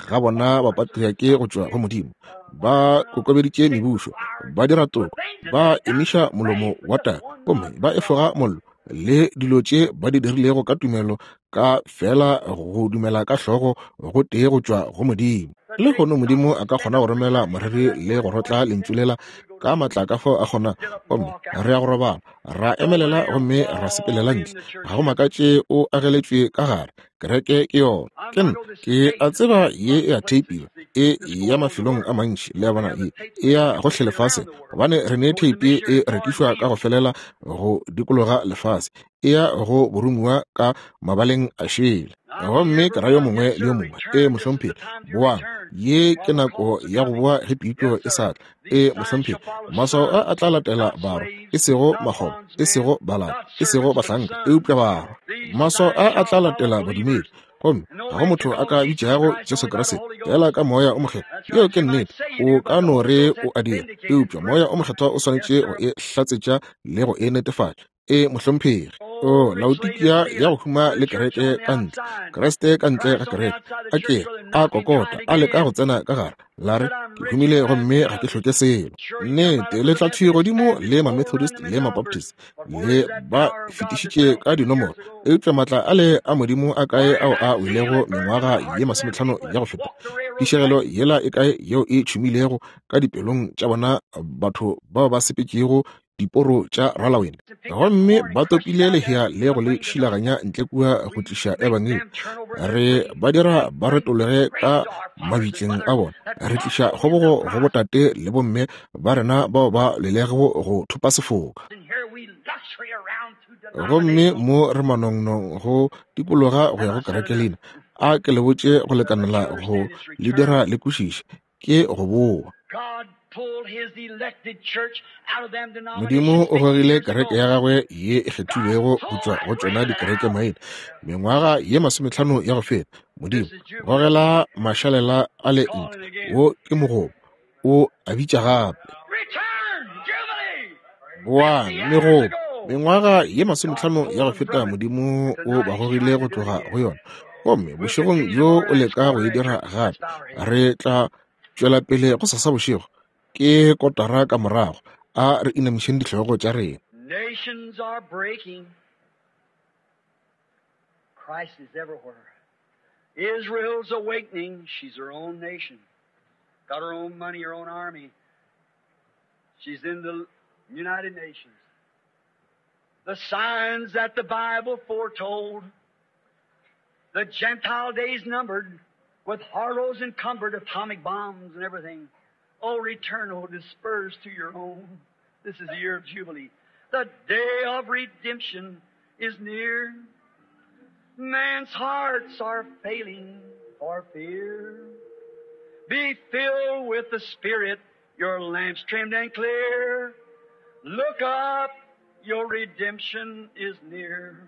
ga bona bapatriake go tšwa go Modimo. Ba kokobeditše mebušo, ba dira toko, ba emiša molomo wa tau, gomme ba efoga mollo, le dilo tše ba di dirilego ka tumelo, ka fela go dumela ka hlogo go tee go tšwa go Modimo. Lehono Modimo a ka kgona go romela moreri le go rotla lentšu lela ka maatla ka fao a kgona, gomme re ya go robala, ra emelela gomme ra sepelela ntle. Ga go makatše o ageletšwe ka gare. Kereke ke yona. Ke nna, ke a tseba ye e a theipiwa, e ya mafelong a mantši, le a bona, ye e ya gohle lefaseng, gobane re ne theipi e rekišwa ka go felela go dikologa lefase, e ya go boromiwa ka mabaleng a šele. Gomme ke ra yo mongwe le yo mongwe, ee, mohlomphegi, boang, ye ke nako ya go boa ge pitšo e sa tla. Ee, mohlomphegi, maswao a a tla latela barwa, e sego makgoba, e sego balata, e sego bahlanka, eupša barwa. Maswao a a tla latela badumedi. Gomme ga go motho a ka bitšago Jesu Kriste fela ka Moya o Mokgethwa. Yeo ke nnete. O ka no re o a dira, eupša Moya o Mokgethwa o swanetše go e hlatsetša le go e netefatša. Ee, mohlomphegi. O, Laodikia ya go huma le kereke ka ntle, Kriste ka ntle ga kereke, a ke a kokota, a leka go tsena ka gare, la re, Ke humile gomme ga ke hloke selo. Nnete, le tla thwi godimo le Mamethodist le Mabaptist, le ba fetišitše ka dinomoro, eupša maatla ale a Modimo a kae ao a welego mengwaga ye masometlhano ya go feta? Phišegelo yela e kae yeo e tšhumilego ka dipelong tša bona batho bao ba sepetšego diporo tša ralawene, gomme ba topile lehea le go le šilaganya ntle kua go tliša ebangedi. Re ba dira ba retologe ka mabitleng a bona. Re tliša kgobogo go botate le bomme ba rena bao ba lwelego go thopa sefoka. Gomme mo re manongnong go dikologa go ya go kerekelina. A ke le botše go lekanela go le dira le kwešiše. Ke go boa. Modimo o gogile kereke ya gagwe ye e kgethilwego go tšwa go tšona dikereke maina mengwaga ye masometlhano ya go feta. Modimo gogela mašalela a le ntle. Wo ke mogobo. O a bitša gape. Boang, megobo. Mengwaga ye masometlhano ya go feta Modimo o ba gogile go tloga go yona. Gomme bošegong bjo o leka go e dira gape. Re tla tšwela pele go sasa bošego. Ke kotara ka morago. A re inamišeng dihlogo tša rena. Nations are breaking. Christ is everywhere. Israel's awakening. She's her own nation. Got her own money, her own army. She's in the United Nations. The signs that the Bible foretold, the Gentile days numbered, with horrors encumbered, atomic bombs and everything. Oh, return, oh, disperse to your own. This is the year of Jubilee. The day of redemption is near. Man's hearts are failing for fear. Be filled with the Spirit, your lamps trimmed and clear. Look up, your redemption is near.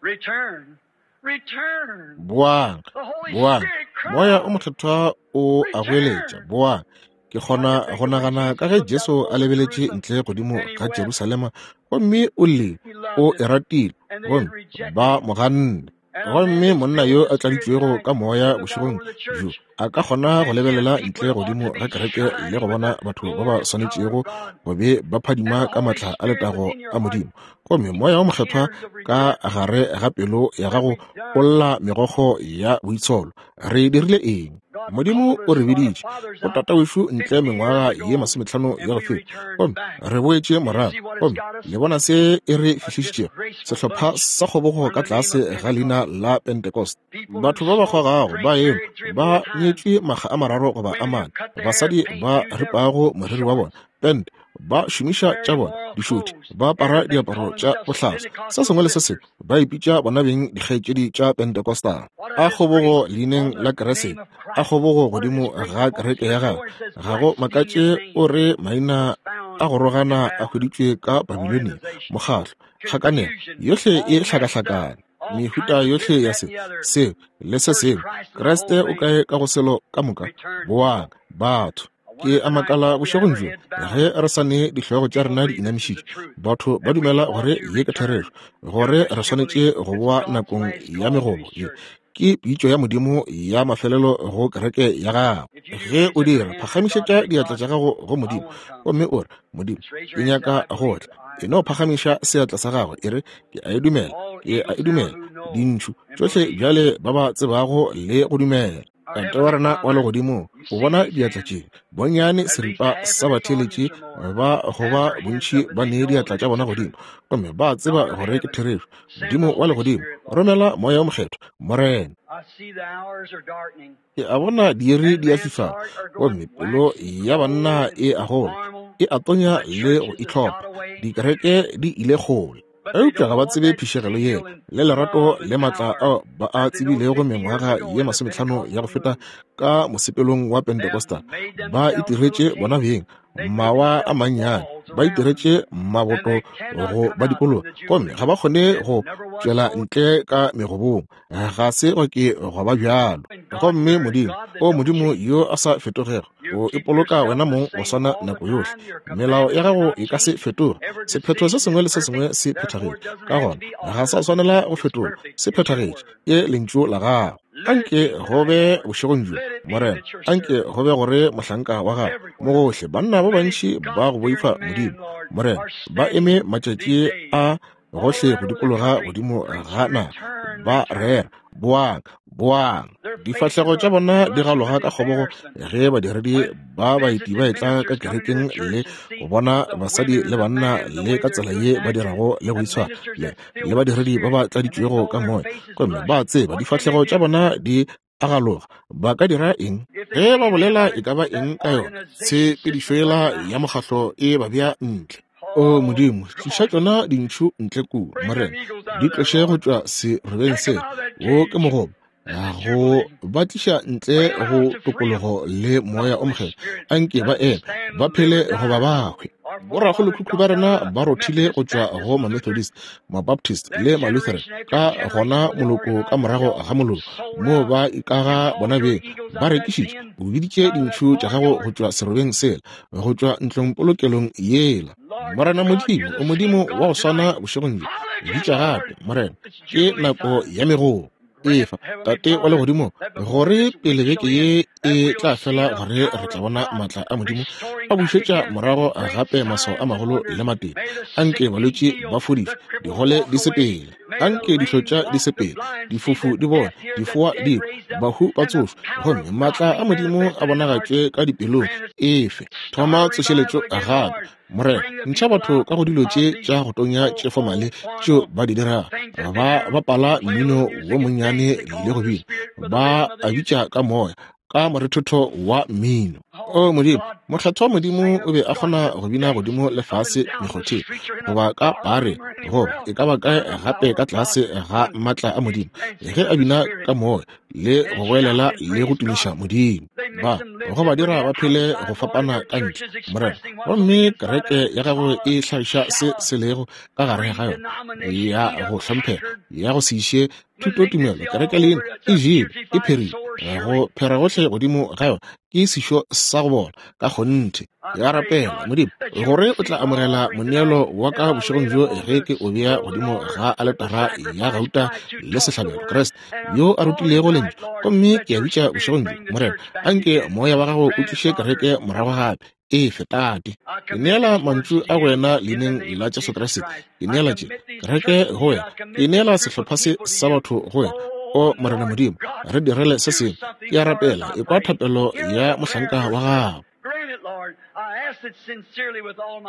Return, return. Boang, The Holy boang. Spirit Moya o cries. Mokgethwa o a goeletša, boang. Ke kgona go nagana ka ge Jesu a lebeletše ntle godimo ga Jerusalema gomme o llile, o e ratile, gomme ba mo ganne. Gomme monna yo a tladitšwego ka moya bošegong bjo a ka kgona go lebelela ntle godimo ga kereke le go bona batho ba ba swanetšego go be ba phadima ka maatla a letago a Modimo. Gomme Moya wo Mokgethwa ka gare ga pelo ya gago o lla megokgo ya boitsholo. Re dirile eng? Modimo o re biditše go tatawešu ntle mengwaga ye masometlhano ya go feta, gomme re boetše morago, gomme le bona se e re fihlišitšego, sehlopha sa kgobogo ka tlase ga leina la Pentecost. Batho ba ba kgogago ba eme ba nyetšwe makga a mararo goba a mane, basadi ba ripago moriri wa bona pente, ba šomiša tša bona dišothi, ba apara diaparo tša bohlaswa, se sengwe le se sengwe, ba ipitša bona beng dikgaetšedi tša Pentecostal. A kgobogo leineng la Kriste, a kgobogo godimo ga kereke ya gagwe. Ga go makatše o re maina a go rogana a hweditšwe ka Babilonia, mokgatlo, kgakanego, yohle e hlakahlakane, mehuta yohle ya se, seo, le se sengwe. Kriste o kae ka go selo ka moka? Boang, batho. Ke a makala bošegong bjo, ge re sa ne dihlogo tša rena di inamišitše, batho ba dumela gore ye ke therešo, gore re swanetše go boa nakong ya megobo ye. Ke pitšo ya Modimo ya mafelelo go kereke ya gagwe. Ge o dira, phagamišetša diatla tša gago go Modimo gomme o re, Modimo, ke nyaka go tla. E no phagamiša seatla sa gago, e re, ke a e dumela, ke a e dumela. Dintšhu tšohle bjale ba ba tsebago le go dumela. Tate wa rena wa Legodimong, o bona diatla tše, bonnyane seripa sa batheeletši ba go ba bontši ba nee diatla tša bona godimo, gomme ba tseba gore ke therešo. Modimo wa Legodimo, romela Moya wo Mokgethwa, Morena. Ke a bona diiri di a fifala, gomme pelo ya banna e a gola, e a tonya le go itlhopha. Dikereke di ile kgole. Eupša ga ba tsebe phišegelo yela le lerato le maatla ao ba a tsebilego mengwaga ye masometlhano ya go feta ka mosepelong wa Pentecostal. Ba itiretše bona beng mawa a mannyane, ba itiretše maboto go ba dikologa, gomme ga ba kgone go tšwela ntle ka megobong. Ga se gwa ke gwa ba bjalo. Gomme Modimo, o Modimo yo a sa fetogego, o ipoloka wena mong go swana nako yohle. Melao ya gago e ka se fetoge. Sephetho se sengwe le se sengwe se phethagetše. Ka gona ga sa swanela go fetolwa. Se phethagetše. Ke Lentšu la Gago. Anke go be bošegong bjo, Morena, anke go be gore mohlanka wa Gago, mo gohle, banna ba bantši ba go boifa Modimo, Morena, ba eme matšatši a gohle go dikologa godimo ga naga, ba rera, Boang, boang. Difahlego tša bona di galoga ka kgobogo ge badiredi ba baeti ba etla ka kerekeng le go bona basadi le banna le ka tsela ye ba dirago le go itshwara le, le badiredi ba ba tladitšwego ka moya, gomme ba tseba difahlego tša bona di a galoga. Ba ka dira eng ge ba bolela e ka ba eng ka yona? Tshepedišo yela ya mokgahlo e ba bea ntle. O Modimo, tliša tšona dintšhu ntle kua, Morena, di tloše go tšwa serobeng se. Wo ke mogoba go ba tliša ntle go tokologo le Moya o Mokgethwa. Anke ba eme, ba phele goba ba hwe. Borakgolokhukhu ba rena ba rothile go tšwa go Mamethodist, Mabaptist le Malutheran, ka gona moloko ka morago ga moloko, moo ba ikaga bona beng, ba rekišitše. O biditše dintšhu tša gago go tšwa serobeng sela, go tšwa ntlongpolokelong yela. Morena Modimo, o Modimo wa go swana bošegong bjo. Bitša gape, Morena, ke nako ya megoo. Efa, Tate wa Legodimo, gore pele beke ye e tla fela, gore re tla bona maatla a Modimo a bušetša morago gape maswao a magolo le matete. Anke balwetši ba fodišwe, digole di sepele, anke dihlotša di sepele, difofu di bone, difoa di kwe, bahu ba tsošwe, gomme maatla a Modimo a bonagatšwe ka dipelong. Efe, thoma tsošeletšo gape, Morena, ntšha batho ka go dilo tše tša go tonya tše fomale tšeo ba di dirago. Ba bapala mmino wo monnyane le go bina, ba a bitša ka moya, ka morethetho wa mmino. O Modimo, Mokgethwa wa Modimo o be a kgona go bina godimo le fase mekgotheng, goba ka pare, goba e ka ba kae gape ka tlase ga maatla a Modimo, ge a bina ka moya le go goelela le go tumiša Modimo. Ba go ba dira ba phele go fapana ka ntle, Morena. Gomme kereke ya gago e hlagiša se se lego ka gare ga yona, ya go hlomphega, ya go se iše thutotumelo. Kereke leina e jele, e pherile, go phera gohle godimo ga yona ke sešo sa go bola ka kgonthe. Ke a rapela, Modimo, gore o tla amogela moneelo wa ka bošegong bjo ge ke o bea godimo ga aletara ya gauta le sehlabelo, Kriste, yo a rutilego Lentšu. Gomme ke a bitša bošegong bjo, Morena, anke Moya wa Gago o tliše kereke morago gape. Efe, Tate. Ke neela mantšu a go wena leineng la Jesu Kriste. Ke neela tše kereke go wena. Ke neela sehlopha se sa batho go wena. O Morena Modimo, re direle se sengwe. Ke a rapela, ekwa thapelo ya mohlanka wa gago.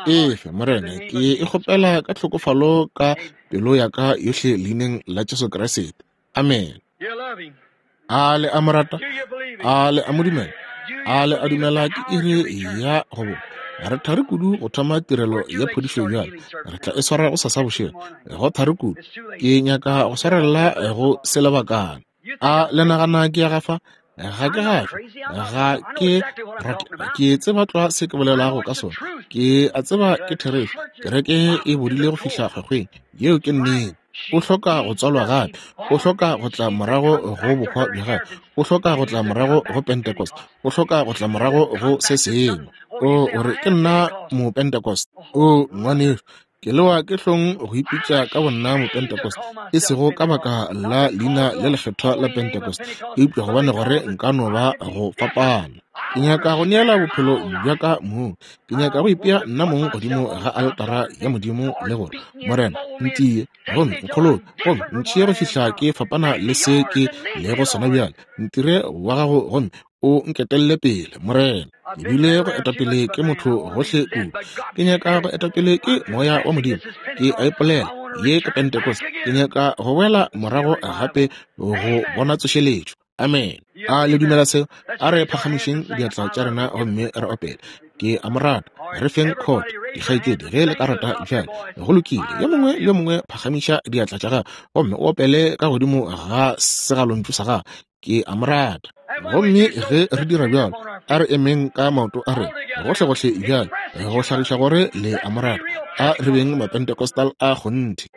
Efe, Morena, ke e kgopela ka tlhokofalo ka pelo ya ka yohle leineng la Jesu Kriste. Amen. A le a mo rata? A le a mo dumela? A le a dumela ke iri ya go bo? Re thari kudu go thoma tirelo ya phodišo bjale. Re tla e swara go sasa bošego. Go thari kudu. Ke nyaka go swarelela go se lebakana. A le nagana ke ya gafa? Ga ke gafe. Ga ke rate. Ke tseba tlwa se ke bolelago ka sona. Ke a tseba ke therešo. Kereke e bodile go fihla kgwekgweng. Yeo ke nnete. O hloka go tswalwa gape. O hloka go tla morago go bohwa bja gagwe. O hloka go tla morago go Pentecost. O hloka go tla morago go se sengwe. O, o re, ke nna Mopentecost. O, ngwanešu, Ke lewa ke hlong go ipitša ka bonna Mopentecost, e sego ka baka la leina le lekgethwa la Pentecost, eupša gobane gore nka no ba go fapana. Ke nyaka go neela bophelo bja ka mong. Ke nyaka go ipea nna mong godimo ga aletara ya Modimo le gore, Morena, ntie gomme nkgoloke, gomme ntšhie go fihla ke fapana le se ke lego sona bjale. Ntire wa gago gomme o nketelle pele, Morena. Ke bile go etapele ke motho gohle kudu. Ke nyaka go etapele ke Moya wa Modimo. Ke a ipolela, ye ke Pentecost. Ke nyaka go boela morago gape go bona tsošeletšo. Amen. A le dumela seo? A re phagamišeng diatla tša rena gomme re opele. Ke a mo rata. Re feng khot, dikgaetšedi, ge le ka rata bjale. Go lokile. Yo mongwe le yo mongwe phagamiša diatla tša gago gomme o opele ka godimo ga segalontšu sa gago. Ke a mo rata. Gomme ge re dira bjalo, a re emeng ka maoto a rena gohlegohle bjale, go hlagiša gore le a mo rata. A re beng Mapentecostal a kgonthe.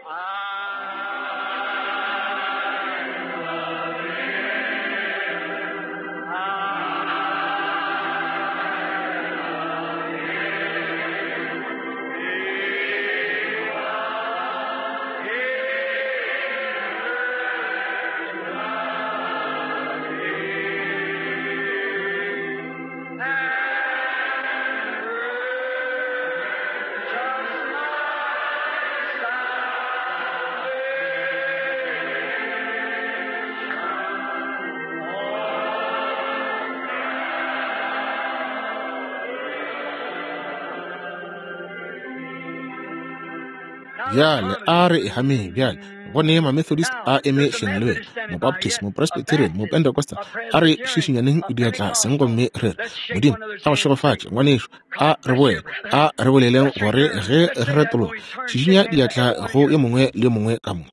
Bjale a re e hameng bjale. Go ne Mamethodist a eme hleng le wena, Mobaptist, Mopresbyterian, Mopentecostal. A re šišinyaneng diatla seng gomme re re, Modimo a go šegofatše, ngwanešu. A re boele, a re boleleng gore ge re retologa, šišinya diatla go yo mongwe le yo mongwe ka mo.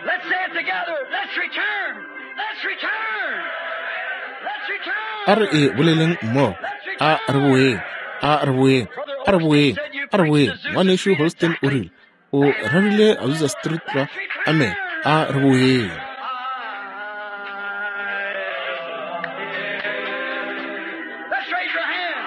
Let's say it together. Let's return. Let's return. Let's return. A re e boleleng mmogo. A re boeng. A re boeng. A re boeng. A re boeng. Ngwanešu Holston o rile, o rerile Azusa Street tlwa. Amen. A re boeng. Let's raise your hand.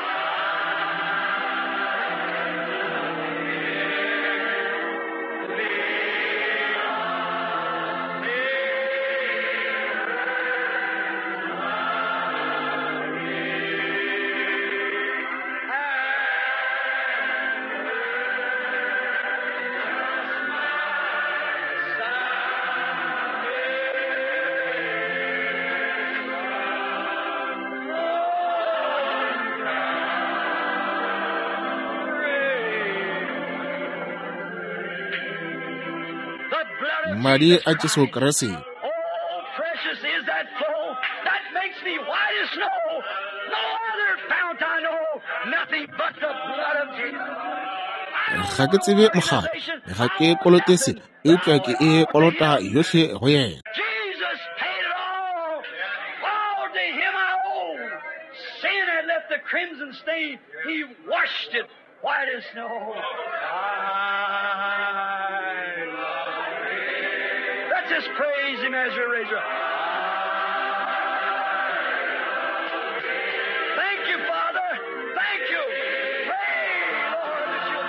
The blood of Madi Jesus a Jesu Christ. Kriste. Oh, precious is that flow that makes me white as snow. No other fount I know, nothing but the blood of Jesus. I don't Ga know ke an tsebe mokgatlo, organization, ga I ke don't know kolote se, nothing, but I eupša owe ke it e all to kolota Him. yohle go yena. Jesus paid it all. All to Him I owe. Sin had left the crimson stain. He washed it white as snow. I love Him. Let's just praise Him as you raise your. Thank you, Father. Thank you. Pray, Lord, that you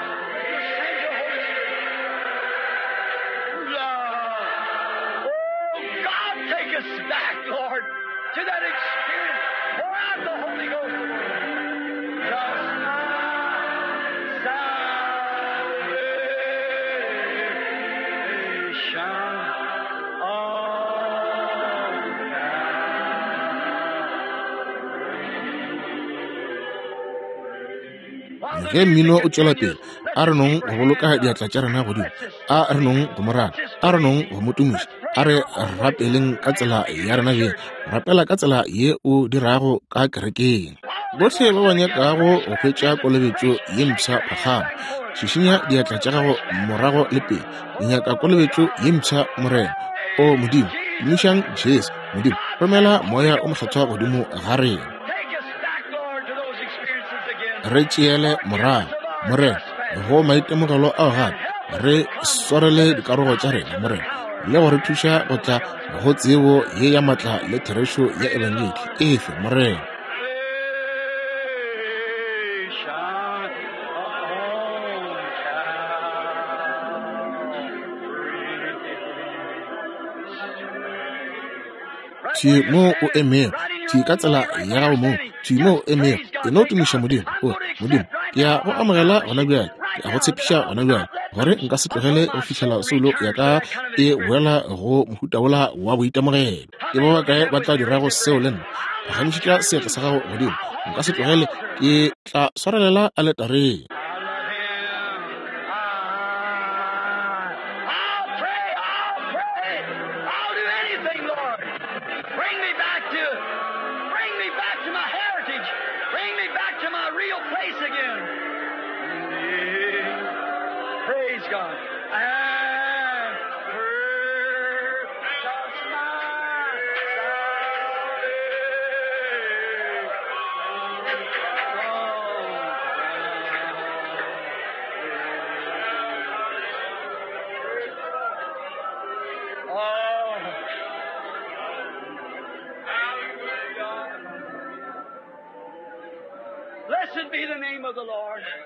send your Holy Spirit. Love. Oh, God, take us back, Lord, to that experience. Pour out the Holy Ghost. Just my salvation. On Ge mmino o tšwela pele, A re nong go boloka diatla tša rena godimo. A re nong go mo rata. A re nong go mo tumiša. A re rapeleng ka tsela ya rena bjeng. Rapela ka tsela ye o dirago ka kerekeng. Bohle ba ba nyakago go hwetša kolobetšo ye mpsha phakgama, šišinya diatla tša gago morago le pele. Ke nyaka kolobetšo ye mpsha, Morena. O Modimo, tumišang Jesu. Modimo, romela Moya o Mokgethwa godimo ga rena. Re tšeele morago, Morena, go maitemogelo ao gape. Re swarele dikarogo tša rena, Morena, le go re thuša go tla go tsebo ye ya matla le therešo ya Ebangedi. Efe, Morena. Thwi mo o emego, thwi ka tsela ya gago mong, thwi mo o emego, e no tumiša Modimo. O Modimo, ke ya go amogela gona bjale, ke a go tshepiša gona bjale, gore nka se tlogele go fihlela soulo ya ka e boela go mohuta wola wa boitemogelo. Ke ba bakae ba tla dirago seo le nna? Phagamišetša seatla sa gago godimo. Nka se tlogele, ke tla swarelela aletareng.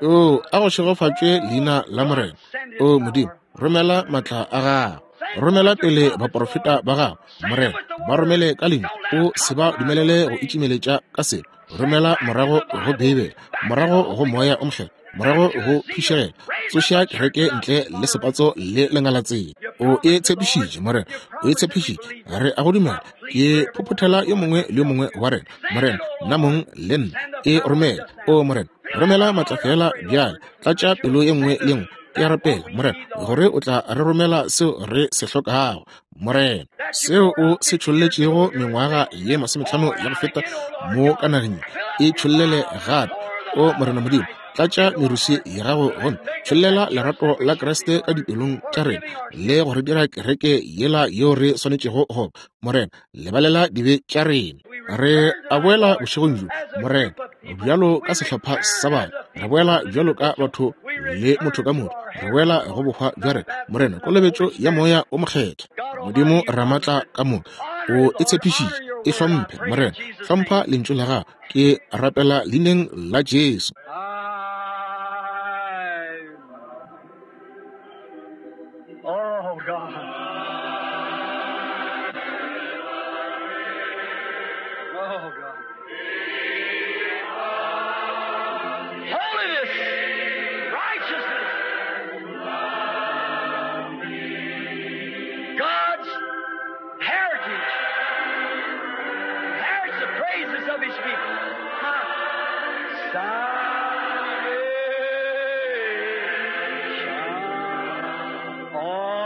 O a go šegofatšwe leina la Morena. O Modimo, romela matla a gago. Romela pele baporofeta ba gago, Morena, ba romele ka lentšu. O se ba dumelele go itšimeletša ka selo. Romela morago go Beibele, morago go Moya o Mokgethwa, morago go phišegelo. Tsoša kereke ntle le sepatso le lengalatsela. O e tshepišitše, Morena, o e tshepišitše. Re a go dumela. Ke phophothela yo mongwe le yo mongwe wa rena, Morena, nna mong le nna. E romele, o Morena, romela matla feela bjale. Tlatša pelo ye nngwe le nngwe. Ke a rapela, Morena, gore o tla re romela seo re se hlokago, Morena, seo o se tšholletšego mengwaga ye 50 ya go feta mo ka nageng, e tšhollele gape. O Morena Modimo, tlatša merusi ya gago gomme tšhollela lerato la Kriste ka dipelong tša rena le go re dira kereke yela yeo re swanetšego go ba. Morena, lebalela dibe tša rena. Re a boela bošegong bjo, Morena, bjalo ka sehlopha sa batho. Re boela bjalo ka batho le motho ka motho. Re boela go bohwa bja rena, Morena, kolobetšo ya Moya o Mokgethwa. Modimo Ramatla ka moka, o e tshepišitše. E hlomphe, Morena. Hlompha Lentšu la Gago. Ke rapela Leineng la Jesu. Oh, God. Oh, God. Holiness, righteousness, God's heritage, inherits the praises of His people. Salvation. Oh.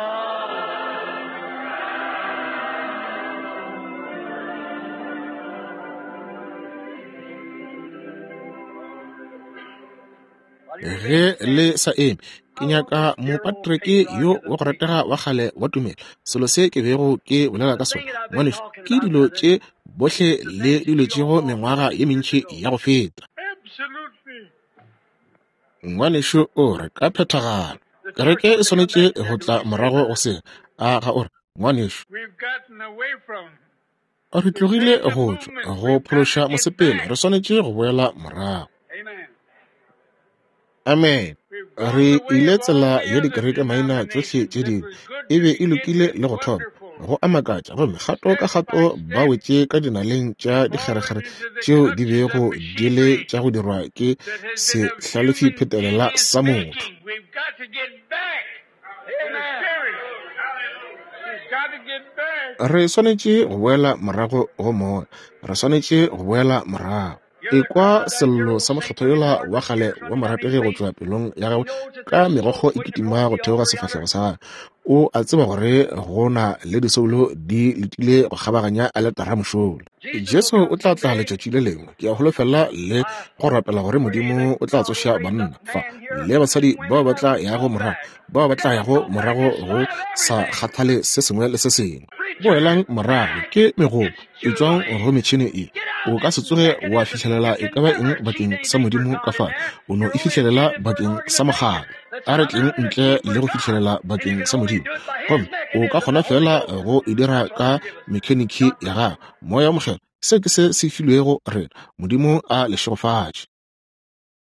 Ge le sa eme, ke nyaka mopatreke yo wa go ratega wa kgale wa tumelo. Selo se ke bego ke bolela ka sona, ngwanešu, ke dilo tše bohle le di lwetšego mengwaga ye mentši ya go feta. Ngwanešu o re ka phethagalo. Kereke e swanetše go tla morago go se. A ga o re, ngwanešu? Re tlogile go tšwa go phološa mosepelo, re swanetše go boela morago. Amen. Re ile tsela ya dikereke maina tšohle tše dingwe. E be e lokile le go thoma go a makatša, gomme kgato ka kgato ba wetše ka dinaleng tša dikgerekgere tšeo di bego di le tša go dirwa ke sehlalefiphetelela sa motho. Re swanetše go boela morago go Moya. Re swanetše go boela morago. Ekwa sello sa mokgethwa yola wa kgale wa morategi go tšwa pelong ya gagwe ka megokgo e kitima go theoga sefahlego sa gagwe. O a tseba gore go na le disoulo di letile go kgabaganya aletara mošola. Jesu o tla tla letšatši le lengwe. Ke a holofela le go rapela gore Modimo o tla tsoša banna fa le basadi bao ba tla yago morago, bao ba tla yago morago go sa kgathale se sengwe le se sengwe. Boelang morago ke megopo e tšwang go metšhene e. O ka se tsoge wa fihlelela e ka ba eng bakeng sa Modimo ka fale, o no e fihlelela bakeng sa mokgatlo. A re tleng ntle le go fihlelela bakeng sa Modimo, gomme o ka kgona feela go e dira ka mekheniki ya gago. Moya wo Mokgethwa, se ke se se filwego rena. Modimo a le šegofatše.